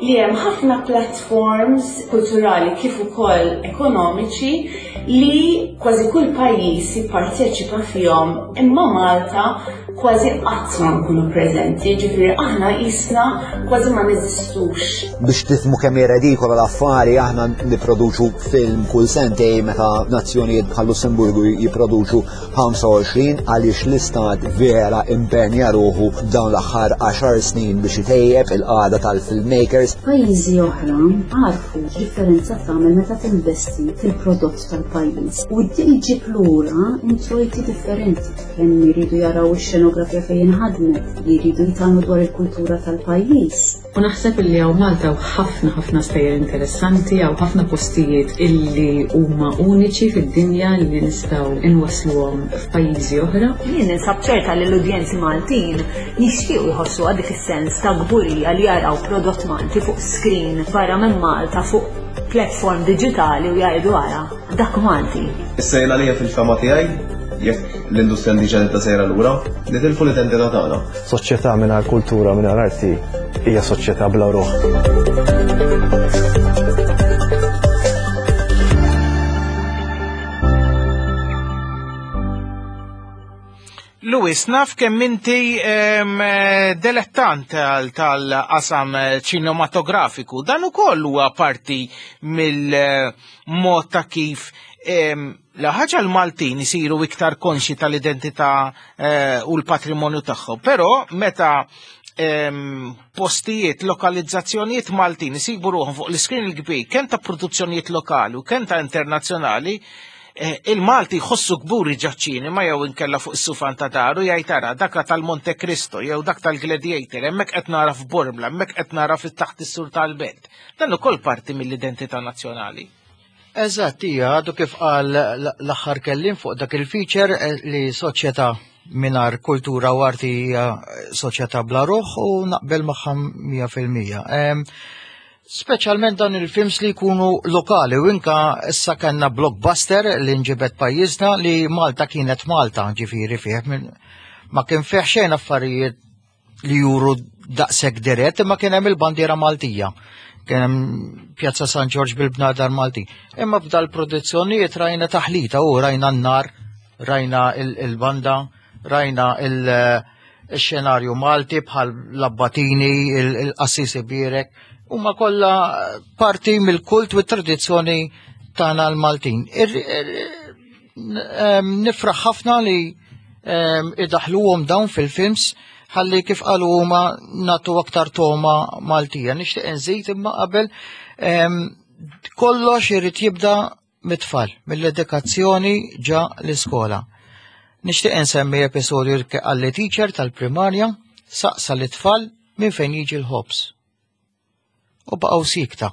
R: li hemm ħafna platforms kulturali kif ukoll ekonomiċi li kważi kull pajjiż jipparteċipa fihom, imma Malta kważi qatt ma nkunu preżenti, ġifieri aħna qisna kważi ma neżistux.
S: Biex tifhmu kemm hi redikola l-affari, aħna nipproduċu film kull sentej meta nazzjonijiet bħal Lussemburgu jipproduċu ħamsa u għoxrin, għaliex l-istat vera impenja ruħu dawn l-aħħar għaxar snin biex itejjeb il-qagħda tal-filmmakers.
T: Pajjiżi oħra għarfu x'differenza tagħmel meta tinvesti fil-prodott tal-pajjiż u ġib lura introjti differenti, kemm jridu jaraw ix-xenografija fejn inħadmet, jridu jitgħallmu dwar il-kultura tal-pajjiż.
U: U naħseb illi hawn Malta hawn ħafna ħafna stejjer interessanti, hawn ħafna postijiet illi huma uniċi fid-dinja li nistgħu inwassluhom f'pajjiżi oħra.
V: Jien ninsab ċerta li l-udjenzi Maltin jixtiequ jħossu dik is-sens ta' kburija li jaraw prodott Malti fuq screen barra minn Malta fuq platform digitali u jgħidu ara dak Malti.
W: Issa jien għalija fil-fama tiegħi, jekk l-industrija indiġena ta' sejra lura, nitilfu l-identità tagħna.
X: Soċjetà mingħajr kultura, mingħajr arti hija soċjetà bla ruħ.
B: Louis, naf kemm inti delettant tal-qasam ċinematografiku. Dan ukoll huwa parti mill-mod ta' kif la ħaġa l-Maltin isiru iktar konxi tal-identità u l-patrimonju tagħhom. Però meta postijiet, lokalizzazzjonijiet Maltin isibu ruħhom fuq l-iskrin il-kbir, kemm ta' produzzjonijiet lokali u kemm ta' internazzjonali, il-Malti jħossu kburi ġaċ-ċinema jew inkella fuq is-sufan ta' daru jgħid ara dak tal-Monte Cristo jew dak tal-Gladiator, hemmhekk qed nara f'Bormla, hemmhekk qed nara fit-taħt is-sur tal-belt. Dan ukoll parti mill-identità nazzjonali.
Q: Eżatt, hija għadu kif qal l-aħħar kellim fuq dak il-feature eh, li soċjetà mingħajr kultura u arti hija soċjetà bla ruħ u naqbel magħha mija fil-mija. Em, Speċjalment dan il-films li jkunu lokali u inka issa kellna blockbuster li nġibet pajjiżna li Malta kienet Malta, ġifieri fih minn- ma kien fih xejn affarijiet li juru daqshekk dirett, imma kien hemm il-bandiera Maltija. Kien hemm Pjazza San Ġorġ bil-bnadar Malti. Imma f'dal produzzjonijiet rajna taħlita u rajna n-nar, rajna il- il-banda, rajna il- il-xenarju Malti bħal l-abbatini, il- il-qassisi birek, huma kollha parti mill-kult u t-tradizzjoni tagħna l-Maltin. Ir- ir- em, Nifraħ ħafna li em, idaħluhom dawn fil-films ħalli kif qalu huma nagħtu aktar toma Maltija. Nixtieq inżid imma qabel em, kollox irid jibda mit-tfal, mill-edukazzjoni ġa l-iskola. Nixtieq insemmi episodju li qalli teacher tal-primarja saqsa l-tfal minn fejn jiġi l-ħobż. U baqgħu sikta.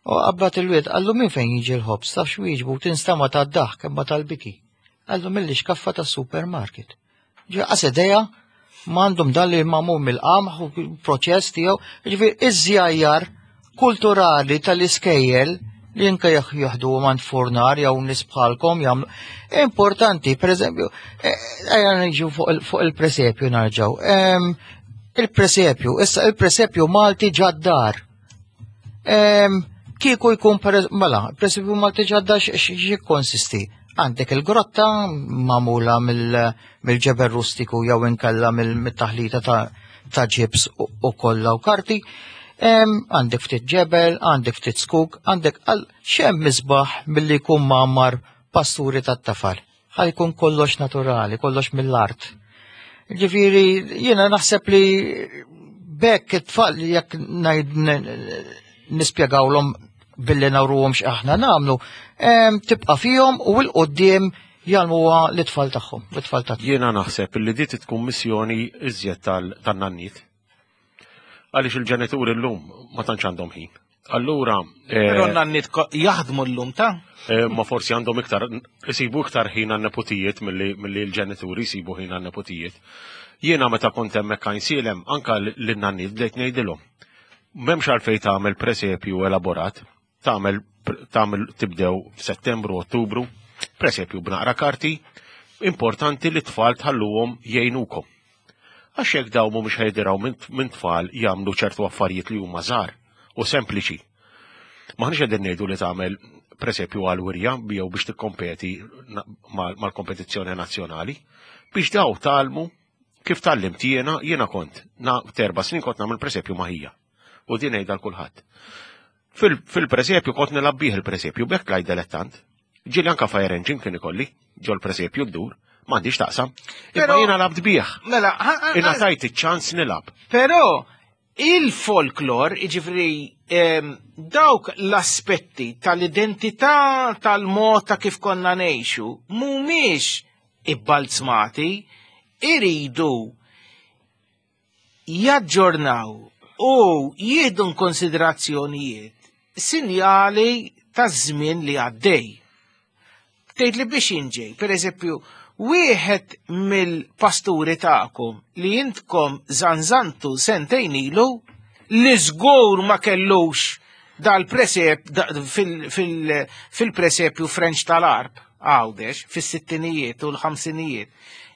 Q: U qabbat il-wied qallu minn fejn jiġi l-ħobż, taf x'wieġbu tinstama tad-daħk imma tal-biki. Qallu mill-ixkaffa tas-supermarket. Ġi qas idea m'għandhom dan li magħmul mill-qamħ u proċess tiegħu, ġifieri iż-żjajjar kulturali tal-iskejjel li inka jieħdu għand furnar jew nies bħalkom jagħmlu. Importanti, per eżempju, ejja niġu fuq il- fuq il-presepju narġgħu. Em, Il-presepju, issa il-presepju Malti ġaddar. Em, Kieku jkun per mela, il-presepju Malti ġaddar x'jikkonsisti? Għandek il-grotta magħmula mill- mill-ġebel rustiku jew inkella mill- mit-taħlita ta' ta' ġibs u u kollha u karti. Em, Għandek ftit ġebel, għandek ftit skuk, għandek għal xem misbaħ milli jkun mgħammar pasturi tat-tafal. Ħa jkun kollox naturali, kollox mill-art. Ġifieri, jiena naħseb li bekk it-tfal jekk ngħid nispjegawlhom billi nawruhom x'aħna nagħmlu, em, tibqa' fihom u 'l quddiem jgħallmuha l-itfal tagħhom, l-itfal tagħhom.
P: Jiena naħseb li di tkun missjoni iżjed tal- tan-nanniet. Għaliex il-ġenituri llum ma tantx għandhom ħin. Allura, eh,
B: Però n-nanniet ko- jaħdmu llum ta'
P: eh, ma forsi għandhom iktar, isibu iktar ħin għan-nepotijiet milli milli l-ġenituri jsibu ħin għan-nepotijiet. Jiena meta kont hemmhekk Għajnsielem, anka lin-nanniet bdejt ngħidilhom. M'hemmx għalfejn tagħmel presepju elaborat, tagħmel tagħmel tibdew f'Settembru, Ottubru, presepju b'naqra karti, importanti li t-tfal tħalluhom jgħinukom. Għax jekk daw mhumiex ħejdiraw minn minn tfal jagħmlu ċertu affarijiet li huma żgħar u sempliċi. Maħniex qegħdin ngħidu li tagħmel presepju għal wirja jew biex tikkompeti na- mal- mal-kompetizzjoni nazzjonali, biex daw tgħallmu kif tgħallimt jiena, jiena kont na terba' snin kont nagħmel presepju ma' ħija. U din ngħidha l kulħadd. Fil- Fil-presepju kont nilgħab bih il-presepju, bekk tlajt dilettant. Ġieli anka fire engine kien ikolli, ġol presepju ddur, m'għandix taqsam. Imma
B: Però-
P: jiena labt bih.
B: Mela, ha- ha-
P: Ingħatajt iċ-ċans nilgħab.
B: Però il-folklor, iġifri, em, dawk l-aspetti tal-identità tal-mod ta' kif konna ngħixu, mhumiex ibbalzmati, iridu jaġġornaw u jieħdu konsiderazzjonijiet sinjali ta' żmien li għaddej. Tgħid li biex inġej, per eżempju, wieħed mill-pasturi tagħkom li intkom zanzantu sentejn ilu li żgur ma kellux dal-presep da, fil- fil- fil-presepju French tal-Arb Għawdex fis-sittinijiet u l-ħamsinijiet.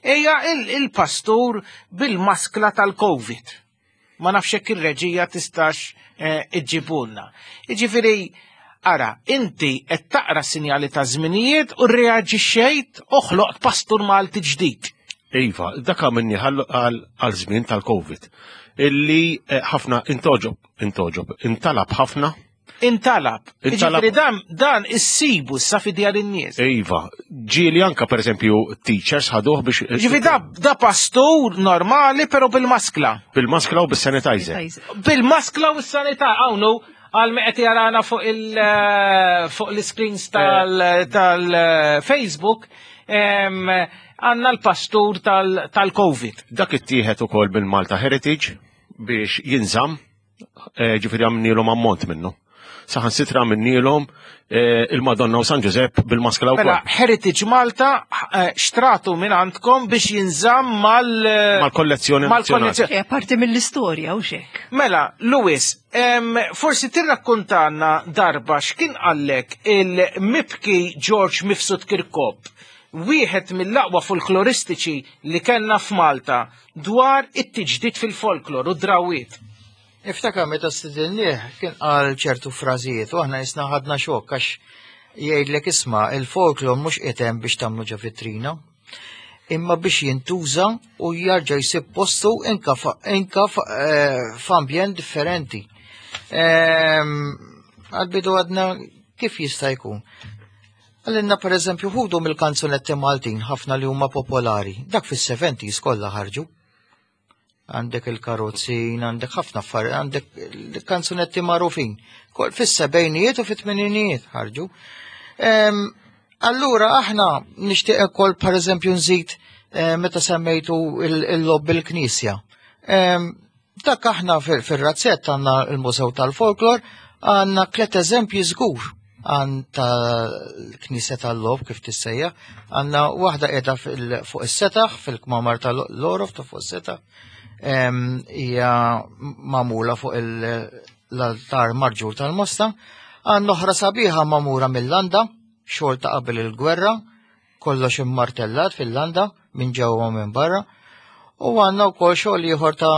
B: Ejja il- il-pastur bil-maskla tal-Covid. Ma nafx hekk ir-reġija tistax eh, iġġibulna. Jiġifieri, ara, inti qed taqra sinjali ta' żminijiet u reaġixxejt u ħloqt pastur Malti ġdid.
P: Iva, dak minni għal żmien tal-Covid. Illi eh, ħafna intoġob, intoġob, intalab ħafna.
B: Intalab.
P: Intalab.
B: Jiġifieri dan dan issibu issa fi djar in-nies.
P: Iva, ġieli anka per eżempju teachers ħaduh biex.
B: Ġifieri da, da pastur normali però bil-maskla.
P: Bil-maskla u bis-sanitizer.
B: Bil-maskla u s-sanità hawnhu għal me qed jarana fuq il eh, fuq l-screens tal-Facebook għandna l-pastur tal- tal-Covid.
P: Dak ittieħed ukoll bil-Malta Heritage biex jinżamm, eh, ġifieri għamnielhom ammont minnu. Saħansitra għamilnielhom eh, il-Madonna u San Ġużepp bil-maskla wkoll.
B: Mela, Heritage Malta eh, xtratu minn għandkom biex jinżamm mal-
P: Mal-kollezzjoni
B: mal-kollezzjoni.
O: Eh, Parti mill-istorja u xek.
B: Mela, Louis, em, forsi tirrakkontana darba x'kien qallek il-mibki George Mifsud Kirkop, wieħed mill-aqwa folkloristiċi li kellna f'Malta dwar it-tiġdid fil-folklor u drawiet.
Q: Niftakar meta stidinnieh kien qal ċertu frażijiet u aħna jisna ħadna xokk għax jgħidlek isma' il-folklor mhux qiegħed biex tagħmlu ġo vitrina, imma biex jintuża u jarġa' jsib postu inka fa- inka fa- eh, f'ambjent differenti. Ehm, Għal-bidu għadna kif jista' jkun. Għalinna per eżempju ħudu mill-kanzunetti Maltin ħafna li huma popolari, dak fis-seventies kollha ħarġu. Għandek il-karozzin, għandek ħafna affarijiet, għandek il-kanzunetti magħrufin. Kol fis-sebgħinijiet u fit-tmeninijiet ħarġu. Ehm, Allura aħna nixtieq ukoll per eżempju nżid eh, meta semmejtu il-logħob bil-knisja. Ehm, Dak aħna fil- fir-razzett għandna il-Mużew tal-Folklor għandna tliet eżempji żgur għan tal-Knisja tal-Logħob kif tissejja, għandna waħda qiegħda fil- fuq is-setaħ fil-kmamar tal-Lorof ta' fuq is-setaħ em, hija magħmula fuq il- l-altar marġur tal-Mosta, għandna oħra sabiħa magħmula mill-Landa, xogħol ta' qabel il-gwerra, kollox immartellat fil-Landa minn ġewwa u minn barra. U għandna wkoll xogħol ieħor ta'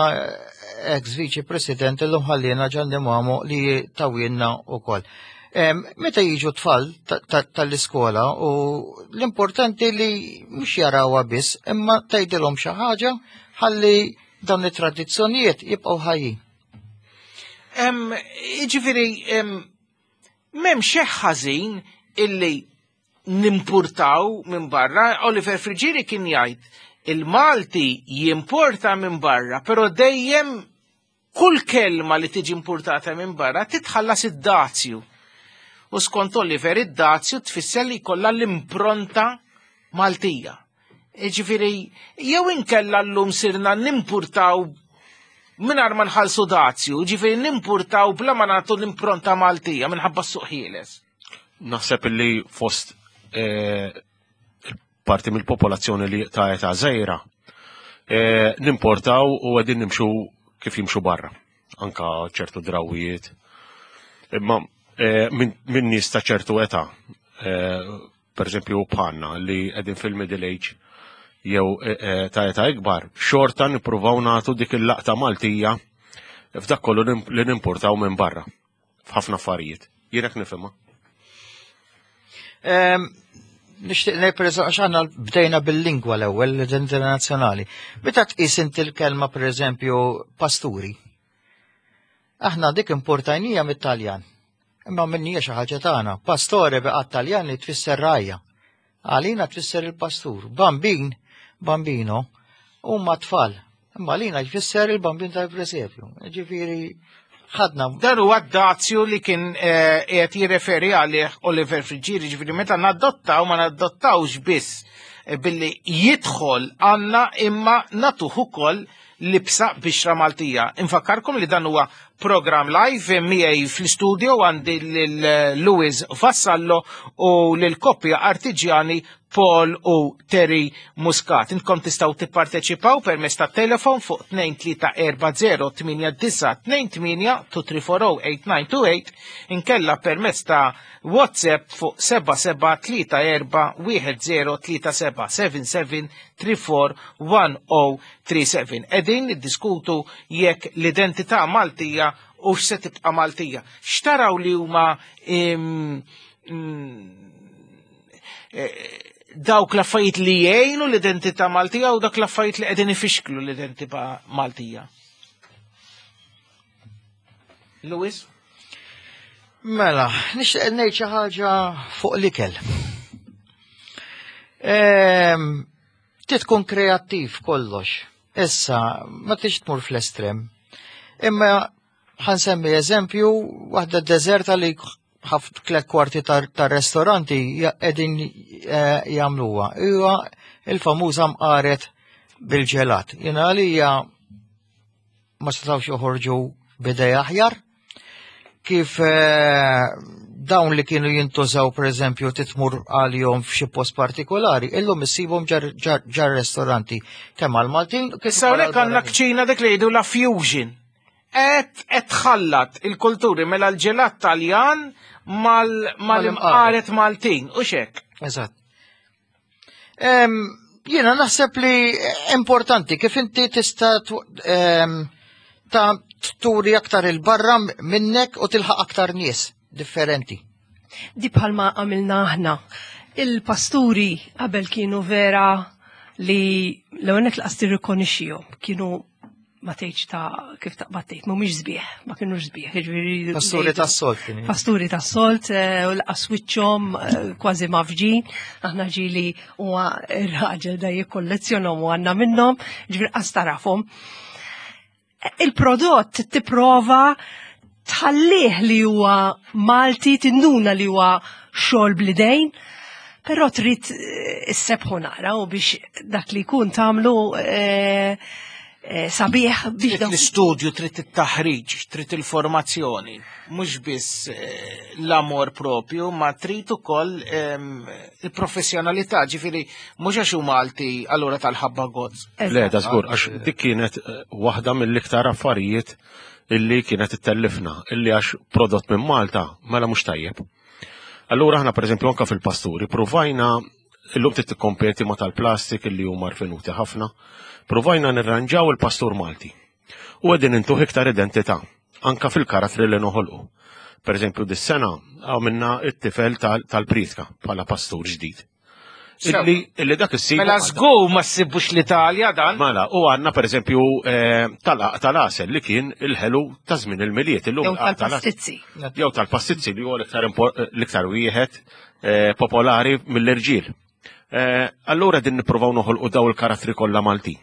Q: ex viċi president illum ħallina Gianni Mamo li tawilna wkoll. Em, Meta jiġu tfal ta- ta- tal-iskola u l-importanti li mhux jarawha biss, imma tgħidilhom xi ħaġa ħalli dawn it-tradizzjonijiet jibqgħu ħajjin.
B: Em, Jiġifieri, em, m'hemm xejn ħażin illi nimpurtaw minn barra. Oliver Friggieri kien jgħid il-Malti jimporta minn barra, però dejjem kull kelma li tiġi importata minn barra titħallas id-dazju. U skont Oliver id-dazju tfisser li jkollha l-impronta Maltija. Ġifieri, jew inkella llum sirna nimpurtaw mingħajr ma nħallsu dazju, ġifieri nimpurtaw bla ma nagħtu l-impronta Maltija minħabba s-suq ħieles.
P: Naħseb li fost eh, parti mill-popolazzjoni li ta' età żgħira eh, nimportaw u qegħdin nimxu kif jimxu barra. Anka ċertu drawijiet. Imma eh, minn min nies ta' ċertu età, eh, per eżempju bħalna li qegħdin fil-middle age jew eh, eh, ta' età ikbar, xorta nippruvaw nagħtu dik il-laqta Maltija f'dak kollu li nimportaw minn barra f'ħafna affarijiet. Jien hekk nifhimha.
Q: Em, Nixtieq ngħid pereżempju għax aħna bdejna bil-lingwa l-ewwel l-identità nazzjonali. Meta tqis inti l-kelma pereżempju pasturi. Aħna dik importajnija mit-Taljan. Imma minnija xi ħaġa tagħna. Pastore beqa' Taljan li tfisser rajja. Għalina tfisser il-pastur. Bambin, bambino, huma tfal. Imma għalina jfisser il-bambin tal-presepju. Ġifieri ħadna
B: Dan huwa d-dazju li kien eh, qiegħed jirreferi għalih Oliver Friggieri, ġifieri meta nadottaw ma nadottawx biss eh, billi jidħol għandna imma nagħtuh ukoll libsa bixra Maltija. Infakkarkom li dan huwa program live miegħi fl-studio għandi lil Louis Vassallo u lil koppja artiġjani Paul u Terry Muscat. Intkom tistgħu tipparteċipaw permezz ta' telefon fuq tnejn tlieta erba' zero tmienja disgħa tnejn tmienja two three four oh eight nine two eight, inkella permezz ta' WhatsApp fuq seba' seba' tlieta erba' wieħed zero tlieta seba' seven seven three four one oh three seven. Qegħdin niddiskutu jekk l-identità Maltija u x'se tibqa' Maltija. X'taraw li huma im, mm, eh, dawk l-affarijiet li jgħinu l-identità Maltija u dak l-affarijiet li qegħdin ifixklu l-identità Maltija? Louis?
Q: Mela, nixtieq ngħid xi ħaġa fuq l-ikel. Ehm, Trid tkun kreattiv kollox. Issa, ma tix tmur fl-estrem. Imma ħansemmi eżempju waħda deżerta li ħaf tliet kwarti tar restoranti qegħdin eh, jagħmluha. Huwa il-famuża mqaret bil-ġelat. Jiena għalija ma setgħux joħorġu b'idea aħjar. Kif eh, dawn li kienu jintużaw pereżempju titmur għalihom f'xi post partikolari, illum issibhom ġar ristoranti kemm għal-Maltin kif
B: Issa
Q: ukoll
B: hawnhekk għandna
Q: għall-barranin.
B: kċina dik li jgħidu la fusion. Qed qed tħallat il-kulturi mela l-ġelat Taljan mal- mal-imqaret Maltin u xek.
Q: Eżatt. Em, Jiena naħseb li importanti kif inti tista' tw- em, ta' turi aktar il-barra minnek u tilħaq aktar nies differenti.
O: Di bħalma għamilna aħna. Il-pasturi qabel kienu vera li l-għonek laqas tirrikonixxihom, kienu ma tgħidx ta' kif taqbad tgħid, mhumiex sbieħ, ma kienux sbieħ, jiġifieri
Q: Pasturi tas-solt kienu.
O: Pasturi tas-solt, eh, u laqas wiċċhom eh, kważi mafġin, aħna ġieli huwa ir-raġel da jikkollezzjonhom u għandna minnhom, ġifieri qas tarafhom. Il-prodott tipprova tħallih li huwa Malti, tinduna li huwa xogħol bl-idejn, però trid eh, issebħu nara u biex dak li jkun tagħmlu eh, eh, sabiħ biex
B: Trid l-istudju, trid it-taħriġ, trid il-formazzjoni, mhux biss eh, l-amor propju, ma trid ukoll ehm, il-professjonalità, ġifieri mhux għax hu Malti allura tal-ħabba gozz.
P: Le, da żgur, għax dik kienet eh, waħda mill-iktar affarijiet illi kienet ittellifna, illi għax prodott minn Malta, mela mhux tajjeb. Allura aħna pereżempju anka fil-pasturi provajna illum trid tikkompeti ma tal-plastik illi huma rfinuti ħafna, provajna nirranġaw il-pastur Malti. U qegħdin intuh iktar identità, anka fil-karattri li noħolqu. Per eżempju, dis-sena għamilna it-tifel tal- tal-pritka bħala pastur ġdid. Illi, illi dak issib.
B: Mela żgur ma ssibux l-Italja dan.
P: Mela, u għandna per eżempju eh, tal- tal-għasel li kien il-ħelu ta' żmien il-Milied. Illum
O: Jew
P: tal-għasel-
O: tal-pastizzi.
P: Jew tal-pastizzi li huwa l-iktar impor- l-iktar wieħed eh, popolari mill-irġiel. Eh, Allura din nippruvaw noħolqu daw il-karattri kollha Maltin.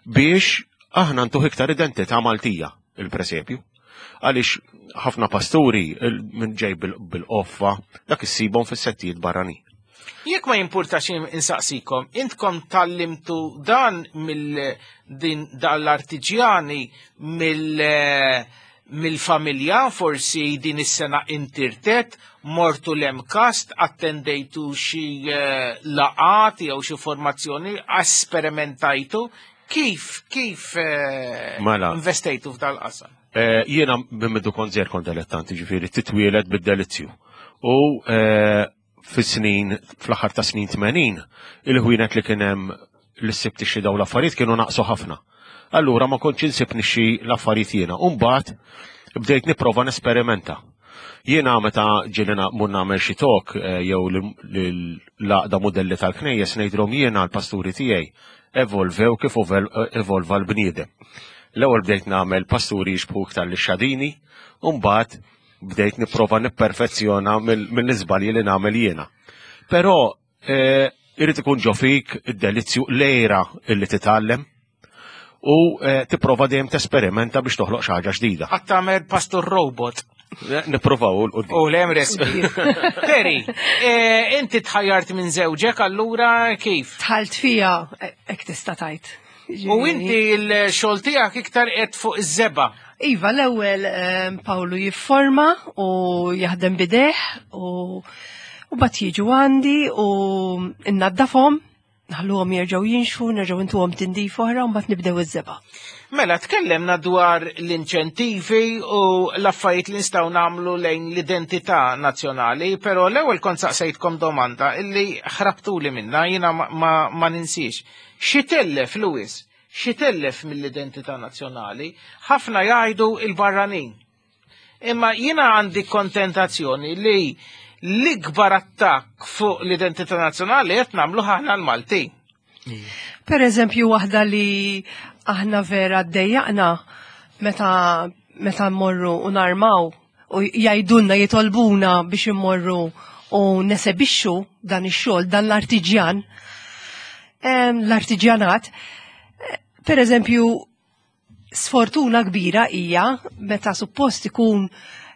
P: Biex aħna ntuh iktar identità Maltija il-presepju. Għaliex ħafna pasturi il- minn ġej bil- bil-qoffa dak issibhom fis-settijiet barranin.
B: Jekk ma jimpurtax insaqsikom, intkom tgħallimtu dan mill din dal-artiġjani mill mill-familja, forsi din is-sena intirtet, mortu l-MCAST, attendejtu xi eh, laqat jew xi formazzjoni, esperimentajtu, kif kif eh,
P: Mela.
B: investejtu f'dal-qasam?
P: Eh, Jiena minn mindu kont żgħir kont dilettanti, ġifieri titwielet bid-delizzju. U eh, fis-snin, fl-aħħar ta' snin tmenin, il-ħwienet li kien hemm li ssib tixtri daw l-affarijiet kienu naqsu ħafna. Allura ma kontx insib nixtri l-affarijiet jiena. U mbagħad bdejt nipprova nesperimenta. Jiena meta ġieli mmur nagħmel xi talk eh, jew l-għaqda modelli tal-knejjes ngħidilhom jiena l-pasturi tiegħi evolvew kif evolva l-bniedem. L-ewwel bdejt nagħmel pasturi jixbħu iktar lix-xadini, u mbagħad bdejt nipprova nipperfezzjona mill-iżbalji li nagħmel jiena. Però eh, irid ikun ġo fik id-delizzju l-għira illi titgħallem u eh, tipprova dejjem tesperimenta biex toħloq xi ħaġa ġdida.
B: Għad tagħmel pastor robot.
P: Eh, Nipprovaw 'l
B: U l-emres. Terry, eh, inti tħajjart minn żewġek allura kif?
O: Dħalt fija, hekk tista' tgħid.
B: U inti l-xogħol tiegħek iktar qed fuq iż-żebgħa.
O: Iva, l-ewwel ehm, Pawlu jifforma u jaħdem b'idejh u u mbagħad jiġu għandi u innaddafhom, naħluhom jerġgħu jinxfu, nerġgħu intuhom tindif oħra u mbagħad nibdew iż-żebgħa.
B: Mela, tkellemna dwar l-inċentivi u l-affarijiet li nistgħu nagħmlu lejn l-identità nazzjonali, però l-ewwel kont saqsejtkom domanda illi ħrabtuli minna, jiena ma, ma, ma ninsiex. Xi tellef, Louis? Xi tellef mill-identità nazzjonali? Ħafna jgħidu il-barranin. Imma jiena għandi kontentazzjoni li l-ikbar attakk fuq l-identità nazzjonali qed nagħmlu aħna l-Maltin.
O: Per eżempju, waħda li aħna vera ddejjaqna meta meta mmorru u narmaw u jgħidulna jitolbuna biex immorru u nesebixxu dan ix-xogħol, dan l-artiġjan, em, l-artiġjanat. Per eżempju, sfortuna kbira hija meta suppost ikun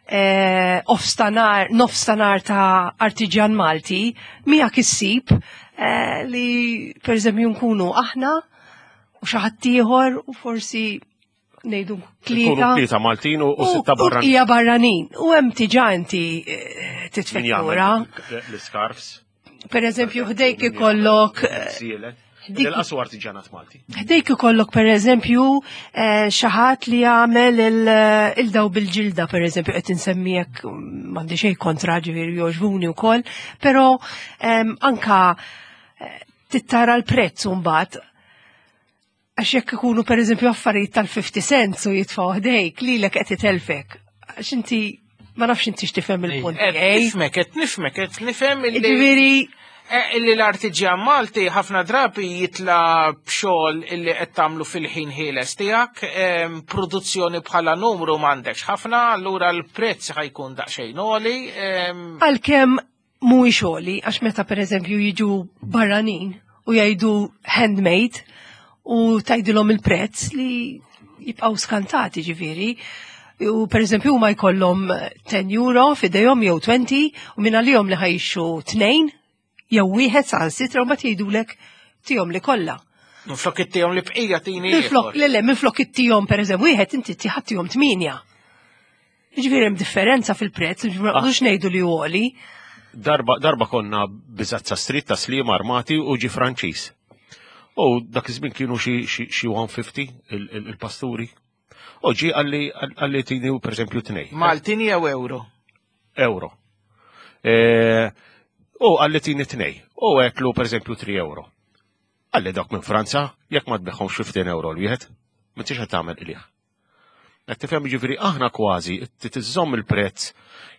O: eh, nofstanhar, nofstanhar ta' artiġjan Malti, miegħek issib eh, li per eżempju nkunu aħna u xi ħadd ieħor u forsi ngħidu
P: Ikunu
O: tlieta
P: tlieta Maltin u u sitta barranin.
O: Hija barranin. U hemm diġà inti eh,
P: Min
O: titfek
P: jagħmel
O: lura.
P: L-scarfs.
O: Per eżempju, ħdejk ikollok eh,
P: Sielet.
O: dik-
P: Il-qasu artiġanat Malti.
O: Ħdejk ikollok per eżempju eh, xi ħadd li jagħmel il- il-daw bil-ġilda per eżempju qed insemmijek m'għandi xejn kontra ġifieri jogħġbuni wkoll, però em, anka eh, tittara l-prezz mbagħad għax jekk ikunu per eżempju affarijiet tal-fifty cents u jitfgħu ħdejk lilek qed itelfek. Għax inti ma nafx inti x'tifhem il-punt
B: Qed
O: tiegħi.
B: nifhmek, qed nifhmek, qed nifhem illi
O: Ġifieri
B: Eh, illi l-artiġjan Malti ħafna drabi jitla b'xogħol illi qed tagħmlu fil-ħin ħieles tiegħek, em, produzzjoni bħala numru m'għandekx ħafna, allura l-prezz ħa jkun daqsxejn għoli. em,
O: Għalkemm mhuwiex għoli, għax meta pereżempju jiġu barranin u jgħidu handmade u tgħidilhom il-prezz li jibqgħu skantati ġifieri. U per eżempju huma jkollhom ten euro f'idejhom jew twenty u minn għalihom li ħa jixtru tnejn jew wieħed sa sitra u mbagħad jgħidulek tihom li kollha.
B: Minflok ittihom li bqija tini
O: Minflok,
B: ieħor.
O: le le, minflok ittihom per eżempju wieħed inti tiħattihom tminja. Ġifieri hemm differenza fil-prezz, ġifieri ma nqogħdux ngħidu li hu għoli.
P: Darba, darba konna Bizzazza Street ta' Sliema armati u ġi Franċiż. U dak iż-żmien kienu xi xi xi one fifty il- il- il-pasturi. U ġi qalli qalli tini per eżempju tnej.
B: Maltin jew euro?
P: Euro. E, U qalli tini tnej. U għedtlu per eżempju three euro. Qalli dak minn Franza, jekk ma tbigħhomx fifteen euro l-wieħed, m'intix qed tagħmel qligħ. Qed tifhem, ġifieri aħna kważi tiżżomm il-prezz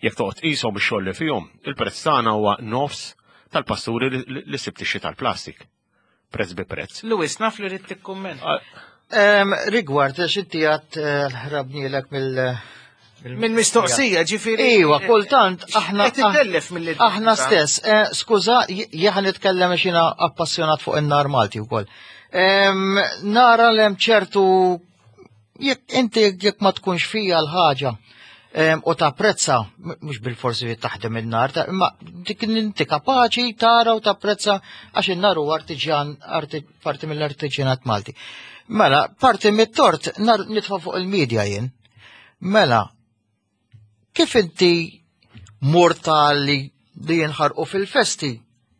P: jekk toqgħod qishom ix-xogħol li fihom, il-prezz tagħna huwa nofs tal-pasturi li- li li sibt ixxi tal-plastik. Prezz bi prezz.
B: Louis, naf li rrid tikkumment.
Q: Em, Rigward, għax inti għat ħrabnilek mill-
B: Minn mistoqsija, ġifieri.
Q: Iwa, kultant aħna.
B: Qed ittellef mill
Q: Aħna stess, eh, skuża, jien nitkellem għax jiena appassjonat fuq in-nar Malti wkoll. Em, Nara l hemm ċertu jekk inti jekk ma tkunx fija l-ħaġa em, u tapprezza, m- mhux bil-forsi li taħdem in-nar, ta' imma dik inti kapaċi tara u tapprezza għax in-nar huwa artiġjan, arti, parti mill-artiġjanat Malti. Mela, parti mit-tort nar nitfa' fuq il-medja jien. Mela, kif inti mortali li jinħarqu fil-festi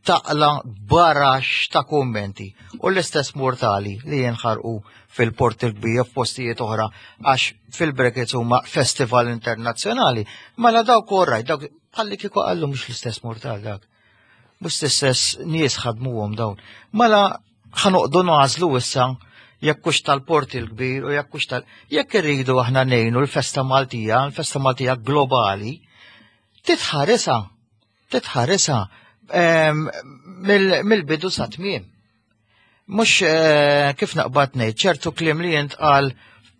Q: taqla barax ta' kummenti u l-istess mortali li jinħarqu fil-Port il-Kbir f'postijiet oħra għax fil-brackets huma festival internazzjonali. Mela dawk orrajt, dawk bħalli kieku qallu mhux l-istess mortal dak. Mhux l-istess nies ħadmuhom dawn. Mela ħa noqogħdu nagħżlu issa jekk hux tal-Port il-Kbir u jekk hux tal. Jekk irridu aħna ngħinu l-festa Maltija, l-festa Maltija globali, titħarisha, titħarisha em, mill- mill-bidu sa tmiem. Mhux eh, kif naqbad ngħid, ċertu kliem li jintqal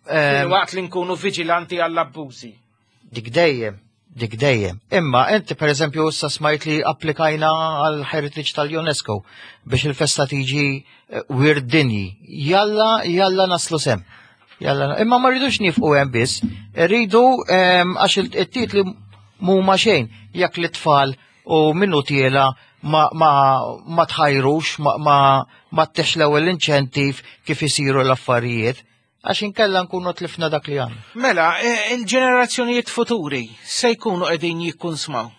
Q: em,
B: Waqt li nkunu viġilanti għall-abbużi.
Q: Dik dejjem, dik dejjem. Imma inti per eżempju issa smajt li applikajna għal heritage tal-UNESCO biex il-festa tiġi eh, wirt dinji. Jalla, jalla naslu s'hemm. Jalla, imma ma rridux nieqfu hemm biss, rridu em, għax il- it-titli mhuma xejn jekk l-tfal u minnu tiela ma, ma, ma tħajrux, ma, ma, ma ttihx l-ewwel inċentiv kif isiru l-affarijiet, għax inkella nkunu tlifna dak li għandna.
B: Mela, eh, il-ġenerazzjonijiet futuri se jkunu qegħdin jikkunsmaw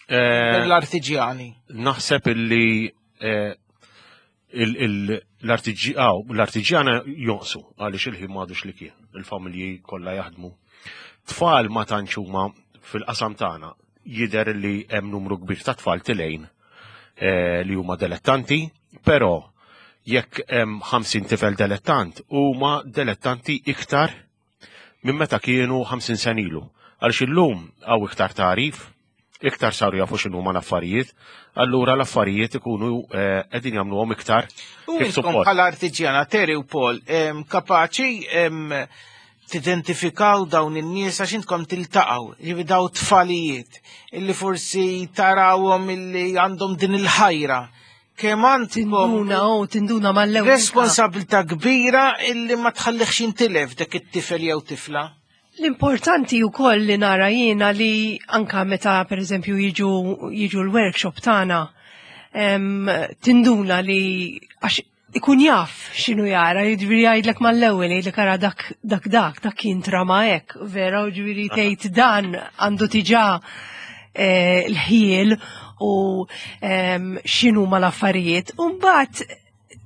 P: Eh,
B: l-artiġjani.
P: Naħseb illi eh, il- il- l-artiġi- aw, l-artiġjana jonqsu għaliex il-ħin m'għadux li kien, il-familji kollha jaħdmu. Tfal ma tantx huma fil-qasam tagħna, jidher li hemm numru kbir ta' tfal tilejn eh, li huma dilettanti, però jekk hemm ħamsin tifel dilettant, huma dilettanti iktar minn meta kienu ħamsin sena ilu. Għaliex illum hawn iktar tagħrif, iktar saru jafu x'inhuma l-affarijiet, allura l-affarijiet ikunu eh, qegħdin jagħmluhom iktar
B: U
P: kif
B: intkom
P: suppost.
B: bħala artiġjana, Terry u Paul, em, kapaċi em, tidentifikaw dawn in-nies għax intkom tiltaqgħu, jiġifieri daw tfalijiet illi forsi tarawhom illi għandhom din il-ħajra. Kemm għandkom
O: Tinduna, oh, tinduna mal-ewwel.
B: responsabilità kbira illi ma tħallihx jintilef dak it-tifel jew tifla.
O: L-importanti u koll li nara jiena li anka meta per eżempju jiġu, jiġu l-workshop tagħna em, tinduna li għax ikun jaf x'inhu jara, jiġifieri jgħidlek mal-ewwel, jgħidlek ara dak dak dak, dak kien trama hekk, vera, u ġifieri tgħid dan għandu diġà eh, l-ħjiel u em, x'inhu ma l-affarijiet. U mbagħad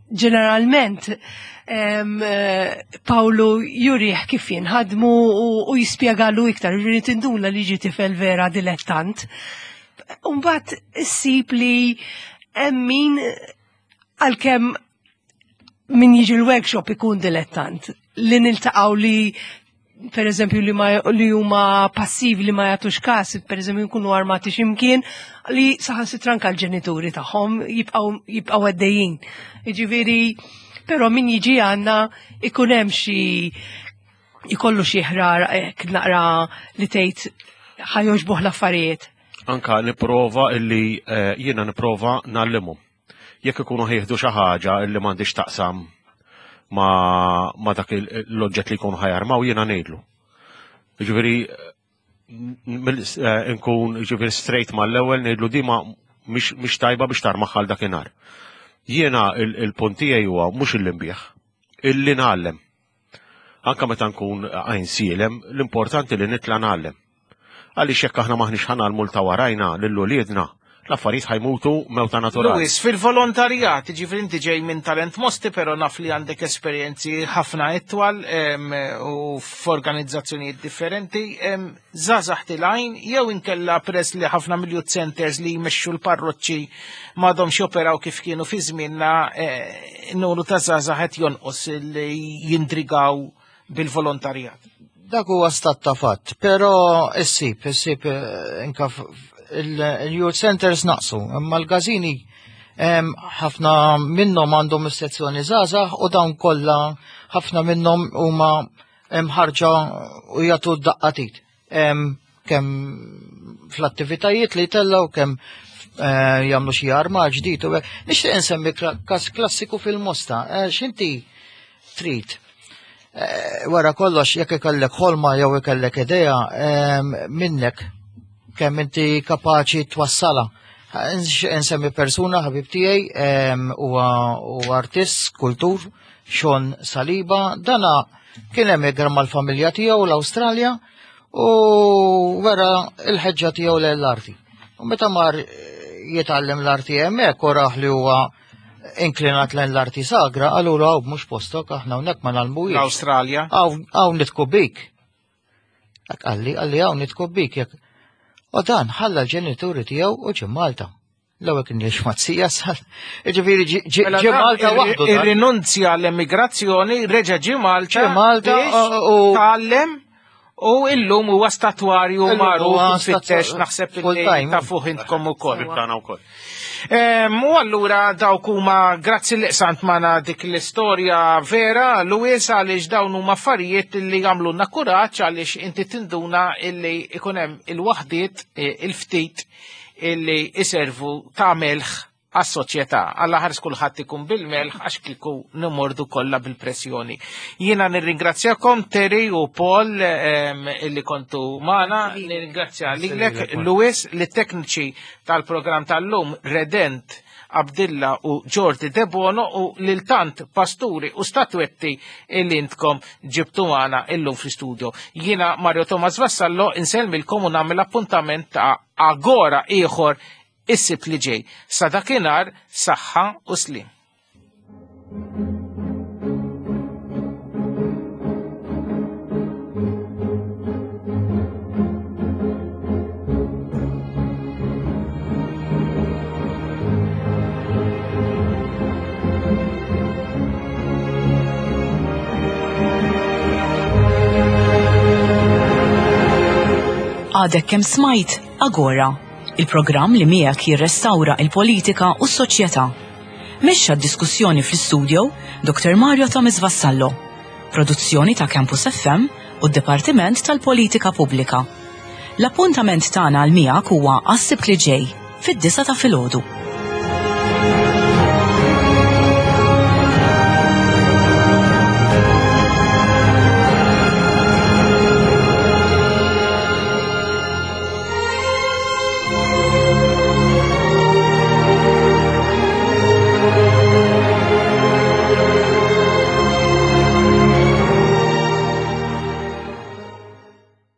O: ġeneralment em, eh, Pawlu jurih kif jinħadmu u, u jispjegalu iktar, ġifieri tinduna li ġi tifel vera dilettant. Umbat issib li hemm min għalkemm min jiġi l-workshop ikun dilettant li niltaqgħu li per eżempju li, ma, li huma passivi li ma jagħtux każ, per eżempju jkunu armati x'imkien li saħansitra anke l-ġenituri tagħhom jibqgħu jibqgħu għaddejjin. Jiġifieri, però min jiġi għandna ikun hemm xi ikollu xi ħrar hekk naqra li tgħid ħa jogħġbuh l-affarijiet.
P: Anka niprova illi eh, jiena niprova ngħallimhom. Jekk ikunu ħa jieħdu xi ħaġa illi m'għandix taqsam ma, ma dak il- l-oġġett li jkunu ħa jarmaw jiena ngħidlu. Jiġifieri mill- eh, nkun jiġifieri straight mal-ewwel ngħidlu di ma mhix mhix tajba biex tarmaha għal dakinhar. Jiena il- il-punt tiegħi huwa mhux illi nbigħ, illi ngħallem. Anka meta nkun Għajnsielem, l-importanti li nitla' ngħallem. Għaliex jekk aħna m'aħniex ħa ngħallmu ta' warajna lil uliedna, l-affarijiet ħa jmutu mewta naturali.
B: Louis, fil-volontarjat, ġifieri inti ġej minn Talent Mosti, pero naf li għandek esperjenzi ħafna itwal em, u f'organizzazzjonijiet differenti, em, żgħażagħ telgħin, jew inkella press li ħafna mill-youth centers li jmexxu l-parroċċi m'għadhomx joperaw kif kienu fi żmienna, eh, numru ta' żgħażagħ qed jonqos li jindrigaw bil-volontarjat.
Q: Dak huwa stat ta' fatt, però issib, issib eh, inka f- il-youth centers naqsu, imma l-gazini em, ħafna minnhom għandhom is-sezzjoni żgħażagħ u dawn kollha ħafna minnhom huma ħarġa u jagħtu daqqa t'id. Em, Kemm fl-attivitajiet li tellaw, kemm eh, jagħmlu xi arma ġdid u hekk. Nixtieq insemmi kla- każ klassiku fil-Mosta. Eh, X'inti trid? Eh, Wara kollox jekk ikollek ħolma jew ikollek idea em, minnek kemm inti kapaċi twassala. Nx- Nsemmi persuna ħabib tiegħi em, huwa huwa artist, skultur, Sean Saliba, dana kien emigra mal-familja tiegħu l-Awstralja u wera il-ħeġġa tiegħu l-arti. U meta mar eh, jitgħallem l-arti hemmhekk u raħ li huwa inklinat lejn l-arti sagra, qalulu hawn mhux postok aħna hawnhekk ma ngħallmuhiex.
B: L-Awstralja.
Q: Hawn hawn nidħku bik. Hekk qalli, qalli hawn nidħku bik jekk. U dan ħalla l-ġenituri tiegħu u ġie Malta. L-ewwel kien jgħix mat-zija sal. Jiġifieri ġie ġie-
B: Mela
Q: ġie
B: dan
Q: Malta
B: irri-
Q: waħdu. dan.
B: Irrinunzja l-emigrazzjoni, reġa' ġie Malta.
Q: Ġie Malta,
B: biex
Q: u-
B: tgħallem u illum huwa statwarju
Q: Illum
B: magħruf
Q: huwa
B: fittex
Q: statu-
B: naħseb li
Q: full time.
B: tafuh intkom ukoll.
P: Tagħna wkoll.
B: Em, U allura dawk huma grazzi li qsamt magħna dik l-istorja vera, Louis, għaliex dawn huma affarijiet li jagħmlulna kuraġġ għaliex inti tinduna illi ikun hemm il-waħdiet eh, il-ftit illi iservu ta' melħ għas-soċjetà. Alla ħares kulħadd ikun bil-melħ għax kieku nimordu kollha bil-pressjoni. Jiena nirringrazzjakom Terry u Paul em, illi kontu magħna, nirringrazzja lilek Louis li tekniċi tal-programm tal-lum Redent Abdilla u Jordi Debono u lil tant pasturi u statwetti illi intkom ġibtu magħna illum fl-studio. Jiena Mario Thomas Vassallo insellmilkom u nagħmel appuntament ta' Agora ieħor is-Sibt li ġej. Sa dakinhar saħħa u slim.
A: Għadek kemm smajt Agora, il-programm li miegħek jirrestawra il-politika u s-soċjetà. Mexxa d-diskussjoni fl-studio Dr. Mario Thomas Vassallo. Produzzjoni ta' Campus FM u d-Dipartiment tal-Politika Pubblika. L-appuntament tagħna għal miegħek huwa għas-Sibt li ġej fid-disgħa ta' filgħodu.